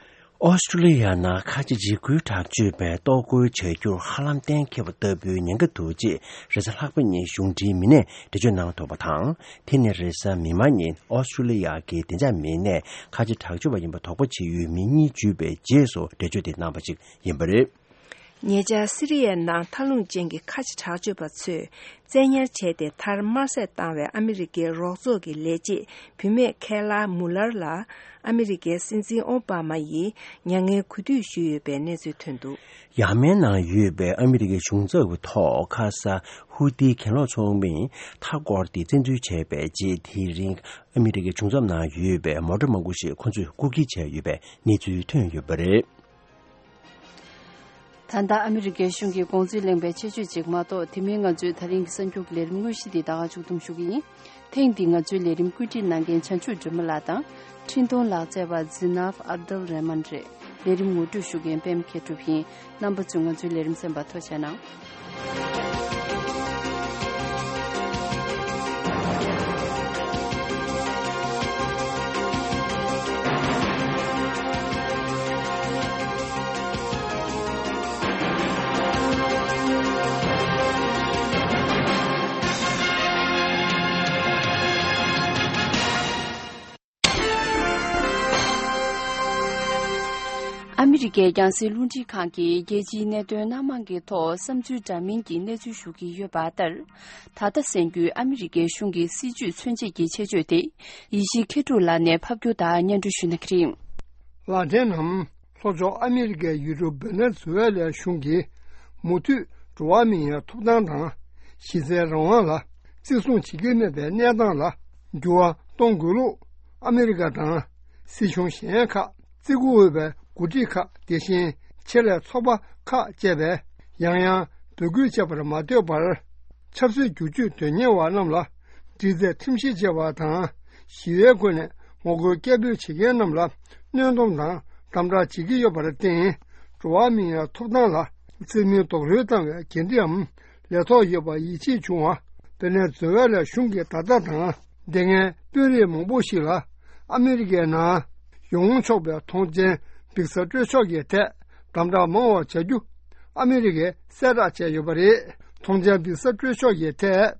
ཨོ་སི་ཀྲུ་ལི་ཡ་ནང་ཁ་ཆེ་འཇིགས་སྐུལ་དྲག་སྤྱོད་པས་གཏོར་རྒོལ་བྱ་རྒྱུར་ཧ་ལམ་གཏན་འཁེལ་བ་ལྟ་བུའི་ཉེན་ཁ་འདུག་ཅེས་རེས་གཟའ་ལྷག་པ་ཉིན་གཞུང་འབྲེལ་མི་སྣས་འགྲེལ་བརྗོད་གནང་འདུག་པ་དང་། དེ་ནི་རེས་གཟའ་མིག་དམར་ཉིན་ཨོ་སི་ཀྲུ་ལི་ཡ་གི་བདེ་འཇགས་མི་སྣས་ཁ་ཆེ་དྲག་སྤྱོད་པ་ཡིན་པ་དོགས་པ་བྱེད་ཡུལ་མི་གཉིས་འཇུས་པའི་རྗེས་སུ་འགྲེལ་བརྗོད་དེ་གནང་བ་ཞིག་ཡིན་པ་རེད། ཉེ་ཆར་སི་རི་ཡའི་ནང་མཐའ་ལྷུང་ཅན་གྱི་ཁ་ཆེ་དྲག་སྤྱོད་པ་ཚོས་བཙན་ཉར་བྱས་ཏེ་མཐར་དམར་གསོད་བཏང་བའི་ཨ་མི་རི་ཀའི་རོགས་ཚོགས་ཀྱི་ལས་བྱེད་བུད་མེད་ཁེ་ལ་མུ་ལར་ལ་ཨ་མི་རི་ཀའི་སྲིད་འཛིན་ཨོ་བྷ་མ་ཡིས་མྱ་ངན་གུས་འདུད་ཞུས་ཡོད་པའི་གནས་ཚུལ་ཐོན་འདུག། ཡ་མེན་ནང་ཡོད་པའི་ཨ་མི་རི་ཀའི་གཞུང་ཚབ་ཀྱི་ཐོག་ཁ་ས་ཧུ་ཏི་གྱེན་ལོག་ཚོགས་མིས་མཐའ་བསྐོར་ཏེ་བཙན་འཛུལ་བྱས་པའི་རྗེས། དེ་རིང་ཨ་མི་རི་ཀའི་གཞུང་ཚབ་ནང་ཡོད་པའི་མོ་ཊ་མང་པོ་ཞིག་ཁོ་ཚོས་རྐུ་འཁྱེར་བྱས་ཡོད་པའི་གནས་ཚུལ་ཐོན་ཡོད་པ་རེད། ད་ལྟ་ཨ་མི་རི་ཀའི་གཞུང་གི་དགོངས་ཚུལ་གླེང་བའི་ཆེད་བརྗོད་ཅིག་མ་གཏོགས། དེ་མིན་ང་ཚོའི་ད་རིང་གི་གསར་འགྱུར་གྱི་ལས་རིམ་དངོས་གཞི་འདི་ད་ག་མཇུག་བསྡོམས་ཞུ་གི་ཡིན། ཐེངས་འདིའི་ང་ཚོའི་ལས་རིམ་བཀོད་སྒྲིག་གནང་མཁན་བྱང་ཆུབ་སྒྲོལ་མ་ལགས་དང་འཕྲིན་གཏོང་ལག་རྩལ་བ་ཛི་ནཱབ་ཨབ་དུལ་རེ་མན་རེད། ལས་རིམ་ངོ་སྤྲོད་ཞུ་མཁན་པད་མ་མཁས་གྲུབ་ཡིན། རྣམ་པ་ཚོས་ང་ཚོའི་ལས་རིམ་གསན་པར་ཐུགས་རྗེ་གནང་། ཨ་མི་རི་ཀའི་རྒྱང་སྲིང་རླུང་འཕྲིན་ཁང་གིས་རྒྱལ་སྤྱིའི་གནད་དོན་སྣ་མང་གི་ཐོག་བསམ་ཚུལ་འདྲ་མིན་གྱི་གནས་ཚུལ་ཞུ་གི་ཡོད་པ་ལྟར། ད་ལྟ་གསན་རྒྱུའི་ཨ་མི་རི་ཀའི་གཞུང་གི་སྲིད་བྱུས་མཚོན་བྱེད་ཀྱི་ཆེད་བརྗོད་དེ་ཡེ་ཤེས་མཁས་གྲུབ་ལགས་ནས་ཕབ་སྒྱུར་དང་སྙན་སྒྲོན་ཞུ་གནང་གི་རེད། ལག་འཕྲིན་ནམ། ལྷོ་ཕྱོགས་ཨ་མི་རི་ཀའི་ཡུལ་གྲུ་ཝེ་ནེ་ཛུ་ཝེ་ལའི་གཞུང་གིས་མུ་མཐུད་འགྲོ་བ་མིའི་ཐོབ་ཐང་དང་གཞི་རྩའི་རང་དབང་ལ་བརྩི་སྲུང་བྱེད་ཀྱི་མེད་པའི་གནས་སྟངས་ལ་འགྱུར་བ་གཏོང་དགོས་ལུགས། ཨ་མི་རི་ཀ་དང་སྲིད་གཞུང་གཞན་ཁག་བརྩི་བཀུར་འོས་པའི་འགོ་ཁྲིད་ཁག་དེ་བཞིན་ཆེད་ལས་ཚོགས་པ་ཁག་བཅས་པས་ཡང་ཡང་འབོད་སྐུལ་བྱས་པར་མ་ལྟོས་པར། ཆབ་སྲིད་བསྒྱུར་བཅོས་དོན་གཉེར་བ་རྣམས་ལ་འདྲི་རྩད་ཁྲིམས་བཤེར་བྱས་པ་དང་། ཞི་བའི་སྒོ་ནས་ངོ་རྒོལ་སྐད་འབོད་བྱེད་མཁན་རྣམས་ལ་གནོན་སྡོམ་དང་དམ་དྲག་བྱེད་ཀྱི་ཡོད་པར་བརྟེན། འགྲོ་བ་མིའི་ཐོབ་ཐང་ལ་བརྩི་མེད་རྡོག་རོལ་བཏང་བའི་འགན་འཁྲི་འམ་ལས་ཐོག་ཡོད་པ་ཡིད་ཆེས་བྱུང་བ། ཝེ་ནེ་ཛུ་ཝེ་ལའི་གཞུང་གིས་ད་ལྟ་དང་། དེ་སྔའི་དཔོན་རིགས་མང་པོ་ཞིག་ལ་ཨ་མི་རི་ཀའི་ནང་ཡོང་ཆོག་པའི་ཐོངས་མཆན་འབིགས་ས་སྤྲོད་ཕྱོགས་ཀྱི་ཐད་དམ་དྲག་མང་བ་བྱ་རྒྱུ་ཨ་མི་རི་ཀས་གསལ་བསྒྲགས་བྱས་ཡོད་པ་རེད། ཐོངས་མཆན་འབིགས་ས་སྤྲོད་ཕྱོགས་ཀྱི་ཐད་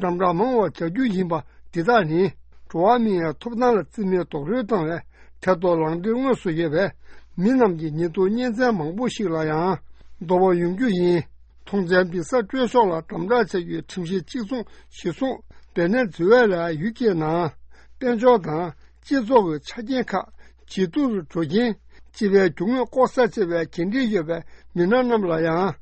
དམ་དྲག་མང་བ་བྱ་རྒྱུ་ཡིན་པ་འདི་དག་ནི་འགྲོ་བ་མིའི་ཐོབ་ཐང་ལ་བརྩི་མེད་རྡོག་རོལ་བཏང་བའི་ཐད་གཏོགས་ལངས་སྟེ་དངོས་སུ་ཡོད་པའི་མི་རྣམས་ཀྱི་ཉེས་རྡུང་གཉེན་ཚན་མང་པོ་ཞིག་ལ་ཡང་གདོང་པ་ཡོང་རྒྱུ་ཡིན། ཐོངས་མཆན་འབིགས་ས་སྤྲོད་ཕྱོགས་ལ་དམ་དྲག་བྱ་རྒྱུའི་ཁྲིམས་གཞི་གཅིག་མཚུངས་གཞིར་བཟུང་ཝེ་ནེ་ཛུ་ཝེ་ལ་ཡུལ་གྱི་ནང་དཔལ་འབྱོར་དང་སྤྱི་ཚོགས་ཀྱི་ཆ་རྐྱེན་ཁག་ཇེ་སྡུག་ཏུ་འགྲོ་རྐྱེན། སྤྱི་པའི་རྒྱུ་དངོས་ལྐོག་ཟ་བྱེད་པའི་འགན་འཁྲི་ཡོད་པའི་མི་སྣ་རྣམས་ལ་ཡང་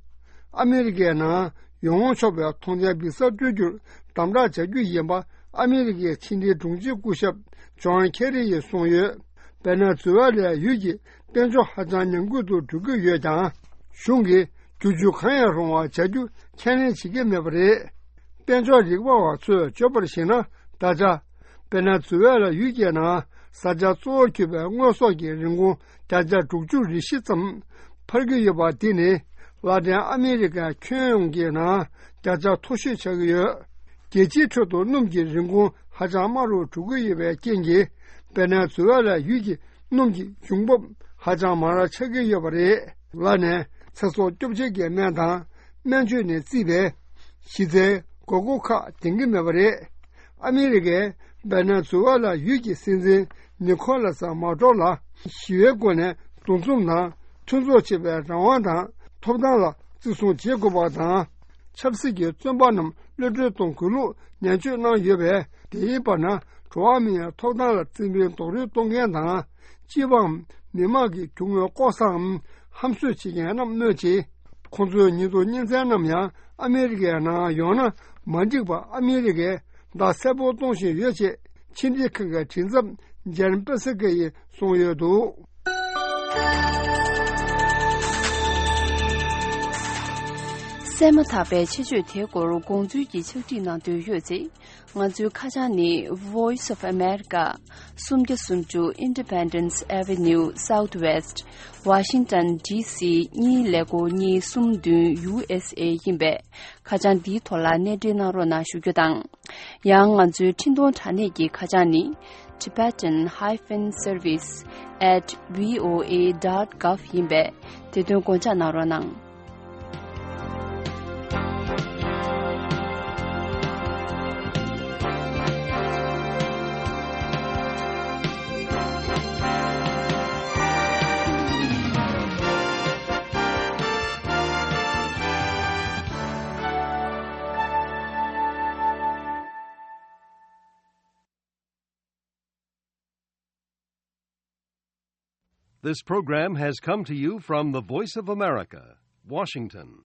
ཨ་མི་རི་ཀའི་ནང་ཡོང་ཆོག་པའི་ཐོངས་མཆན་འབིགས་ས་སྤྲོད་རྒྱུར་དམ་དྲག་བྱ་རྒྱུ་ཡིན་པ་ཨ་མི་རི་ཀའི་ཕྱི་འབྲེལ་དྲུང་ཆེ་སྐུ་ཞབས་ཇོན་ཁེ་རི་ཡིས་གསུངས་ཡོད། ཝེ་ནེ་ཛུ་ཝེ་ལའི་ཡུལ་གྱི་དཔལ་འབྱོར་ཧ་ཅང་ཉམས་རྒུད་དུ་འགྲོ་གི་ཡོད་ཀྱང་། གཞུང་གིས་བསྒྱུར་བཅོས་གང་ཡང་རུང་བ་བྱ་རྒྱུ་ཁས་ལེན་བྱེད་ཀྱི་མེད་པ་རེད། དཔལ་འབྱོར་རིག་པ་བ་ཚོས་བརྗོད་པར་གཞིགས་ན། ད་ཆ་ཝེ་ནེ་ཛུ་ཝེ་ལ་ཡུལ་གྱི་ནང་བཟའ་བཅའ་གཙོ་བོར་གྱུར་པའི་དངོས་ཟོག་གི་རིན་གོང་བརྒྱ་ཆ་དྲུག་ཅུ་རེ་བཞི་ཙམ་འཕར་གྱི་ཡོད་པ་འདི་ནི་ལག་ལེན་ཨ་མི་རི་ཀའི་ཁྱོན་ཡོངས་ཀྱི་ནང་བརྒྱ་ཆ་མཐོ་ཤོས་ཆགས་ཀྱི་ཡོད། རྒྱལ་སྤྱིའི་ཁྲོད་དུ་སྣུམ་གྱི་རིན་གོང་ཧ་ཅང་དམའ་རུ་འགྲོ་གི་ཡོད་པའི་རྐྱེན་གྱིས། ཝེ་ནེ་ཛུ་ཝེ་ལ་ཡུལ་གྱི་སྣུམ་གྱི་འབྱུང་འབབ་ཧ་ཅང་མང་ར་ཆགས་ཀྱི་ཡོད་པ་རེད། ལར་ནས་ཚེ་སྲོག་སྐྱོབ་བྱེད་ཀྱི་སྨན་དང་སྨན་བཅོས་ནས་བརྩིས་པའི་གཞི་རྩའི་དགོས་མཁོ་ཁག་ལྡན་གྱི་མེད་པ་རེད། ཨ་མི་རི་ཀས་ཝེ་ནེ་ཛུ་ཝེ་ལ་ཡུལ་གྱི་སྲིད་འཛིན་ནི་ཁོ་ལ་ས་མ་ཏོ་ལ་ཞི་བའི་སྒོ་ནས་འདུ་འཛོམས་དང་མཐུན་ཚོགས་བྱེད་པའི་རང་དབང་དང་ཐོབ་ཐང་ལ་བརྩི་སྲུང་བྱེད་དགོས་པ་དང་། ཆབ་སྲིད་ཀྱི་བཙོན་པ་རྣམས་གློད་གྲོལ་གཏོང་དགོས་ལུགས་ནན་བརྗོད་གནང་ཡོད་པས། དེའི་བར་ན་འགྲོ་བ་མིའི་ཐོབ་ཐང་ལ་བརྩི་མེད་རྡོག་རོལ་གཏོང་མཁན་དང་། སྤྱི་པའམ་མི་དམངས་ཀྱི་རྒྱུ་དངོས་ལྐོག་ཟའམ་ཧམ་བཟོས་བྱེད་མཁན་རྣམས་སྨོས་ཆེ། ཁོང་ཚོའི་ཉེས་རྡུང་གཉེན་ཚན་རྣམས་ཡང་ཨ་མི་རི་ཀའི་ནང་ཡོང་ན་མ་འགྲིག་པ་ཨ་མི་རི་ཀས་བརྡ་གསལ་པོ་གཏོང་བཞིན་ཡོད་ཅེས་ཕྱི་འབྲེལ་ཁང་གི་མགྲིན་ཚབ་ཇན་པེ་སི་ཀེ་ཡིས་གསུངས་ཡོད་འདུག། བཙས་མ་ཐག་པའི་ཆེད་བརྗོད་དེའི་སྐོར་དགོངས་ཚུལ་གྱི་ཕྱག་བྲིས་གནང་འདོད་ཡོད་ཚེ། ང་ཚོའི་ཁ་བྱང་ནི། Voice of America། སུམ་བརྒྱ་སུམ་ཅུ་Independence Avenue Southwest། Washington D C གཉིས་ཀླད་ཀོར་གཉིས་གསུམ་བདུན། U S A ཡིན་པས། ཁ་བྱང་འདིའི་ཐོག་ལ་གནས་འབྲེལ་གནང་རོགས་གནང་ཞུ་རྒྱུ་དང་། ཡང་ང་ཚོའི་འཕྲིན་གཏོང་དྲ་གནས་ཀྱི་ཁ་བྱང་ནི། Tibetan hyphen service at V O A dot gov ཡིན་པས། དེ་དོན་དགོངས་འཇགས་གནང་རོགས་གནང་། This program has come to you from the Voice of America, Washington.